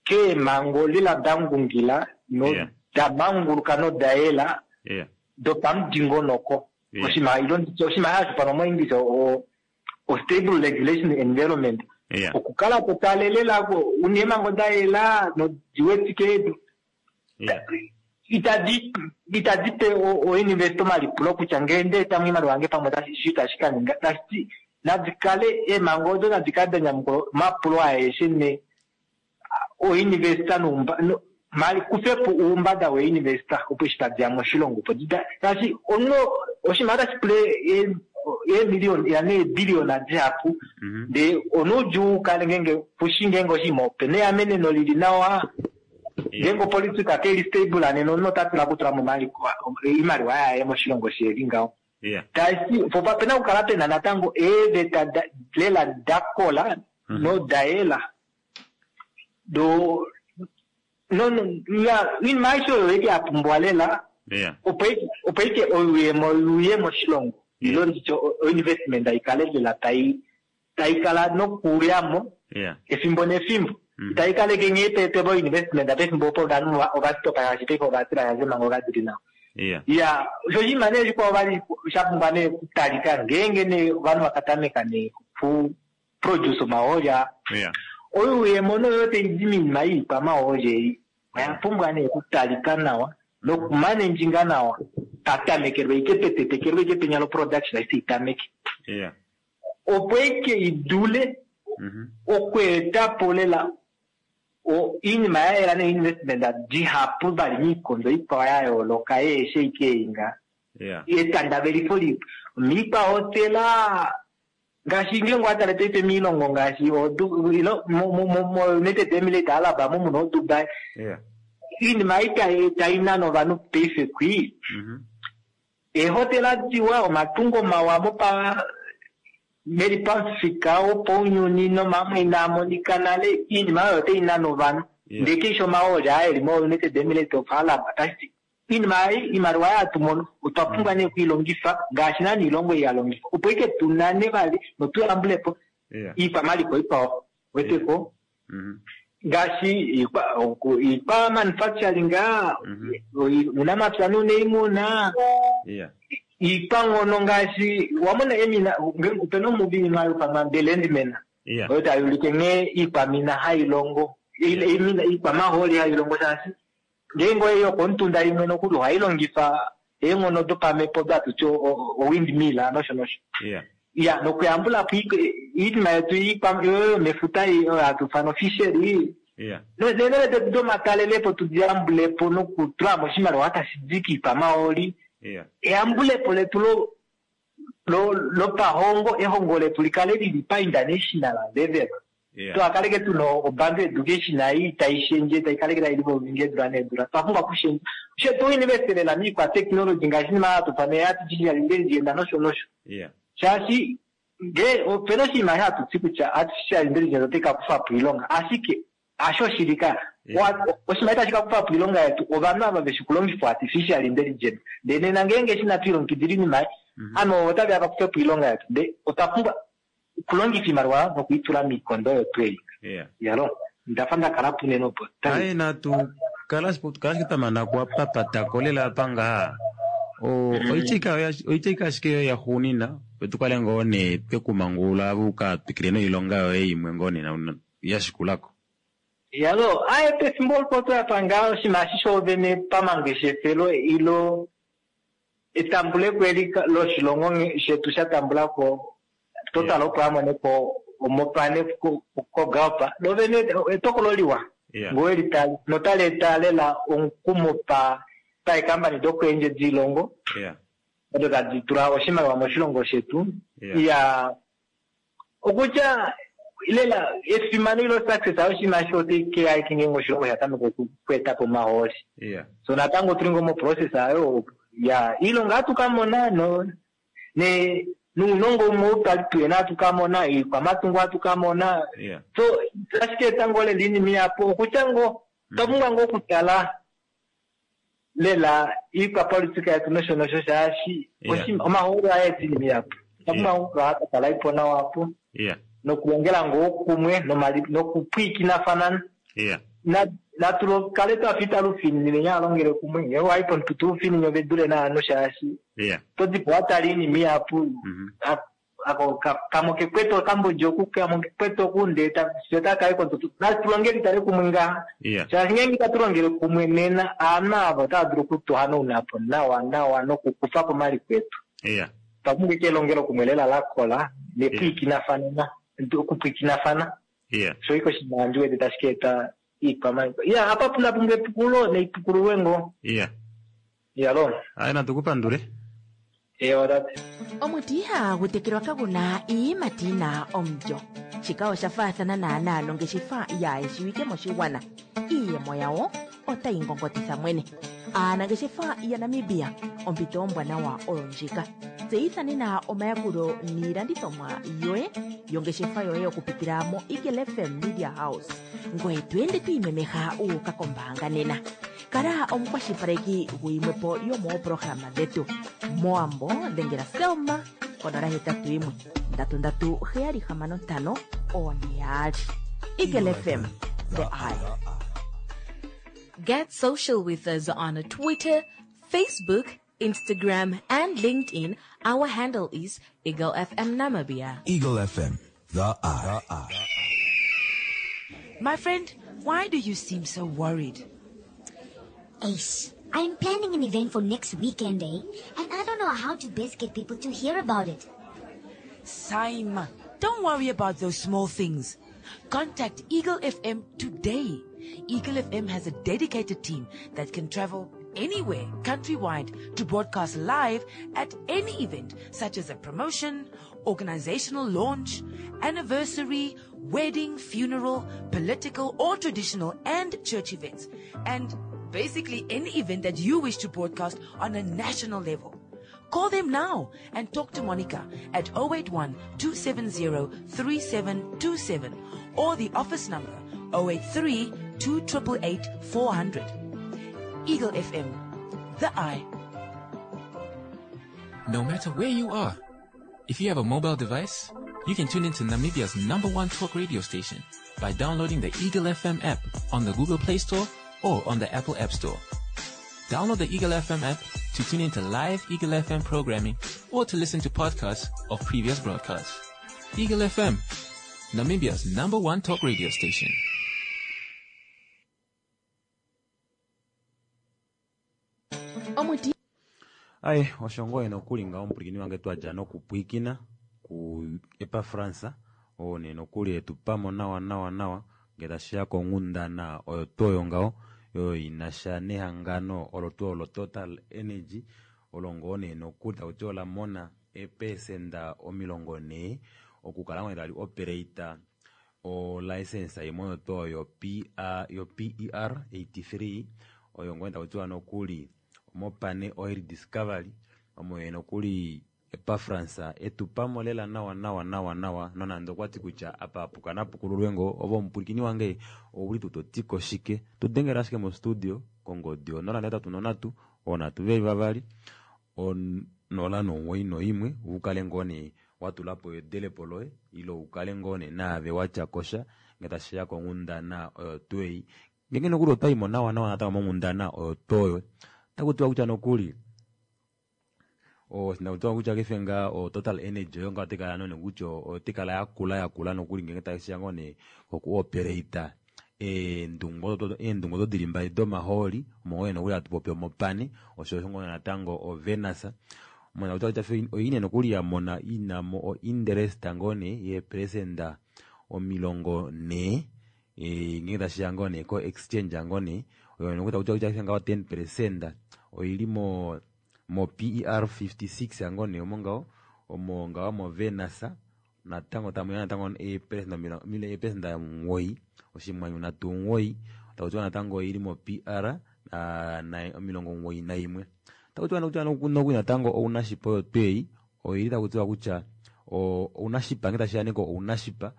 keemhango lela dangungila no Yeah. damanguluka nodayela Yeah. dopamudingonoko Yeah. oshinima ilo nditye oshinima hashi moenglish o o stable regulation environment Yeah. okukala totalelela una eemhango dayela nodiwetike Yeah. itadi itadi pe oinvest omalipulo kutya ngee ndeetamu iimaliwa yange pamwe tashi shi tashi kaninga tashiti nadikale eemhango odo nadikale danyamukula omapulo aeshe ne oinvesta noumba no- mali kufepo uumbada weeinvesta opo eshi tadiya moshilongo opo dida shaashi omunhu oshinima otashi pula ee- eemiliyoni ya neebiliyona dihapu Mhm. ndee onuudjuu ukale ngeenge kushi ngeenge oshinima opena eameneno lili nawa ngeenge opolitika keli stable nena omunhu ota tula okutula mo oimaliwa yaye moshilongo sheli ngaho Yeah. tashi po pena okukala pena natango eeveta da- lela dakola Mhm. nodayela do no no ya iinima aishe oyo eke yapumbwa lela Yeah. opo ike- opo ike oyuuyemo yuuye moshilongo Yeah. ilo nditye o- oinvestment aikale lela tai taikala nokuyamo Yeah. efimbo nefimbo Mhm. itaikaleke nghee peeteva oinvestment pefimbo opo ovanhu ova- ovatopa shaashi paife ovatila shaashi eemhango kadili nawa Yeah. ya osho oshinima nee shikwao vali sha pumbwa nee okutalika ngeenge nee ovanhu vakatameka nee oku produce omahooli aa Yeah. oyuuyemo noyo taidi miinima yiikwamahooli ei oya pumbwa nee okutalika nawa nokumanenjinga nawa patamekelwe ike petetekelwe ike penya loproduction aise itameke Yeah. opo ike idule Mhm. okweetapo lela o- iinima ya yela neinvestment dihapu vali miikondo ikwao ya yooloka yeeshe ike einga Yeah. etandavelifo li miikwahotela ngaashi ngeenge owatale paife miilongo ngaashi odu- ilo mo- mo- mo- mo United Emirates Arab mo muna oDubai Yeah. iinima ei tai- tainana ovanhu paife kwii Mhm. eehotela diwa omatungo mawa mopa meli pamufika wopaunyuni nomamwe inaa monika nale iinima oyo otainana ovanhu Yeah. ndee keisho omahooli aa eli mo United Emirates of Arab tashiti iinima ei iimaliwa ei hatu mono otwa pumbwa nee okuilongifa ngaashi naana iilongo ei ya longifa opo ike tunane vali notuyambulepo Yeah. iikwamaliko ikwao weteko Mhm. ngaashi iikwa oku- iikwa manufacturing aa, Mhm. uunamapya nuuniimuna Yeah. iikwanghono ngaashi wamona emina nge- opena omuvi imwe hayi ithanwa The Landman Yeah. oyo tayi ulike nghee iikwamina hayi longo ile- imina- iikwamahooli hayi longo shaashi ngeenge oyeyi yokomutunda imwe nokuli ohayi longifa eenghono dopamhepo datuti owindmill nosho nosho Yeah. ya nokuyambulapo iik- iinima yetu iikwa- yoyo yomefuta ei oyo hatu ifana ofishery Yeah. neenele detu domatalelepo tudiyambulepo nokutulamo oshimaliwa tashi di kiikwamahooli Yeah. eyambulepo letu lo lo lopahongo ehongo letu likale lili pa-international level Yeah. twakaleke tuna obantu education ei tayi shendje tayi kaleke tayi livovinga eedula needula twapumbwa kushendja she tuinvestelela miikwa technology ngaashi inima hatu fana artificial intelligence nosho nosho Yeah. shaashi ngee opena oshinima hatu ti kutya artificial intelligence otayi ka kufapo iilonga ashike hasho shili ka Yeah. Wa- oshinima itashi ka kufapo iilonga yetu ovanhu ava veshi kulongifa artificial intelligence ndee nena ngeenge eshi inatu ilongekidila iinima ei Mhm. ovanhu otaveya vakufepo iilonga yetu ndee otwa pumbwa okulongifa iimaliwa nokuitula miikondo oyo tuu ei Yeah. Yalo ndafa ndakala punene opo. Aye natu kala kala ashike twamana kuwapapatako lela apa ngaha O- oityika oya- oityika ashike yoye yaxuunina opo tukale ngoo nee twekumangulula ave uka twikile noilonga yoye imwe ngoo nee na- yashikulako. Yalo aye pefimbo olupo toyapa ngaa oshinima eshi shoovene pamangeshefelo ilo etambuleko eli ka- loshilongo nge- shetu sha tambulako Total opo amoneko omopane ko- kogalpa lovene etokolo liwa Yeah. ngoo elitali notali eta lela omukumo pa paekambani dokuendje dilongo Yeah. odo tadi tula oshimaliwa moshilongo shetu. Yeah. Iya okutya lela efimano ilo success oshinima eshi oteikeya ashike ngeenge oshilongo sha tameka okweetapo omahooli. Yeah. So natango tuli ngoo moprocess ayo ya iilonga ohatu kamona no ne nuunongo umwe ou twali tuyena ohatu kamona iikwamatungo ohatu kamona. Yeah. So ashike etango lela iinima ihapu okutya ngoo otwa pumbwa ngoo okutala lela iikwapolitika yetu nosho nosho shaashi Yeah. oshi- omahooli ohaeta iinima ihapu otwa pumbwa ngoo okukala twa tala ipo nawa apo Yeah. nokulongela ngoo kumwe nomali nokupwiikinafana. Yeah. Na- natu kale twafa italufininine nyaalongele kumwe ngee wayi pomutu tuufinine ove dule naanhu shaashi Yeah. todipo watala iinima ihapu Mhm. a- ako ka- kamwe kekwete okambodja oku kamwe kekwete oku ndee ta- fiyo takayi kontutu natulongeli tale kumwe ngaha Yeah. shaashi ngeenge itatu longele kumwe nena aanhu ava otava dulu okutuhanauna po nawa nawa nokukufa po omaliko etu. Yeah. Otwa pumbwa ashike elongelo kumwe lela lakola nepwiikinafanena okupwiikinafana. Yeah. Sho ike oshinima handi wete tashi ka eta iikwamaliko iya apa puna pumbwa epukululo naipukululwe ngoo. Yeah. Iyalo. Aye natu kupandule. Ewa tate. Omuti ihagu tekelwa kaguna iiyimati yina omulyo. Shika osha faathana naanaa nongeshefa yaayeshiwike moshigwana. Iiyemo yawo otayi ngongotitha mwene. Aanangeshefa yaNamibia, ompito ombwanawa oyo ndjika. Tseyitha nena omayakulo niilandithomwa yoye yongeshefa yoye okupitila mo Eagle F M Media House. Ngoye to ende to imemeha wu uka kombaanga nena. Kala omukwashilipaleki guyimwepo yomooprograma dhetu. Mowambo dhengela Selma konola hetatu yimwe ndatu ndatu heyali hamano ntano one yaali. Eagle F M, the eye. Get social with us on Twitter, Facebook, Instagram, and LinkedIn. Our handle is Eagle F M Namibia. Eagle F M, the eye. My friend, why do you seem so worried? Ace, I'm planning an event for next weekend, eh? And I don't know how to best get people to hear about it. Saima, don't worry about those small things. Contact Eagle F M today. Eagle F M has a dedicated team that can travel anywhere countrywide to broadcast live at any event, such as a promotion, organizational launch, anniversary, wedding, funeral, political or traditional and church events, and basically any event that you wish to broadcast on a national level. Call them now and talk to Monica at oh eight one, two seven zero, three seven two seven or the office number oh eight three, two eight eight, four hundred. Eagle F M, the eye. No matter where you are, if you have a mobile device, you can tune into Namibia's number one talk radio station by downloading the Eagle F M app on the Google Play Store or on the Apple App Store. Download the Eagle F M app to tune into live Eagle F M programming or to listen to podcasts of previous broadcasts. Eagle F M, Namibia's number one talk radio station. Omuti Aye osho ngoo nokuli ngaho omupwilikini wange twadja nokupwiikina ku Epafransa oo nee nokuli etupamo nawa nawa nawa ngee tashiya konghundana oyo tuu oyo ngaho oyo inasha nehangano olo tuu olo Total Energy olo ngoo nee nokuli takuti ola mona eepesenda omilongo nhee okukala ngoo tali operate o license imwe oyo tuu oyo P R, yo P E R eighty-three oyo ngoo takutiwa nokuli Mopane Oil Discovery omo ye nokuli Epafransa etupamo lela nawa nawa nawa nawa nonande okwati kutya apa apuka napukululwe ngoo ove omupwilikini wange ouli tuu totiko shike tudengela ashike mo studio kongodi onola netatu nonhatu onhatu veli vavali onola nomuwoi noimwe ukale ngoo nee watulapo edelepo loye ile ukale ngoo nee naave watya kosha Ngee tashiya konghundana oyo tuu ei. Ngeenge nokuli otwaimo nawa nawa natango monghundana oyo tuu oyo, otakutiwa kutya nokuli nakutiwa kutya paife ngaha o Total Energy oyo ngaho otaikala none kutya otaikala yakula yakula nokuli ngeenge tashiya ngoo nee koku operate eendungu eendungu odo dili mbali domahooli omo ngoo nokuli hatu popi omopane osho osho ngoo natango o Venus mona kutya kutya oine nokuli yamona inamo o interest ngoo nee yeeperesenda omilongo nhee ngeenge tashiya ngoo nee ko exchange ngoo nee oyo nokutya kutya ngaho ten percent oili mo mo P E R fifty six ngoo nee omo ngaho omo ngaho mo Venus natango tamuya natango eeperesenda omugoyi oshimwanyu nhatu omugoyi takutiwa natango oili mo P R omilongo omugoyi naimwe. Takutiwa nokuli natango ounashipa oyo tuu ei oili takutiwa kutya ounashipa ngee tashiya nee ko ounashipa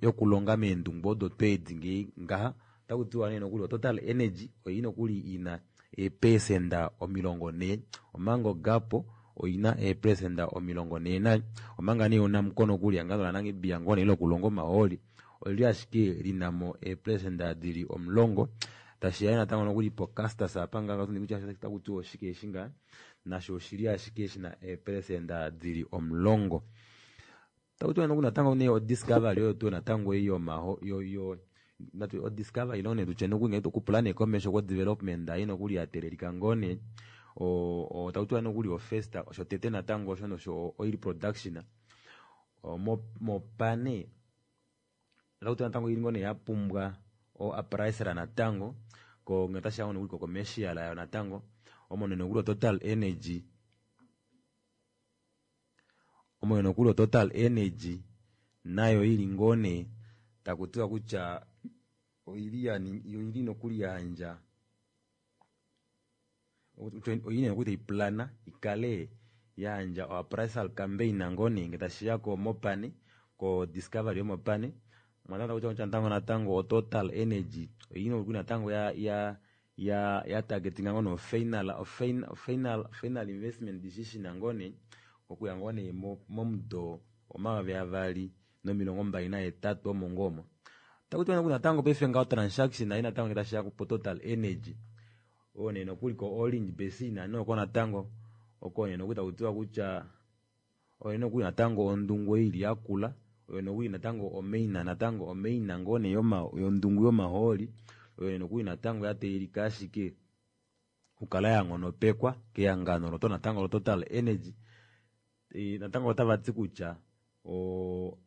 yokulonga meendungu odo tuu edi ngee ngaha otakutiwa nee nokuli o Total Energy oili nokuli ina eeperesenda omilongo nhee omanga oGapo oina eeperesenda omilongo nhee naye omanga nee oNamcor nokuli ehangano laNamibia ngoo nee lokulonga omahooli olili ashike linamo eeperesenda dili omulongo. Tashiya natango nokuli po Castas apa ngaha kutya otakutiwa oshike eshi ngaha nasho oshili ashike shina eeperesenda dili omulongo. Takutiwa nokuli natango nee o Discovery oyo tuu natango ei yomaho yo yo natu o Discovery ilo nee tutye nokuli ngee okupula nee komesho ko development ei nokuli yatelelika ngoo nee o takutiwa nokuli o first shotete natango osho nosho oil production mopane otakutiwa natango ili ngoo nee yapumbwa o appraisal natango ko ngee otashiya nokuli ko commercial yayo natango omo nee nokuli o Total Energy omo nokuli o Total Energy nayo ili ngoo nee takutiwa kutya oili oili nokuli yayandja oili nokuli taiplana ikale yayandja o appraisal campaign ngoo nee ngee tashiya ko mopane ko Discovery yomopane kutya natango natango o Total Energy oili nokuli natango ya ya ya ya targetinga ngoo nee final final final investment decision ngoo nee okuya ngoo nee momudo omayovi avali nomilongo mbali nahetatu omo ngoo omo. Takutiwa nokuli natango paife ngaho transaction ei natango ngee tashiya po Total Energy oyo nee nokuli ko Orange Basin oko natango oko nee nokuli takutiwa kutya oyo nokuli natango ondungu ili yakula oyo nokuli natango omaina natango omaina ngoo nee yondungu yomahooli oyo nokuli natango yateelelika ashike okukala yanghonopekwa kehangano loto natango lo Total Energy. Natango otavati kutya o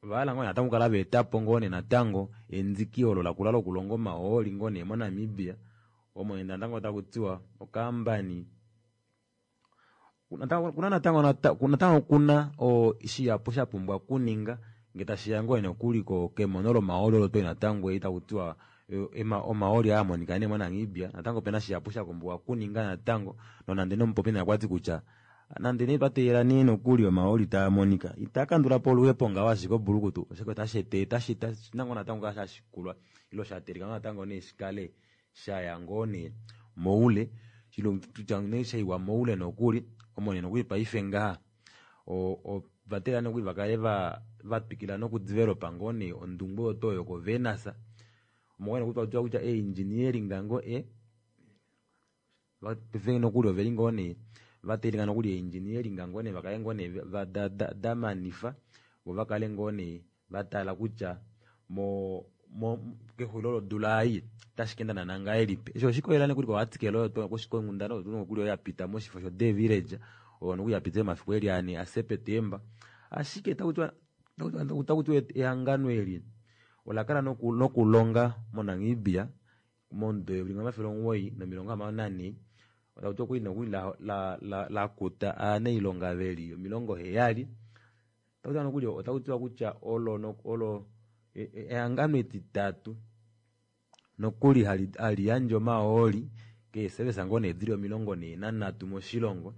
ovahala ngoo natango okukala vaetapo ngoo nee natango endiki olo lakula lokulonga omahooli ngoo nee moNamibia omo natango takutiwa okambani kuna natango natango kuna shihapu shapumbwa okuninga ngee tashiya ngoo nokuli kemono lomahooli olo tuu natango ei takutiwa omahooli aamonika nee moNamibia natango opena shihapu shapumbwa okuninga natango nonande nomupopi naye okwati kutya nande nee twateelela nee nokuli omahooli taamonika itaakandulapo oluhepo ngaho ashike obulukutu oshoka otashi ete nango natango kala shashikulwa ilo shateelelika ngoo natango nee shikale shaya ngoo nee moule kutya nee shaiwa moule nokuli omo nee nokuli paife ngaha ovateelela nokuli vakale vatwikila noku developa ngoo nee ondungu oyo tuu yoko Venus omo ngoo nokuli takutiwa kutya engineering ngoo e paife nokuli oveli ngoo nee vateelelika nokuli engineering ngoo nee vakale ngoo nee damanifa vo vakale ngoo nee vatala kutya mo mo kexulilo lodula ei otashi kaenda naana ngahelipi. Eshi oshikolela nokuli ko article oyo konghundana oyo nokuli oyo yapita moshifo sho The Village oyo nokuli yapitile momafiku eli ane aSeptemba. Ashike takutiwa takutiwa ehangano eli olakala nokulonga moNamibia momudo eyovi limwe omafele omugoyi nomilongo hamano nanhee takutiwa okwali nokuli lakuta ovanailonga veli omilongo heyali. Takutiwa nokuli otakutiwa kutya olo olo ehangano etitatu nokuli hali yandje omahooli keesevesa ngoo nee dili omilongo nhee nanhatu moshilongo.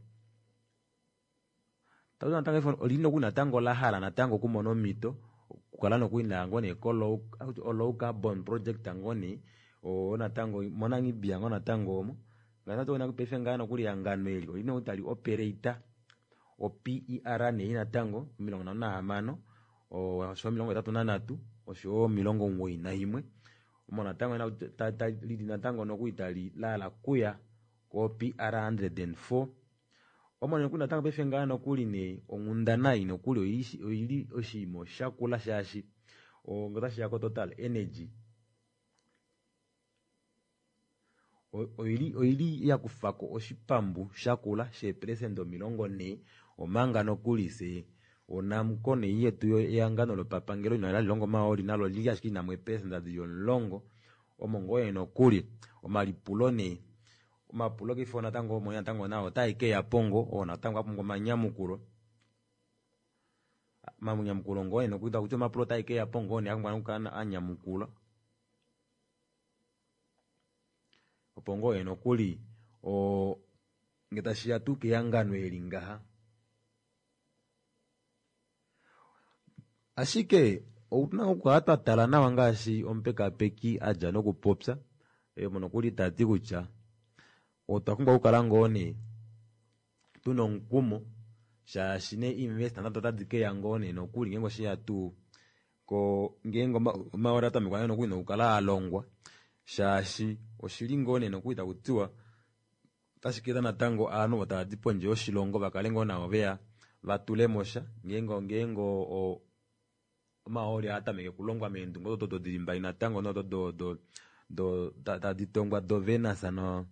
Takutiwa natango olili nokuli natango lahala natango okumona omhito okukala nokuli laya ngoo nee ko low carbon project ngoo nee oo natango moNamibia ngoo natango omo paife ngaha nokuli ehangano eli olili nokuli tali operate o P E R nee natango omilongo nhano nahamano Osho omilongo hetatu nanhatu oshoyo omilongo omugoyi naimwe omo natango lili natango nokuli tali laala kuya ko P R hundred and four. Omo nokuli natango paife ngaa nokuli nee onghundana ei nokuli oili oshinima shakula shaashi ngee otashiya ko Total Energy oili oili yakufako oshipambu shakula sheeperesenda omilongo nhee omanga nokuli fye oNamcor nei yetu ehangano lopapangelo ina hali longo omahooli nalo olili ashike lina mo eeperesenda dili omulongo omo ngoo nee nokuli omalipulo nee omapulo paife natango omo natango nao otae keyapo ngoo oo natango apumbwa omanyamukulo omanyamukulo ngoo nee nokuli takuti omapulo otae keyapo ngoo nee apumbwa okukala anyamukulwa opo ngoo nee nokuli oo ngee tashiya tuu kehangano eli ngaha. Ashike outuna okukala twatala nawa ngaashi omupekapeki adja nokupopya omo nokuli tati kutya otwa pumbwa okukala ngoo nee tuna omukumo shaashi nee investor nado otadi keya ngoo nee nokuli ngeenge osheya tuu ko ngeenge omahooli atamekwa nokuli nokukala alongwa shaashi oshili ngoo nee nokuli takutiwa otashi keeta natango ovanhu ovo tavadi pondje yoshilongo vakale ngoo navo veya vatulemo sha ngeenge ngeenge omahooli aatameke okulongwa meendungu odo dili mbali natango nodo do do tadi tongwa do Venus no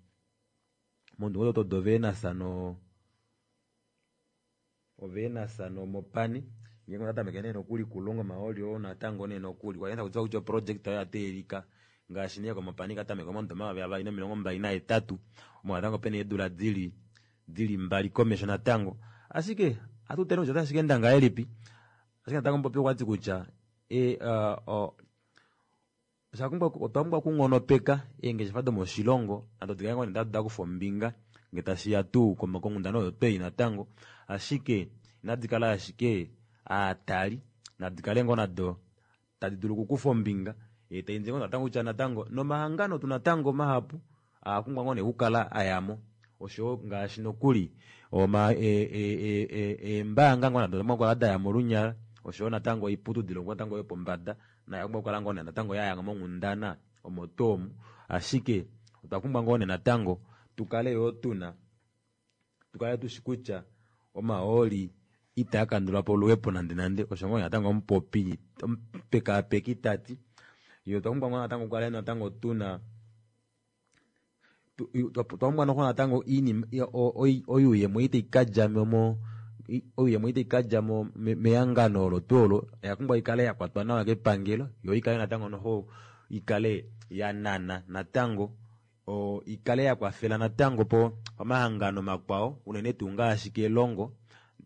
mondungu odo do Venus no oVenus noMopani ngeenge otatameke nee nokuli kulongwa omahooli oo natango nee nokuli kwaye takutiwa kutya oproject oyo yateelelika ngaashi nee koMopani katameka momudo omayovi avali nomilongo mbali nahetatu omo natango pena eedula dili dili mbali komesho natango ashike ohatu tale kutya otashi kaenda ngahelipi ashike natango mupopi okwati kutya otwa pumbwa okunghonopeka eengeshefa domoshilongo nado dikale ngoo nee dakufa ombinga ngee tashiya tuu konghundana oyo twei natango ashike inadi kala ashike aatali nadi kale ngoo nado tadi dulu okukufa ombinga taindile ngoo natango kutya natango nomahangano tuu natango mahapu aapumbwa ngoo nee okukala ayamo oshoyo ngaashi nokuli eembaanga ngoo nado odapumbwa okukala dayamo olunyala oshoyo natango oiputudilo natango yopombada nayo oyapumbwa okukala ngoo nee natango yaya monghundana omo tuu omu ashike otwa pumbwa ngoo nee natango tukale yoo tuna tukale tushi kutya omahooli itaa kandulapo oluhepo nande nande osho ngoo natango omupopi omupekapeki tati yo otwa pumbwa ngoo natango okukala natango tuna otwa pumbwa noxo natango iinima oyuuyemo ei taikadja mo oyuuyemo ei taikadja mo mehangano olo tuu olo oya pumbwa ikale yakwatwa nawa kepangelo yo ikale natango noxo ikale yanana natango ikale yakwafela natango po omahangano makwao unene tuu ngaashi kelongo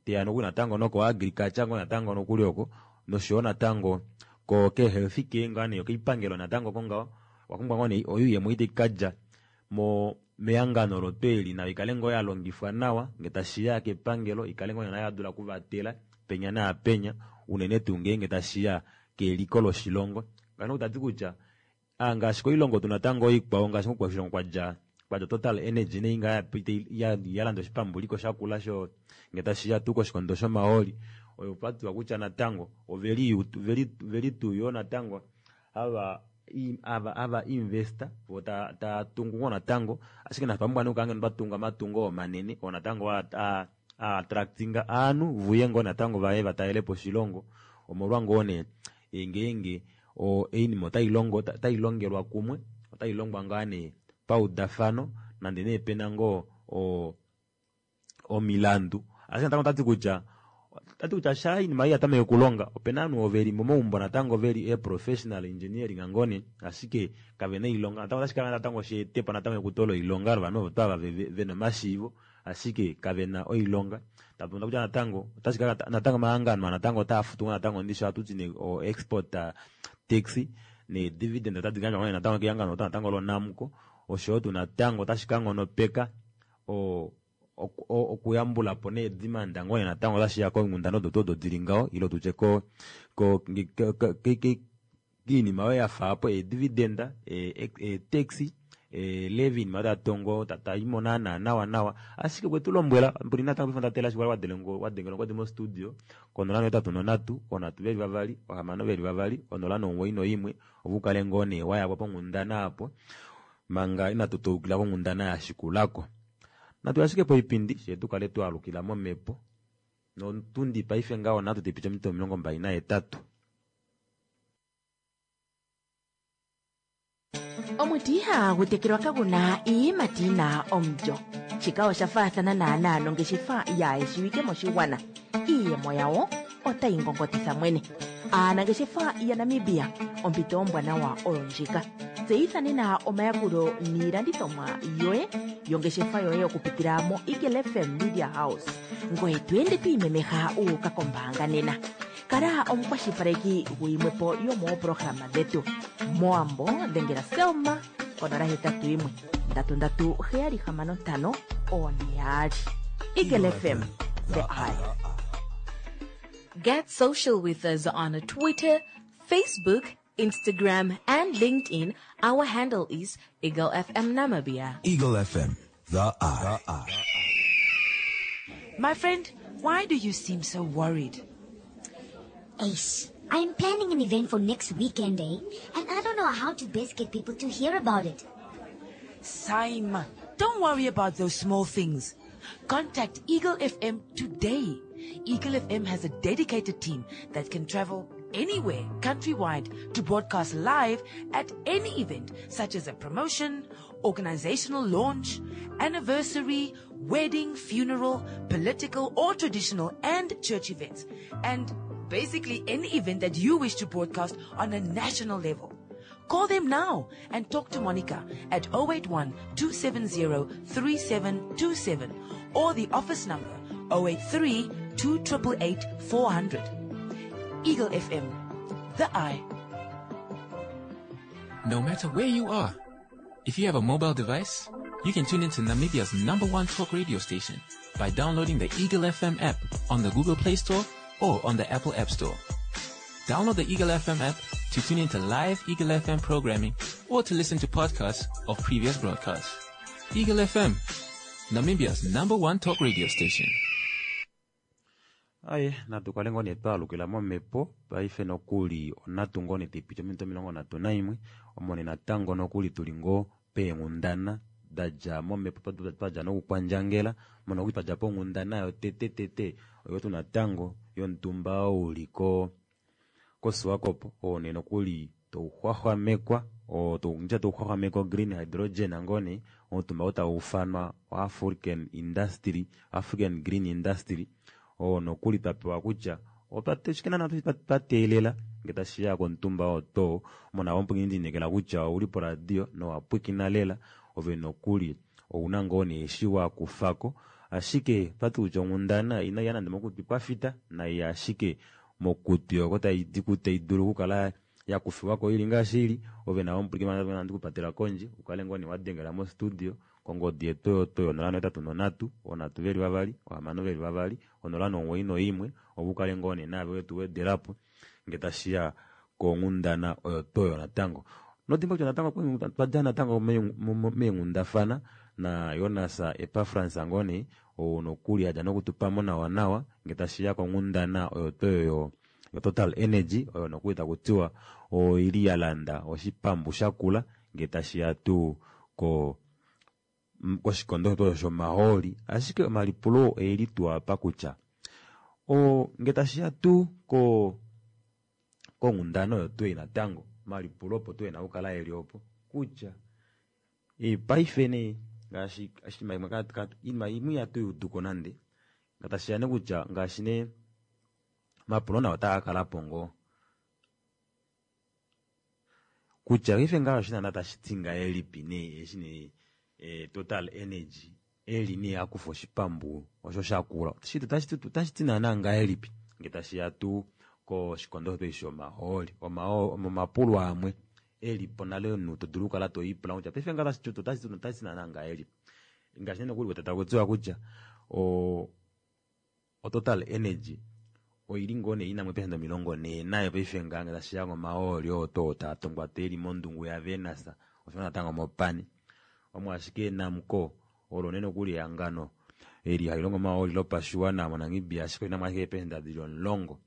teya nokuli natango noko agriculture ngoo natango nokuli oko noshoyo natango ko ke health care ngaa nee koipangelo natango kongaho owapumbwa ngoo nee oyuuyemo ei taikadja mo mehangano olo tuu eli nayo ikale ngoo yalongifwa nawa ngee tashiya kepangelo ikale ngoo nayo yadula okuvatela penya naapenya unene tuu ngeenge tashiya keliko loshilongo ngano tati kutya ngaashi koilongo tu natango ikwao ngaashi koshilongo kwadja kwadja Total Energy nei ngaa yalanda oshipambuliko shakula sho ngee tashiya tuu koshikondo shomahooli oyo kwatiwa kutya natango oveli veli tuu yoo natango ava ava ava investor vo taatungu ngoo natango ashike nafye otwa pumbwa nee okukala ngeno twatunga omatungo oo manene oo natango a attractinga ovanhu vuye ngoo natango vaye vatalelepo oshilongo omolwa ngoo nee ngeenge oinima otailongo otailongelwa kumwe otailongwa ngaa nee paudafano nande nee pena ngoo omilandu ashike natango otati kutya tati kutya sha oinima ei yatameke okulonga opena ovanhu ovo veli momaumbo natango veli ee professional engineering ngoo nee ashike kavena oilonga natango otashi kala natango sheetepo natango ekuto loilonga lovanhu ovo tuu ava vena omashiivo ashike kavena oilonga tatumono kutya natango otashi kala natango omahangano natango otaafutu ngoo natango ndishi ohatuti nee o export tax nee dividend otadi gandjwa ngoo natango kehangano natango loNamcor oshoyo tuu natango otashi kanghonopeka o okuyambulapo nee demand ngoo nee natango otashiya konghundana odo tuu odo dili ngaho ile tutye ko ko kiinima oyo yafaapo ee dividend ee tax E, Levin matatongo tataimo naana nawa nawa ashike kwetu lombwela mbuli natango pefo ndatela shiwala wadelengo wadengela ngodi mo studio konola nohetatu nonhatu onhatu veli vavali ohamano veli vavali onola nomuwoi noimwe opo ukale ngoo nee wayakwa ponghundana apo manga inatu toukila konghundana yashikulako. Natu ashike poipindi shee tukale twaalukila momhepo notundi paife ngaho nhatu taipiti ominute omilongo mbali nahetatu. Omuti ihagu tekelwa kaguna iiyimati yina omulyo. Shika osha faathana naanaa nongeshefa yaayeshiwike moshigwana. Iiyemo yawo otayi ngongotitha mwene. Aanangeshefa yaNamibia, ompito ombwanawa oyo ndjika. Tseyitha nena omayakulo niilandithomwa yoye yongeshefa yoye okupitila mo Eagle F M Media House. Ngoye to ende to imemeha u uka kombaanga nena. Kala omukwashilipaleki guyimwepo yomooprograma dhetu. Moambo dhengela Selma konola hetatu yimwe ndatu ndatu heyali hamano ntano one yaali. Eagle F M, the eye. Get social with us on Twitter, Facebook, Instagram, and LinkedIn. Our handle is Eagle F M Namibia. Eagle F M, the eye. My friend, why do you seem so worried? Ace, I'm planning an event for next weekend, eh? And I don't know how to best get people to hear about it. Saima, don't worry about those small things. Contact Eagle F M today. Eagle F M has a dedicated team that can travel anywhere countrywide to broadcast live at any event, such as a promotion, organizational launch, anniversary, wedding, funeral, political or traditional and church events, and basically any event that you wish to broadcast on a national level. Call them now and talk to Monica at oh eight one, two seven zero, three seven two seven or the office number oh eight three, two triple eight, four hundred. Eagle F M, the eye. No matter where you are, if you have a mobile device, you can tune into Namibia's number one talk radio station by downloading the Eagle F M app on the Google Play Store or on the Apple App Store. Download the Eagle F M app to tune into live Eagle F M programming or to listen to podcasts of previous broadcasts. Eagle F M, Namibia's number one talk radio station. Aye, natu kale ngoo nee twaalukila momhepo paife nokuli onhatu ngoo nee taipiti ominute omilongo nhatu naimwe omone natango nokuli tuli ngoo peenghundana dadja momhepo twadja nokukwandjangela mono nokuli twadja ponghundana yotete tete oyo tu natango yomutumba oo uli ko koSwakopo oo nee nokuli touxwaxwamekwa oo tou-, touxwaxwamekwa green hydrogen ngoo nee omutumba oo tau ufanwa African Industry, African Green Industry oo nokuli twapewa kutya opa-, shike naana twa teelela ngee tashiya komutumba oo to mona omupwiikini ndinekela kutya ouli poradio nowapwikina lela ove nokuli ouna ngoo nee eshi wakufako ashike twati kutya onghundana inaiya nande mokutwi kwafita naiya ashike mokutwi oko taidi ku-, tai dulu okukala yakufiwako ili ngaashi ili ove nawe omupwiikini nandi kupatela kondje ukale ngoo nee wadengela mo studio kongodi yetu oyo to onola nohetatu nonhatu onhatu veli vavali ohamano veli vavali onola nomuwoi noimwe opo ukale ngoo nee naave wetu wedelapo ngee tashiya konghundana oyo to oyo natango. Nodimba kutya natango twadja natango meenghundafana na Jonas Epafrans ngoo nee ou nokuli adja nokutupamo nawa nawa ngee tashiya konghundana oyo to oyo yo Total Energy oyo nokuli takutiwa oili ya landa oshipambu shakula ngee tashiya tuu ko koshikondo osho shomahooli ashike omalipulo oeli tuu apa kutya o ngee tashiya tuu ko konghundana oyo tuu natango omalipulo opo tuu ena okukala eli opo kutya e, paife nee ngaashi oshinima imwe ka-, ka-, iinima imwe ihatu i uduko nande ngee tashiya nee kutya ngaashi nee omapulo nao otaa ka kala po ngoo kutya paife ngaho oshinima tashi ti ngahelipi nee eshi nee e, Total Energy eli nee akufa oshipambu osho shakula otashi ti naana ngahelipi ngee tashiya tuu koshikondo shetu shomahooli omapulo amwe elipo nale omunhu to dulu okukala to ipula kutya paife ngaho otashi ti naana ngahelipi ngaashi nee nokuli wete taku tiwa kutya o Total Energy oili ngoo nee ina eepesenda omilongo nhee nayo paife ngaha ngee tashiya komahooli oo to taa tongwa eli mondungu yaVenus osho natango mopani. Omo ashike Namcor olo nee nokuli ehangano eli hali longo omahooli lopashiwana moNamibia, ashike olina mo ashike eepesenda dili omulongo.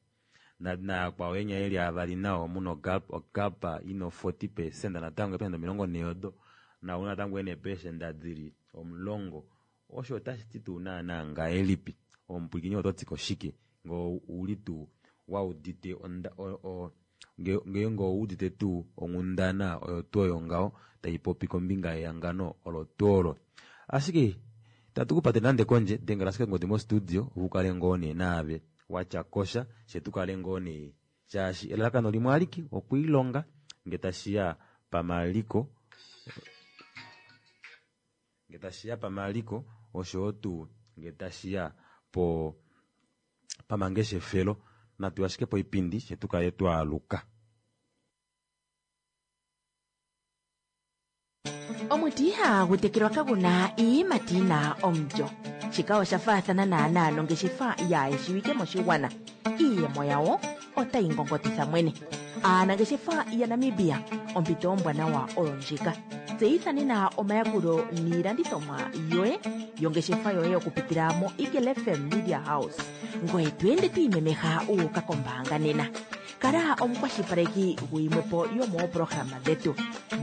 Nayakwao enya eli avali nao omuna ogap ina forty percent natango eepesenda omilongo nhee odo nao natango ena eepesenda dili omulongo. Osho otashi ti tuu naana ngahelipi? Omupwilikini oto ti koshike ngee ouli tuu waudite ngeenge oudite tuu onghundana oyo tuu oyo ngaho taipopi kombinga yehangano olo tuu olo. Ashike itatu kupate nande kondje, dengela ashike ongodi mostudio ukale ngoo nee naave watya kosha, fye tukale ngoo nee shaashi elalakano limwe alike okwiilonga nge tashiya pamaliko, nge tashiya pamaliko oshoyo tuu nge tashiya po pamangeshefelo. Natu ashike poipindi fye tukale twaaluka. Omuti ihagu tekelwa kaguna iiyimati yina omulyo. Shika osha faathana naanaa nongeshefa yaayeshiwike moshigwana. Iiyemo yawo otayi ngongotitha mwene. Aanangeshefa yaNamibia, ompito ombwanawa oyo ndjika. Tseyitha nena omayakulo niilandithomwa yoye yongeshefa yoye okupitila mo Eagle F M Media House. Ngoye to ende to imemeha u uka kombaanga nena. Kala omukwashilipaleki guyimwepo yomooprograma dhetu.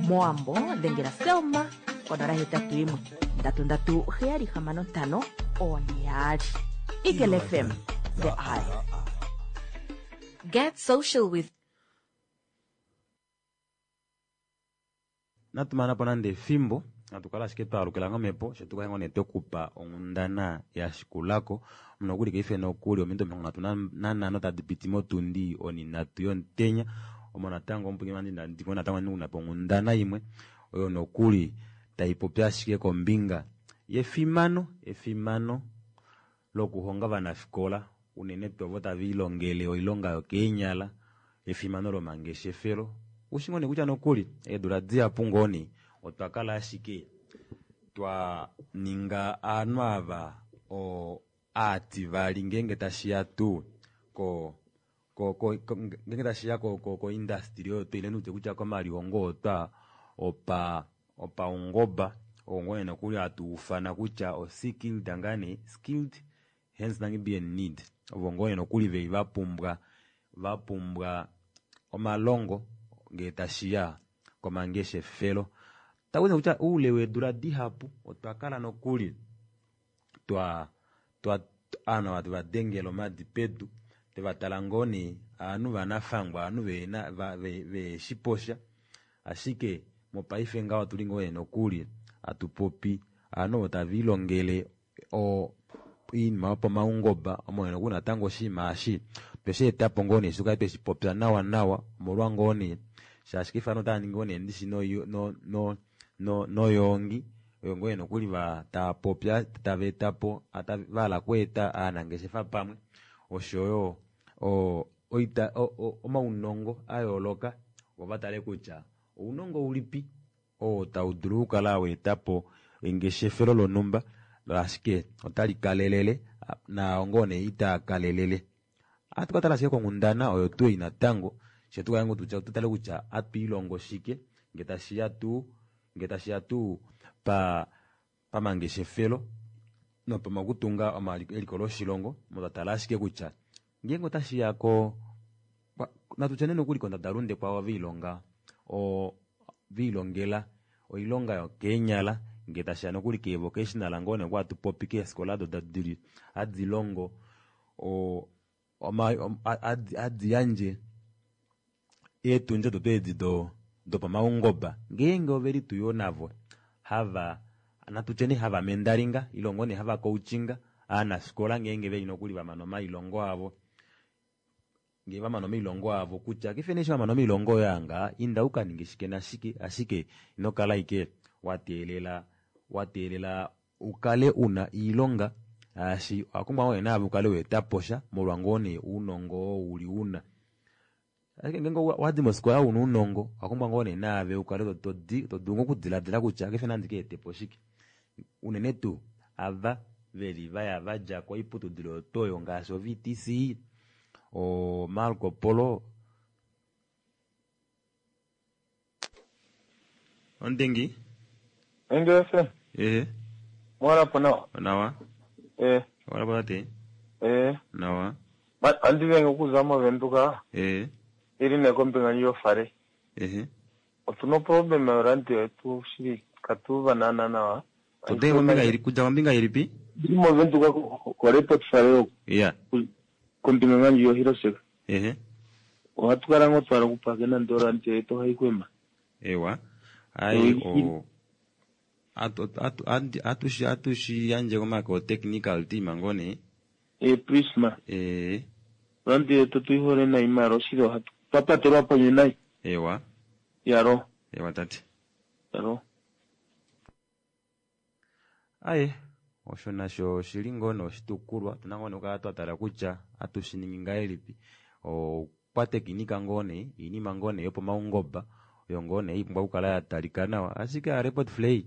Moambo dhengela Selma konola hetatu yimwe ndatu ndatu heyali hamano ntano one yaali. Eagle F M, the eye. Get social with Natu mana po nande efimbo, natu kala ashike twaalukila ngomhepo, fye tukale ngoo nee twekupa onghundana ya shikulako. Nokuli kaife nokuli ominute omilongo nhatu nanhano tadi piti motundi oninhatu yomutenya. Omo natango omupwilikini wandje ndandi ngoo natango una po onghundana imwe oyo nokuli taipopi ashike kombinga yefimano, efimano lokuhonga ovanafikola unene tuu ovo tava ilongele oilonga yokeenyala, efimano lomangeshefelo. Ushi ngoo nee kutya nokuli eedula dihapu ngoo nee otwa kala ashike twa ninga ovanhu ava o aativali ngeenge tashiya tuu ko, ko, ko, ko, ngeenge tashiya ko, ko, ko industry oyo ile nutye kutya komalihongo otwa opa, opaungoba, oo ngoo nee nokuli hatu ufana kutya o skilled ngane, skilled hands Namibian need. Ovo ngoo nee nokuli veli va pumbwa, va pumbwa omalongo ngee tashiya komangeshefelo. Takuti kutya oule weedula dihapu otwa kala nokuli twa, twa, ovanhu ava teva dengela omadi pedu, teva tala ngoo nee ovanhu vanafangwa, ovanhu vena, va, ve, ve shiposha. Ashike mopaife ngaho otuli ngoo nee nokuli hatu popi ovanhu ovo tava ilongele o oinima yopaungoba, omo nee nokuli natango oshinima eshi tweshi eta po ngoo nee tukale tweshi popya nawa nawa, omolwa ngoo nee shaashi kefe ovanhu otava ningi ngoo nee ndishi no, no, no, no, noyongi oyo ngoo nee nokuli va tava popya, tava eta po, ata, va hala okweeta ovanangeshefa pamwe oshoyo o, oita, o, o, omaunongo a yooloka, vo va tale kutya ounongo ulipi oo tau dulu okukala wa eta po engeshefelo lonhumba, ashike otali kalelele naao ngoo nee itaa kalelele. Ohatu ka tala ashike konghundana oyo tuu ei natango, fye tukale ngoo tutya, tu tale kutya ohatu ilongo shike nge tashiya tuu, nge tashiya tuu pa, pamangeshefelo nopomakutunga omaliko, eliko loshilongo, mo twa tala ashike kutya ngeenge otashiya ko, kwa, natu tye nee nokuli kondadalunde kwao va ilonga, o, va ilongela oilonga yokeenyala, nge tashiya nokuli keevocational ngoo nee kwa hatu popi keefikola odo dili hadi longo, o, oma, om, a, adi, adi yandje eetundi odo edi do, dopaungoba, ngeenge oveli tuu yoo navo hava, natu tye nee hava mendalinga, ile ngoo nee hava coachinga ovanafikola ngeenge veli nokuli va mana omailongo avo, ngee va mana omailongo avo kutya kefe nee eshi va mana omailongo oyo anga, inda uka ninge shike nashike, ashike ino kala ike wa teelela, wa teelela ukale una iilonga, shaashi owa pumbwa ngoo nee naave ukale wa eta po sha, molwa ngoo nee ounongo oo uli una. Ashike ngeenge wa di mofikola una ounongo, owa pumbwa ngoo nee naave ukale to, to di, to dulu ngoo okudiladila kutya kefe nandi ka ete po shike. Unene tuu ava veli vaya vadja koiputudilo yotoyo ngaashi o V T C, o Marco Polo. Ondingi? Eagle F M. Ehe. Mwala po nawa. Nawa. Eh. Wala po tate. Eh. Nawa. Andi venge okuza moVenduka. Eh. Ili nekombinga yofale. Ehe. Otuna problem yoradio yetu shili katuva naana nawa. Today kombinga ili kuja kombinga ilipi? Ili moVenduka ko Report Fale oku. Yeah. Kombinga ngandji yoHiroseka. Ehe. Ohatu kala ngoo twala okupaka nande oradio yetu ohayi kwema. Ewa. Ai o atu atu atu atushi yandje komako technical team ngone. Eh Prisma. Eh. Radio yetu tuihole nayi mara oshili ohatu twapatelwa ponywe nayi. Ewa. Yaro. Ewa tate. Yaro. Aye, osho nasho oshili ngoo noshitukulwa tuna ngoo nokukala twatala kutya atushiningi ngahelipi okwatekinika ngoo nee iinima ngoo nee yopomaungomba oyo ngoo nee ipumbwa okukala yatalika nawa ashike a Report Flay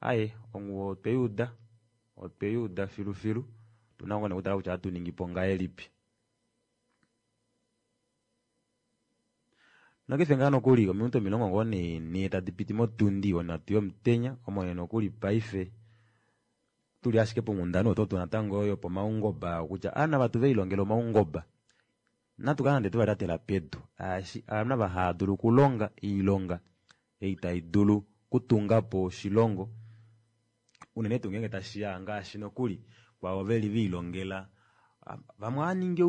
aye onguwo otweyuuda otweyuuda filufilu tuna ngoo nee okutala kutya atuningipo ngahelipi. Nokefe ngaa nokuli ominute omilongo ngoo nee nhee tadi piti motundi onhatu yomutenya omo nee nokuli paife tuli ashike ponghundana oto tu natango oyo pomaungomba kutya aana vatu velilongela omaungomba natu kala nande tuvalyatela pedu ashi aana vahadulu okulonga oilonga ei tai dulu kutungapo oshilongo unene tuu ngeenge tashiya ngaashi nokuli kwavo veli viilongela vamwe ohaningi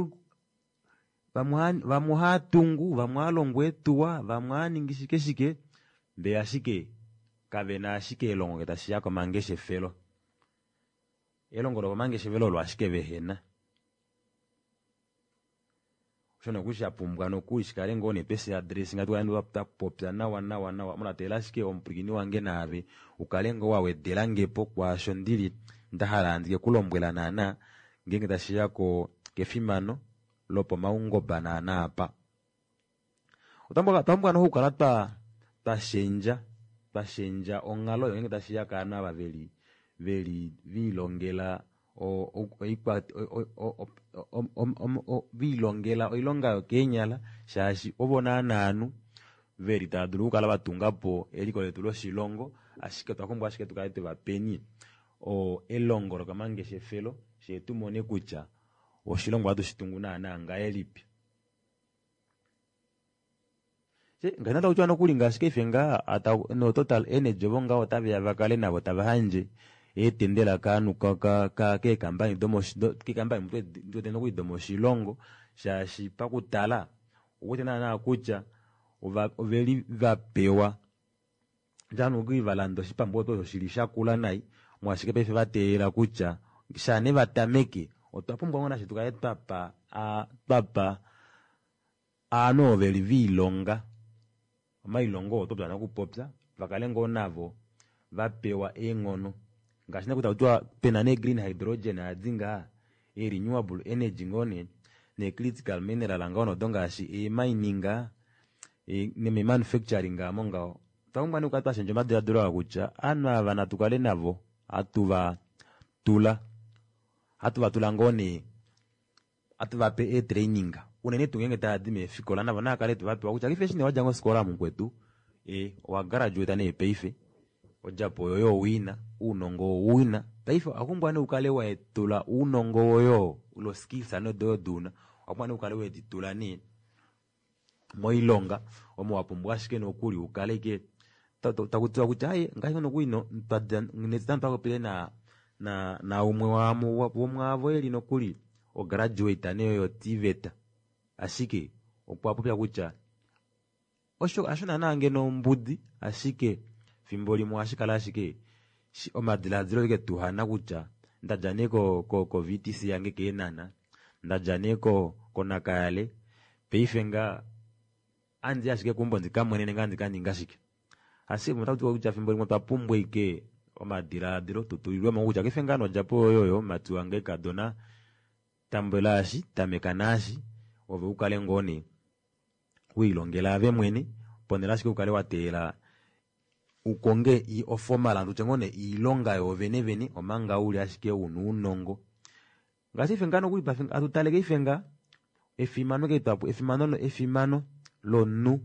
vamwe ohatungu vamwe ohalongo eetuwa vamwe ohaningi shike shike ndee ashike kavena ashike elongo ngee tashiya komangeshefelo. Elongo lokomangeshefelo olo ashike vehena. Osho nokuli shapumbwa nokuli shikale ngoo nee twesi address ngatu kale twapopya nawa nawa nawa mulatela ashike omupwilikini wange naave ukale ngoo wawedelangepo kwaasho ndili ndahala ndike kulombwela naana ngeenge tashiya ko kefimano lopomaungomba naana apa. Otwa pumbwa nokukala twa twashendja twashendja onghalo oyo ngeenge tashiya kaanhu ava veli veli viilongela viilongela oilonga yokeenyala shaashi ovo naana veli tava dulu okukala vatungapo eliko letu loshilongo ashike otwa pumbwa ashike tukale twevapeni elongo lokomangeshefelo shee tumone kutya oshilongo ohatu shitungu naana ngahelipi. Ngahina takutiwa nokuli ngaashi kaife ngaa no Total Energy ovo ngaho otaveya vakale navo tava handje eetendela kaanhu keekambani keekambani ndiwete nokuli domoshilongo shaashi pakutala ouwete naana kutya oveli vapewa nokuli valanda oshipambu osho shili shakula nai mwashike paife vateelela kutya shaa vatameke otwa pumbwa ngoo nashe tukale twapa twapa aanhu ovo veli viilonga omailongo oo topya nokupopya vakale ngoo navo vapewa eenghono ngaashi nee takutiwa pena nee green hydrogen adi ngaa e renewable energy ngoo nee ne critical mineral ngaho nodo ngaashi e mining neme manufacturing amo ngaho. Otwa pumbwa nee okukala twashendja omadiladilo aa kutya aanhu ava natu kale navo hatu va tula hatu va tula ngoo nee hatu vape ee training unene tuu ngeenge tavadi meefikola navo naakale tuvapewa kutya kaife eshi nee wadja kofikola mukwetu e owa graduate nee paife odjapo oyo owina ounongo owina paife owapumbwa nee ukale waetula ounongo woyo lo skills ano doyo duna owapumbwa nee ukale weditula nee moilonga omo wapumbwa ashike nokuli ukale ike takutiwa kutya aye ngaashi nokuli netitano twapopile na na naumwe womwaavo eli nokuli ograduate nee yo TVET ashike okwa popya kutya osho hasho naana ngeno ombudi ashike fimbo limwe ohashi kala ashike omadiladilo eke tuhana kutya ndadja nee ko ko V T C yange keenana ndadja nee ko koNakayale paife nga andi ashike keumbo ndikamwenene ngaa ndikaninga shike ashike otakutiwa kutya fimbo limwe otwa pumbwa ike omadiladilo tutulilwemo kutya kaife ngaa nodjapo yoyo mati wange kadona tambula eshi tameka naashi ove ukale ngoo nee wiilongela ave mwene ponhele ashike ukale wateelela ukonge oformal tutye ngoo nee iilonga yoovene vene omanga uli ashike una ounongo ngaashi ife ngaa nokuli atu tale kaife nga efimano efimano efimano lomunhu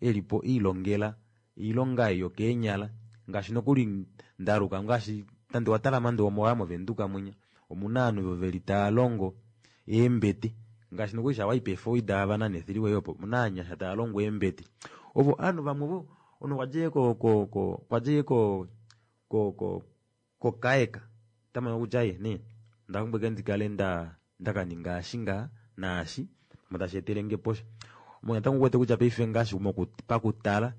elipo iilongela oilonga ei yokeenyala Ngaashi nokuli ndaluka ngaashi nande watala nande omoya movenduka mwinya omuna ovanhu veli tava longo eembete ngaashi nokuli shawai peefoida ava nethiliwe opo omuna ovanyasha tava longo eembete ovo ovanhu vamwe vo omunhu okwadjile ko ko ko okwadjile ko ko ko kokaeka otamono kutya ye nee ondapumbwa ashike ndikale nda ndakaninga eshi ngaha naashi omo tashi etelenge posha. Omo natango ouwete kutya paife ngaashi pakutala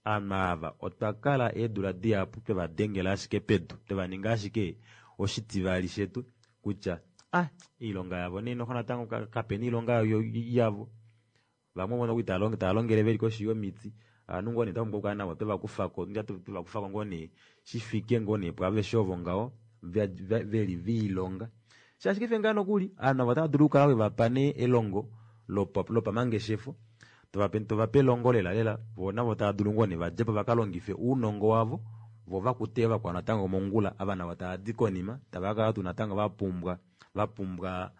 ovanhu ava otwa kala eedula dihapu twevadengela ashike pedu twevaninga ashike oshitivali shetu kutya ah oilonga yavo nee noxo natango kapena oilonga yavo. Vamwe ovo nokuli tava longele veli koshi yomiti ovanhu ngoo nee twapumbwa okukala navo twevakufako twevakufako ngoo nee shifike ngoo nee pwaaveshe ovo ngaho veli viilonga. Shaashi paife ngaha nokuli ovanhu ava otava dulu okukala wevapa nee elongo lopamangeshefo tovape tovape elongo lela lela voo navo tava dulu ngoo nee vadjepo vakalongife ounongo wavo vo vakute vakwao natango mongula ava navo tavadi konima tava kakala tuu natango vapumbwa vapumbwa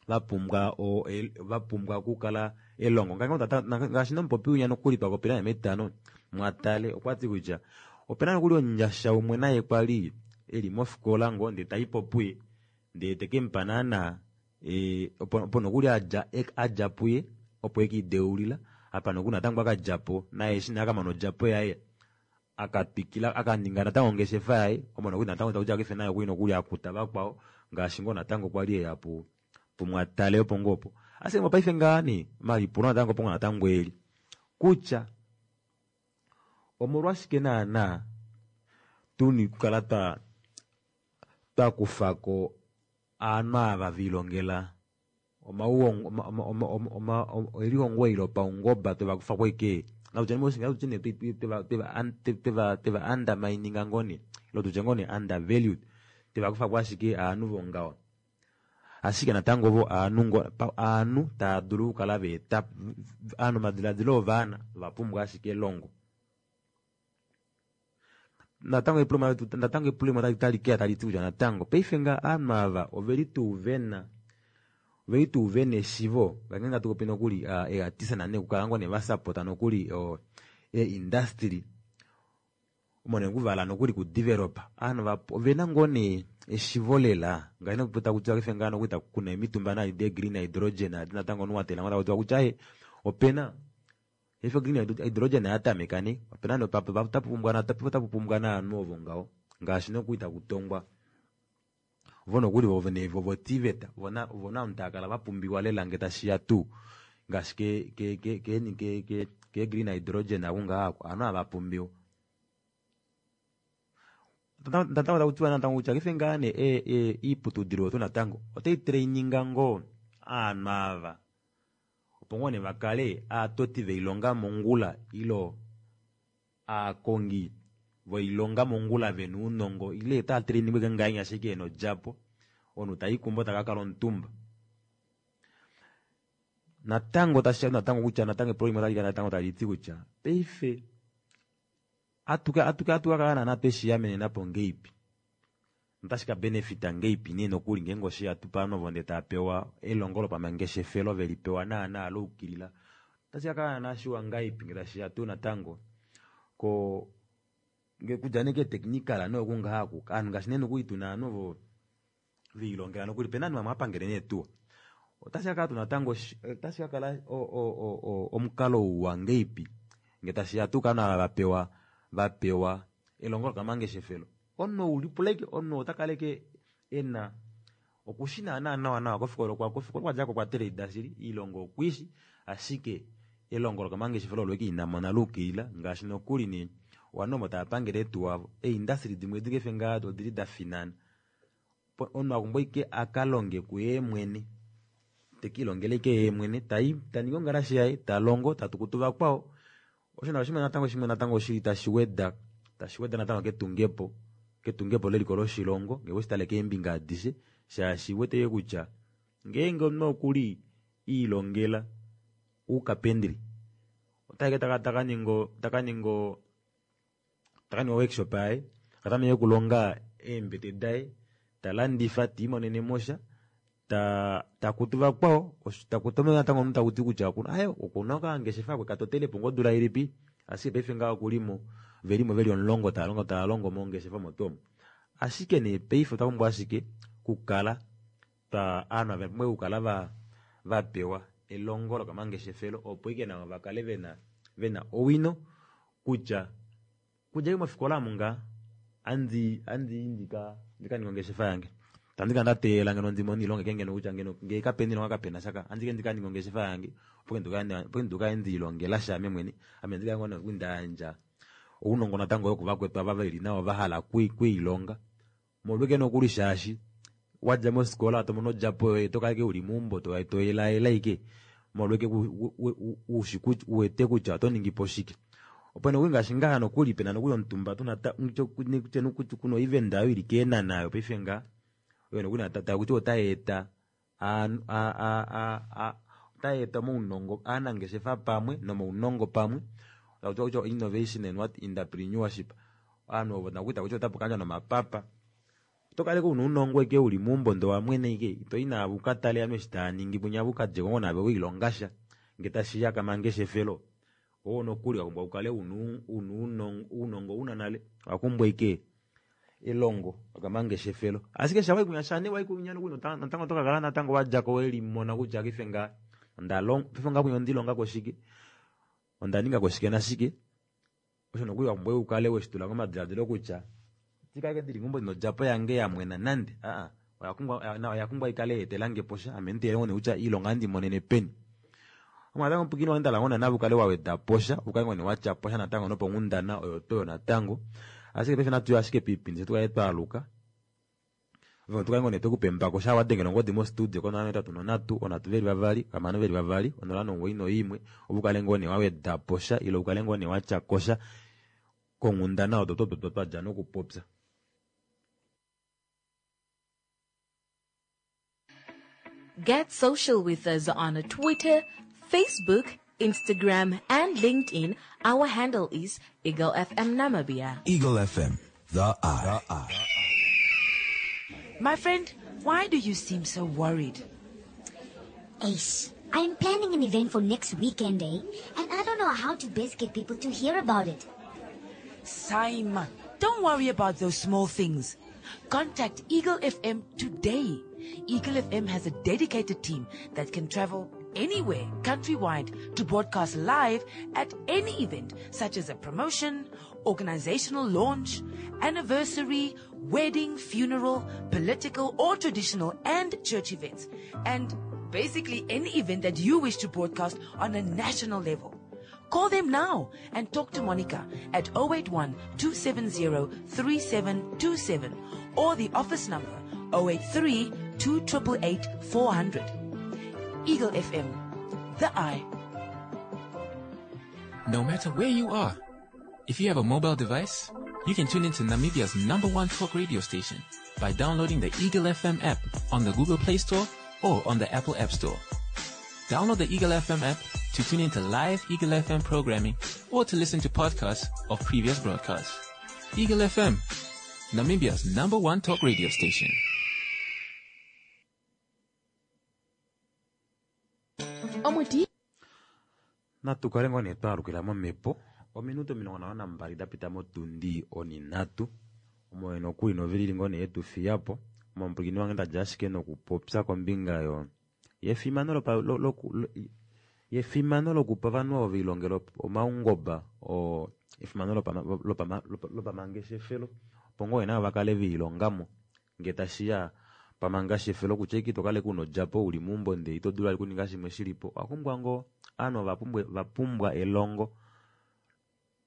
vapumbwa o vapumbwa okukala elongo. Ngaashi nomupopi winya nokuli twakopela metano mwatale okwati kutya opena nokuli omunyasha umwe naye kwali eli mofikola ngoo ndee taipo puye ndee tekemupa naana opo opo nokuli adja adja puye opo ekiideulila apa nokuli natango akadjapo naye eshi nee akamana odjapo yaye akatwikila akaninga natango ongeshefa yaye omo nokuli natango takutya paife naye okuli nokuli akuta vakwao ngaashi ngoo natango kwali eya pu pumwatale opo ngoo opo. Ashike mopaife ngaha nee omalipulo natango opo ngoo natango eli kutya omolwashike naana tuna okukala twa twakufako ovanhu ava velilongela elihongo eli lopaungoba twevakufako ashike natutye nee tweva tweva undermininga ngoo nee ile tutye ngoo nee undervalued twevakufako ashike ovanhu vongaho. Ashike natango vo ovanhu ovanhu tava dulu okukala vaeta ovanhu omadiladilo ovanhu ovapumbwa ashike elongo. Natango epulo natango epulo limwe tali keya tali ti kutya natango paife ngaha ovanhu ava oveli tuu vena oveli tuu vena eshivo ngeenge hatu popi nokuli eeartist nane okukala ngoo nee vasapota nokuli ee-industry omo nee okuvala nokuli kudevelopa ovanhu ovena ngoo nee eshivo lela ngaashi noku takutiwa paife ngaha nokuli kuna emitumba nadi de green hydrogen adi natango omunhu watela ngoo takutiwa kutya aaye opena paife green hydrogen oyatameka nee opena nee otapu pumbwa naanhu ovo ngaho ngaashi nokuli takutongwa vo nokuli vo voTVET vona vona ovanhu tava kala vapumbiwa lela ngee tashiya tuu ngaashi ke ke ke ke ke ke green hydrogen aku ngaha ovanhu ava vapumbiwa. Natango takutiwa natango kutya paife ngaha nee iiputudilo yetu natango otai traininga ngoo ovanhu ava opo ngoo nee vakale aatoti voilonga mongula ile aakongi voilonga mongula vena ounongo ile otava trainingwa ashike ngahenya ashike ena odjapo omunhu taikumbo takakala omutumba. Natango tashiya natango kutya natango epulo limwe otali kala natango taliti kutya paife atuka atuka atukakala naana tweshiyamenenapo ngeipi notashi kabenefita ngeipi nee nokuli ngeenge osheya tuu povanhu ovo ndee tava pewa elongo lopamangeshefelo velipewa naana laukilila otashi kakala naana shiwa ngahelipi ngee tashiya tuu natango ko kudja nee keetechnical nee oku ngaha oku ovanhu ngaashi nee nokuli tuna ovanhu ovo velilongela nokuli opena ovanhu vamwe hava neetuwa otashi kakala tuu natango otashi kakala omukalo uwa ngeipi ngee tashiya tuu kovanhu ava vapewa vapewa elongo lokamangeshefelo omunhu oulipula ashike omunhu otakala ashike ena okushi naana nawa nawa kofikola kofikola okwadjako okwa trade shili oilonga okwiishi ashike elongo lokamangeshefelo olo ashike inamona laukilila ngaashi nokuli nee ovanhu ovo tava pangele eetuwa avo eeindustry dimwe edi paife ngaha odili dafinana omunhu akumbwa ashike akalonge kuye mwene tekiilongele ashike yee tai taningi ongalashe yaye talongo tatukutu vakwao. Osho natango natango shimwe natango shili tashi weda tashi weda natango ketungepo ketungepo leliko loshilongo ngee weshitale keembinga adishe shaashi uwete kutya ngeenge omunhu okuli iilongela oukapendri otaike taka takaninga takaninga takaninga workshop yaye akatameke okulonga eembete daye talandifa tiimonene mosha ta takutu vakwao takutu natango omunhu takuti kutya aye okuna okangeshefa kwe katotelepo ngoo odula ilipi ashike paife ngaha okulimo Velimo veli omulongo tava longo tava longo mongeshefa omo tuu omo. Ashike nee paife otwa pumbwa ashike kukala twa ovanhu ava pumbwa okukala va vapewa elongo lokamangeshefelo opo ike navo vakale vena vena owino kutya kudja mofikola omu ngaa andi andi ndika ndika ninga ongeshefa yange tandika ndateelela ngeno ndimone oilonga ike ngeno kutya ngeno ngee kapena oilonga kapena shaka andike ndika ninga ongeshefa yange opo ndikale ndiilongela sha ame mwene ame ndikale ngoo noku ndayandja ounongo natango yokuvakwetu ava veli nawa vahala kwiilonga molweke nokuli shaashi wadja mofikola tomono odjapo yoye tokala ike uli meumbo toelaela ike molweke ushi uwete kutya oto ningipo shike. Opo nokuli ngaashi ngaha nokuli pena nokuli omutumba tuna kuna oivenda oyo ili keenana oyo paife nga oyo nokuli takuti otayeeta otayeeta omaunongo aanangeshefa pamwe nomaunongo pamwe takuti kutya innovation and what entrepreneurship ovanhu ovo nakuti takuti otapu kandjwa nomapapa oto kala una ounongo ike uli meumbo ndee owamwene ike itoyi naavo ukatale ovanhu eshi taaningi punya ukadjeko ngoo naave wiilongasha ngee tashiya kamangeshefelo oo nokuli wapumbwa ukale una ounongo una nale owapumbwa ike elongo lokamangeshefelo ashike sha waikunya sha nee waikunya nokuli natango otokakala natango wadjako welimona kutya paife nga ondalonga paife nga kunya ondilongako shike onda ningako shike nashike osho nokuli wapumbwa ukale weshitula momadiladilo kutya tikake ndili meumbo ndina odjapo yange yamwena nande aa oya pumbwa ikale yeetelange posha ame nditeelele ngoo nee kutya iilonga ohandi monene peni. Omo natango omupwilikini wange ndahala ngoo naave ukale waweda posha ukale ngoo nee watya posha natango noponghundana oyo tuu oyo natango ashike paife natuye ashike poipindi fye tukale twaaluka tukale ngoo nee twekupa embako shaa wadengele ongodi mostudio konola nohetatu nonhatu onhatu veli vavali hamano veli vavali onola nomuwoi noimwe opo ukale ngoo nee waweda posha ile ukale ngoo nee watya kosha konghundana odo tuu twadja nokupopya. Get social with us on Twitter, Facebook, Instagram, and LinkedIn. Our handle is Eagle FM Namibia. Eagle F M, the Eye. The Eye. My friend, why do you seem so worried? Ace, I'm planning an event for next weekend, eh? And I don't know how to best get people to hear about it. Saima, don't worry about those small things. Contact Eagle F M today. Eagle F M has a dedicated team that can travel anywhere countrywide to broadcast live at any event such as a promotion, organizational launch, anniversary, wedding, funeral, political or traditional and church events, and basically any event that you wish to broadcast on a national level. Call them now and talk to Monica at oh eight one two seven zero three seven two seven or the office number oh eight three two eight eight four hundred. Eagle F M, the Eye. No matter where you are, if you have a mobile device, you can tune into Namibia's number one talk radio station by downloading the Eagle F M app on the Google Play Store or on the Apple App Store. Download the Eagle F M app to tune into live Eagle F M programming or to listen to podcasts of previous broadcasts. Eagle F M, Namibia's number one talk radio station. Omuti Natu kale ngoo nee twaalukila momhepo ominute omilongo nhano nambali dapita motundi oninhatu omo nokuli novilili ngoo nee yetufiyapo omupwilikini wange ndadja ashike nokupopya kombinga yo yefimano lopa loku yefimano lokupa ovanhu ovo velilongela omaungoba oo efimano lopamangeshefelo opo ngoo navo vakale velilongamo ngee tashiya pamangeshefelo kutya ike itokala ike una odjapo uli meumbo ndee ito dulu vali okuninga shimwe shilipo owapumbwa ngoo ovanhu vapumbwa elongo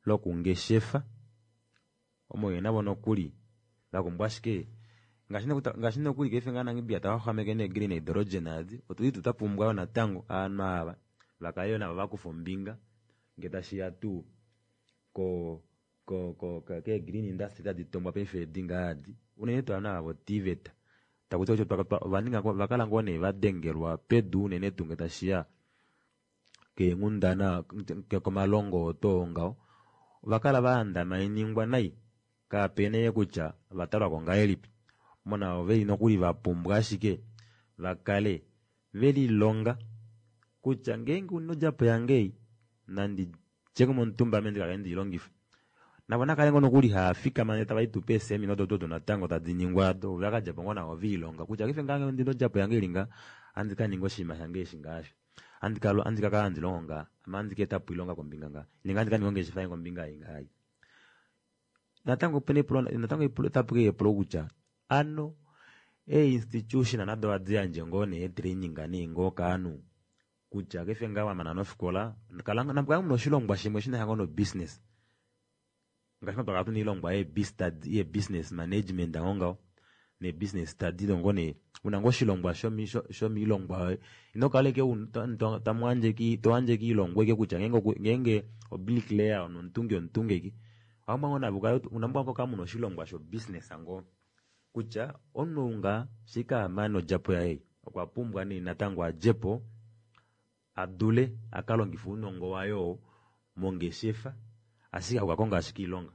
lokungeshefa omo navo nokuli vapumbwa ashike ngaashi nokuli paife ngaha Namibia taxwaxwameke nee green hydrogen adi otuli tuu twapumbwa yoo natango ovanhu ava vakale yoo navo vakufa ombinga ngee tashiya tuu ko ko kee green industry tadi tongwa paife edi ngaha adi unene tuu ovanhu ava vo T V E T takuti ovaninga ovakala ngoo nee vadengelwa pedu unene tuu ngee tashiya keenghundana komalongo oo tuu ngaho ovakala vaandamainingwa nai kapena kutya ovatalwako ngahelipi mona oveli nokuli vapumbwa ashike vakale velilonga kutya ngeenge una odjapo yange ei nandi djeko momutumba ame ndikakale ndiilongife. Navo nakale ngoo nokuli haafikama ndee tava itupa eesemina odo odo natango tadi ningwa ado vakadjapo ngoo navo viilonga kutya paife ngaa ndina odjapo yange ili nga handi kaninga oshinima shange eshi ngaasho handi kakala handi longo nga ame handi kaetapo oilonga kombinga nga nenge handi kaninga ongeshefa yange kombinga ei ngaai. Natango opena epulo natango otapu keya epulo kutya ano ee-institution nado ohadi yandje ngoo nee training nee ngoo kaanhu kutya paife ngaa wamana nofikola kala namukale muna oshilongwa shimwe shinasha ngoo no business ngaashi twakala tuna oilongwa ye-business management ngoo ngaho ne-business study ngoo nee una ngoo oshilongwa shomiilongwa yoye ino kala ashike toyandje ashike oilongwa ashike kutya ngeenge o-bricklayer nomutungi omutungi ashike owapumbwa ngoo navo ukale onapumbwa ngoo kukala muna oshilongwa sho business ngoo kutya omunhu ou nga shike amane odjapo yaye okwa pumbwa nee natango adjepo adule akalongife ounongo waye oo mongeshefa ashike hakukakonga ashike oilonga.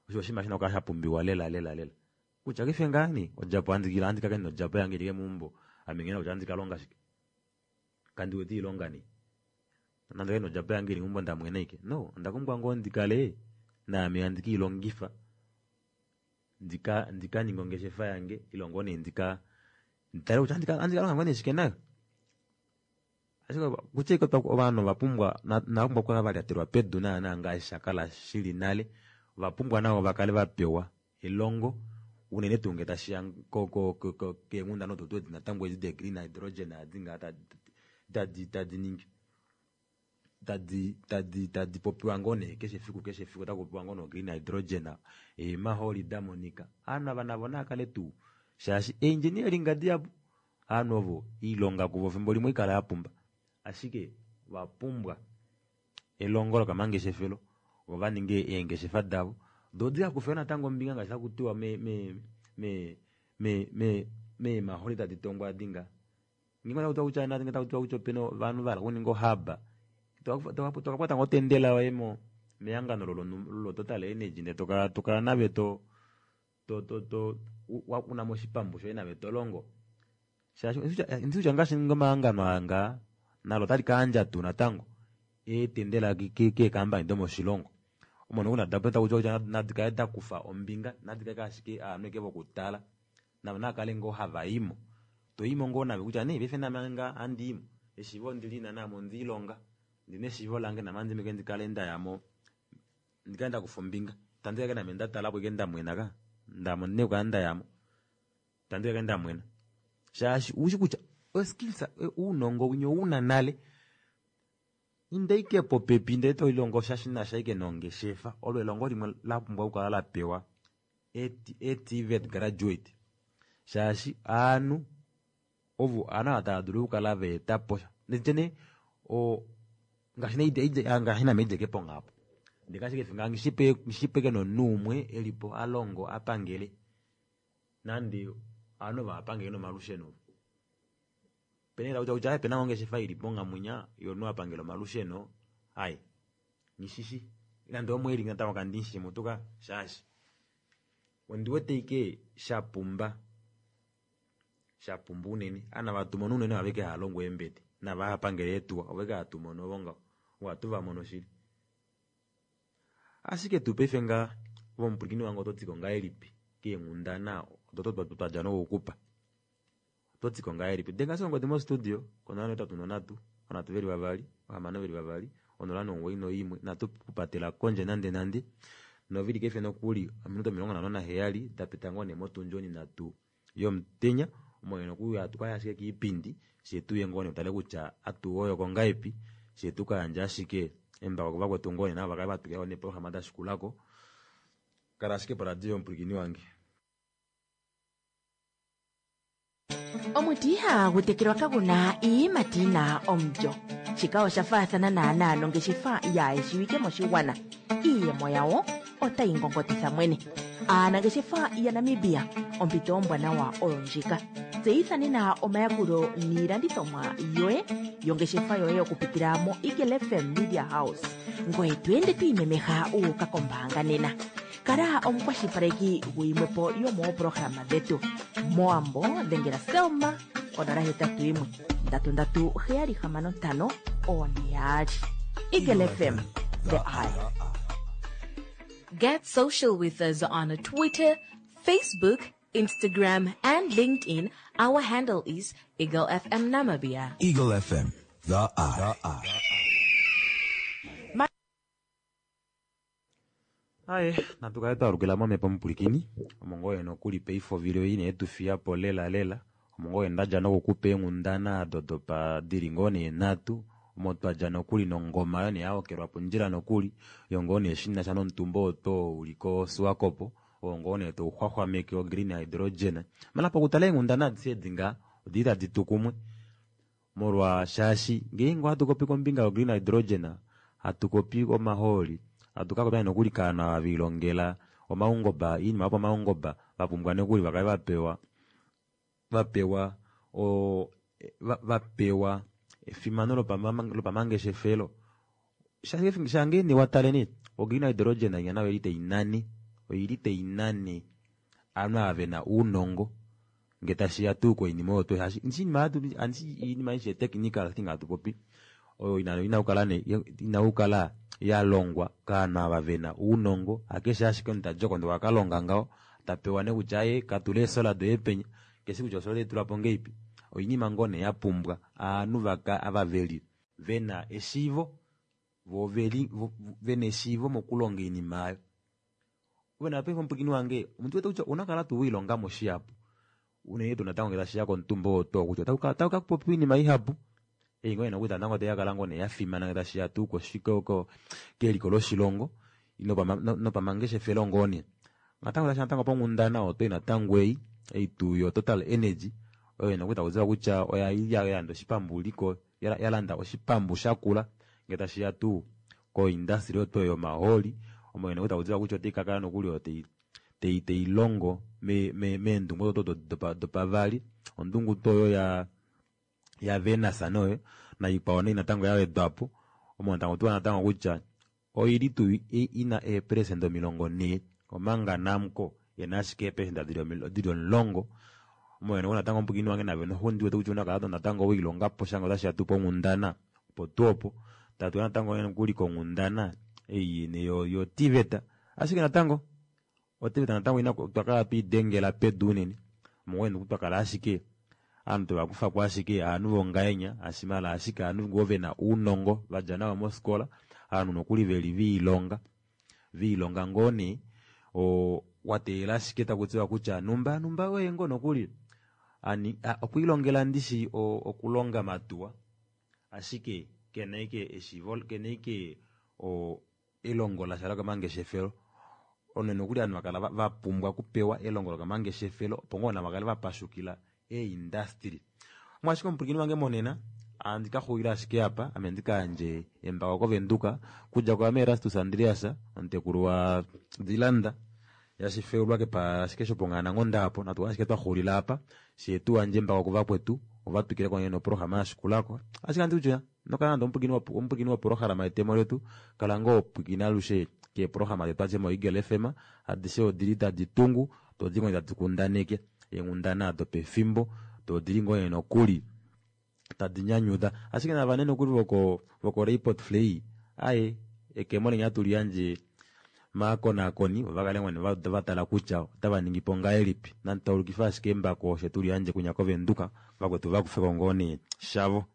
Osho oshinima shina okukala shapumbiwa lela lela lela kutya paife ngaa nee odjapo handi kala ndina odjapo yange ili meumbo ame nghina kutya ohandi kalonga shike kandi wete oilonga nee nande kale ndina odjapo yange ili meumbo ndamwena ashike no onda pumbwa ngoo ndikale naame handi kiilongifa ndika ndikaninge ongeshefa yange ile ngoo nee ndika nditale kutya ohandi kalonga ngoo nee shike nayo. Ashike kutya ashike ovanhu ovapumbwa inavapumbwa okukala valyatelwa pedu naana ngaashi shakala shili nale ovapumbwa navo vakale vapewa elongo unene tuu ngee tashiya keenghundana odo tuu edi natango edi de green hydrogen adi ngaa tadi tadi ningi tadi tadi tadi popiwa ngoo nee keshe efiku keshe efiku otaku popiwa ngoo no green hydrogen eemaholi damonika ovanhu ava navo naakale tuu shaashi engineering dihapu ovanhu ovo oilonga kuvo efimbo limwe oikala yapumba ashike ovapumbwa elongo lokamangeshefelo vo vaninge eengeshefa davo doo dikakufe natango ombinga ngaashi takutiwa me me me me me meemaholi tadi tongwa adi nga ngeenge otakutiwa kutya ngeenge takutiwa kutya opena ovanhu vahala okuninga ohub tokakwata ngoo otendela yoye mo mehangano lo Total Energy ndee tokala tokala nave to to to to unamo oshipambu shoye nave tolongo shaashi ndishi kutya ngaashi omahangano aa ngaa nalo otali kayandja tuu natango eetendela keekambani domoshilongo omo nokuli takutiwa kutya nadikale dakufa ombinga nadikale ashike ovanhu ashike vokutala navo naakale ngoo havaimo toimo ngoo nave kutya nee paife name nga handiimo eshiivo ondilina naame ondiilonga ndina eshiivo lange name handimeke ndikale ndayamo ndikale ndakufa ombinga itandi kala name ndatalapo ashike ndamwena ka ndamo ondina okukala ndayamo itandi kala ndamwena shaashi ushi kutya oskills ounongo winya ouna nale inda ashike popepi ndee tolilongo sha shinasha ashike nongeshefa olo elongo limwe lapumbwa okukala lapewa e-T V E T graduate shaashi ovanhu ovo ovanhu ava tava dulu okukala vaetapo sha nditye nee ngaashi name haidjeke ponghapo ndee ashike nghishipe nomunhu umwe elipo alongo apangele nande ovanhu ovo hava nomalusheno pena takutiwa kutya opena ngoo ongeshefa ilipo nghamwinya yomunhu apangela omalusheno ai nghishishi nande omwe eli natango kandimushi mutuka shaashi ondiwete ashike shapumba shapumba unene ovanhu ava hatumono unene ovava ashike hava longo eembete nava hava pangele eetuwa ovo ashike hatu mono ovo ngaho ovo hatu vamono shili. Ashike tuu paife nga ove wange ototiko ngahelipi keenghundana odo twadja nokukupa ototiko ngahelipi denga ashike ongodi mo studio konola nohetatu nonhatu ovanhatu veli vavali vahamano veli vavali onola nomugoyi noimwe inatu kupatela kondje nande nande novili paife nokuli ominute omilongo nhano naheyali dapita ngoo nee motundi onhinhatu yomutenya omo nokuli hatu kaya ashike kiipindi fyee tuye ngoo nee tutale kutya atuwoyoko ngahelipi fyee tukayandje ashike embako kuvakwetu ngoo nee navo vakale vatwikilako neeprograma dashikulako kala ashike poradio yomupwilikini wange. Omuti ihagu tekelwa kaguna iiyimati yina omulyo. Shika osha faathana naanaa nongeshefa yaayeshiwike moshigwana. Iiyemo yawo otayi ngongotitha mwene. Aanangeshefa yaNamibia, ompito ombwanawa oyo ndjika. Tseyitha nena omayakulo niilandithomwa yoye yongeshefa yoye okupitila mo Eagle F M Media House. Ngoye to ende to imemeha wu uka kombaanga nena. Kala omukwashilipaleki guyimwepo yomooprograma dhetu. Mowambo dhengela Selma onola hetatu yimwe ndatu ndatu heyali hamano ntano one yaali. Eagle F M, the eye. Get social with us on Twitter, Facebook, Instagram, and LinkedIn. Our handle is Eagle F M Namibia. Eagle F M, the Eye. The Eye. Aye, natu kale twalukila momhepo mupulikini omo ngoo nokuli paife ovili oyi ne tufiya po lela lela omo ngoo ndadja nokukupa eenghundana ado dopa dili ngoo nee nhatu omo twadja nokuli nongoma yo nee yahokelwa pondjila nokuli yo ngoo nee shinasha nomutumba oo to uli koSwakopo oo ngoo nee touxwaxwameke ogreen hydrogen mala pokutala eenghundana adishe edi ngaa odili tadi tu kumwe molwa shaashi ngeenge ohatu kopi kombinga yogreen hydrogen hatu kopi omahooli hatu kakopya nokuli kaana vilongela omaungoba iinima yopaungoba vapumbwa nokuli vakale vapewa vapewa o vapewa efimano lopamangeshefelo shangeene wataleni ogreen hydrogen inya nayo oili tainane oili tainane ovanhu ava vena ounongo ngee tashiya tuu koinima oyo shaashi iinima aishe technical thing hatu popi oyo ina okukala yalongwa kaanhu ava vena ounongo hakeshe ashike omunhu tadi oko ndee okwakalonga ngaho tapewa nee kutya aaye katule eesola doye penya keshi kutya osola otetulapo ngahelipi oinima ngoo nee yapumbwa ovanhu ava veli vena eshiivo voo oveli vena eshiivo mokulonga oinima aayo ove paife omupwilikini wange omuntu wete kutya ouna okukala tuu welilongamo shihapu unene tuu natango ngee tashiya komutumba oo too kutya otaku kapopiwa oinima ihapu ei ngoo nokuli natango taikakala ngoo nee yafimana ngee tashiya tuu keliko loshilongo nopamangeshefelo ngoo nee natango tashiya natango ponghundana oyo natango ei ei tuu yo Total Energy oyo nokuli takutiwa kutya oya yalanda oshipambuliko yalanda oshipambu shakula ngee tashiya tuu koindustry oyo yomahooli omo nokuli takutiwa kutya otaikakala nokuli oyo tailongo meendungu odo dopavali ondungu tuu oyo yaVenus noyo naikwao nee natango yawedwapo omo takutiwa natango kutya oili tuu ina eeperesenda omilongo nhee omanga Namcor ena ashike eeperesenda dili omulongo omo natango omupwilikini wange nave ndiwete kutya ouna okukala natango welilongapo sha ngee otashiya tuu ponghundana opo tuu opo tatuya natango nokuli konghundana ei yoTVET ashike natango oTVET natango otwakala tweidengela pedu unene omo ngoo twakala ashike ovanhu tovakufako ashike ovanhu vongahenya ashimala ashike ovanhu ngoo vena ounongo vadja nawa mofikola ovanhu nokuli veli viilonga viilonga ngoo nee wateelela ashike takutiwa kutya numba numba oye ngoo nokuli okwiilongela ndishi okulonga matuwa ashike kena ashike eshiivo kena ashike elongo lasha lokamangeshefelo ono nokuli ovanhu vakala vapumbwa okupewa elongo lokamangeshefelo opo ngoo navo vakale vapashukila eindustry omwashike omupwilikini wange monena handi kaxulila ashike apa ame ndikayandje embako kovenduka kudja kwaame Erastus Andreas omutekulu wa Dilanda yashifeulwa kepa ashike shoponghaananghonda apo natu ashike twaxulila apa shee tuyandje embako kuvakwetu ovatwikileko nee noprograma yashikulako ashike handi kutya inokala nande omupwilikini woprograma yetemo letu kala ngoo pwilikina alushe keeprograma detu adishe moEagle F M adishe odili tadi tungu doo odili ngoo tadi kundaneke eenghundana dopefimbo doo odili ngoo nokuli tadi nyanyuda ashike nava nokuli voko voko Report Flay aye ekemo lenya tuliyandje maakonakoni ovakale ngoo vatala kutya otava ningipo ngahelipi nanditaulukife ashike embako osho tuliyandje kunya kovenduka vakwetu vakufeko ngoo nee shavo.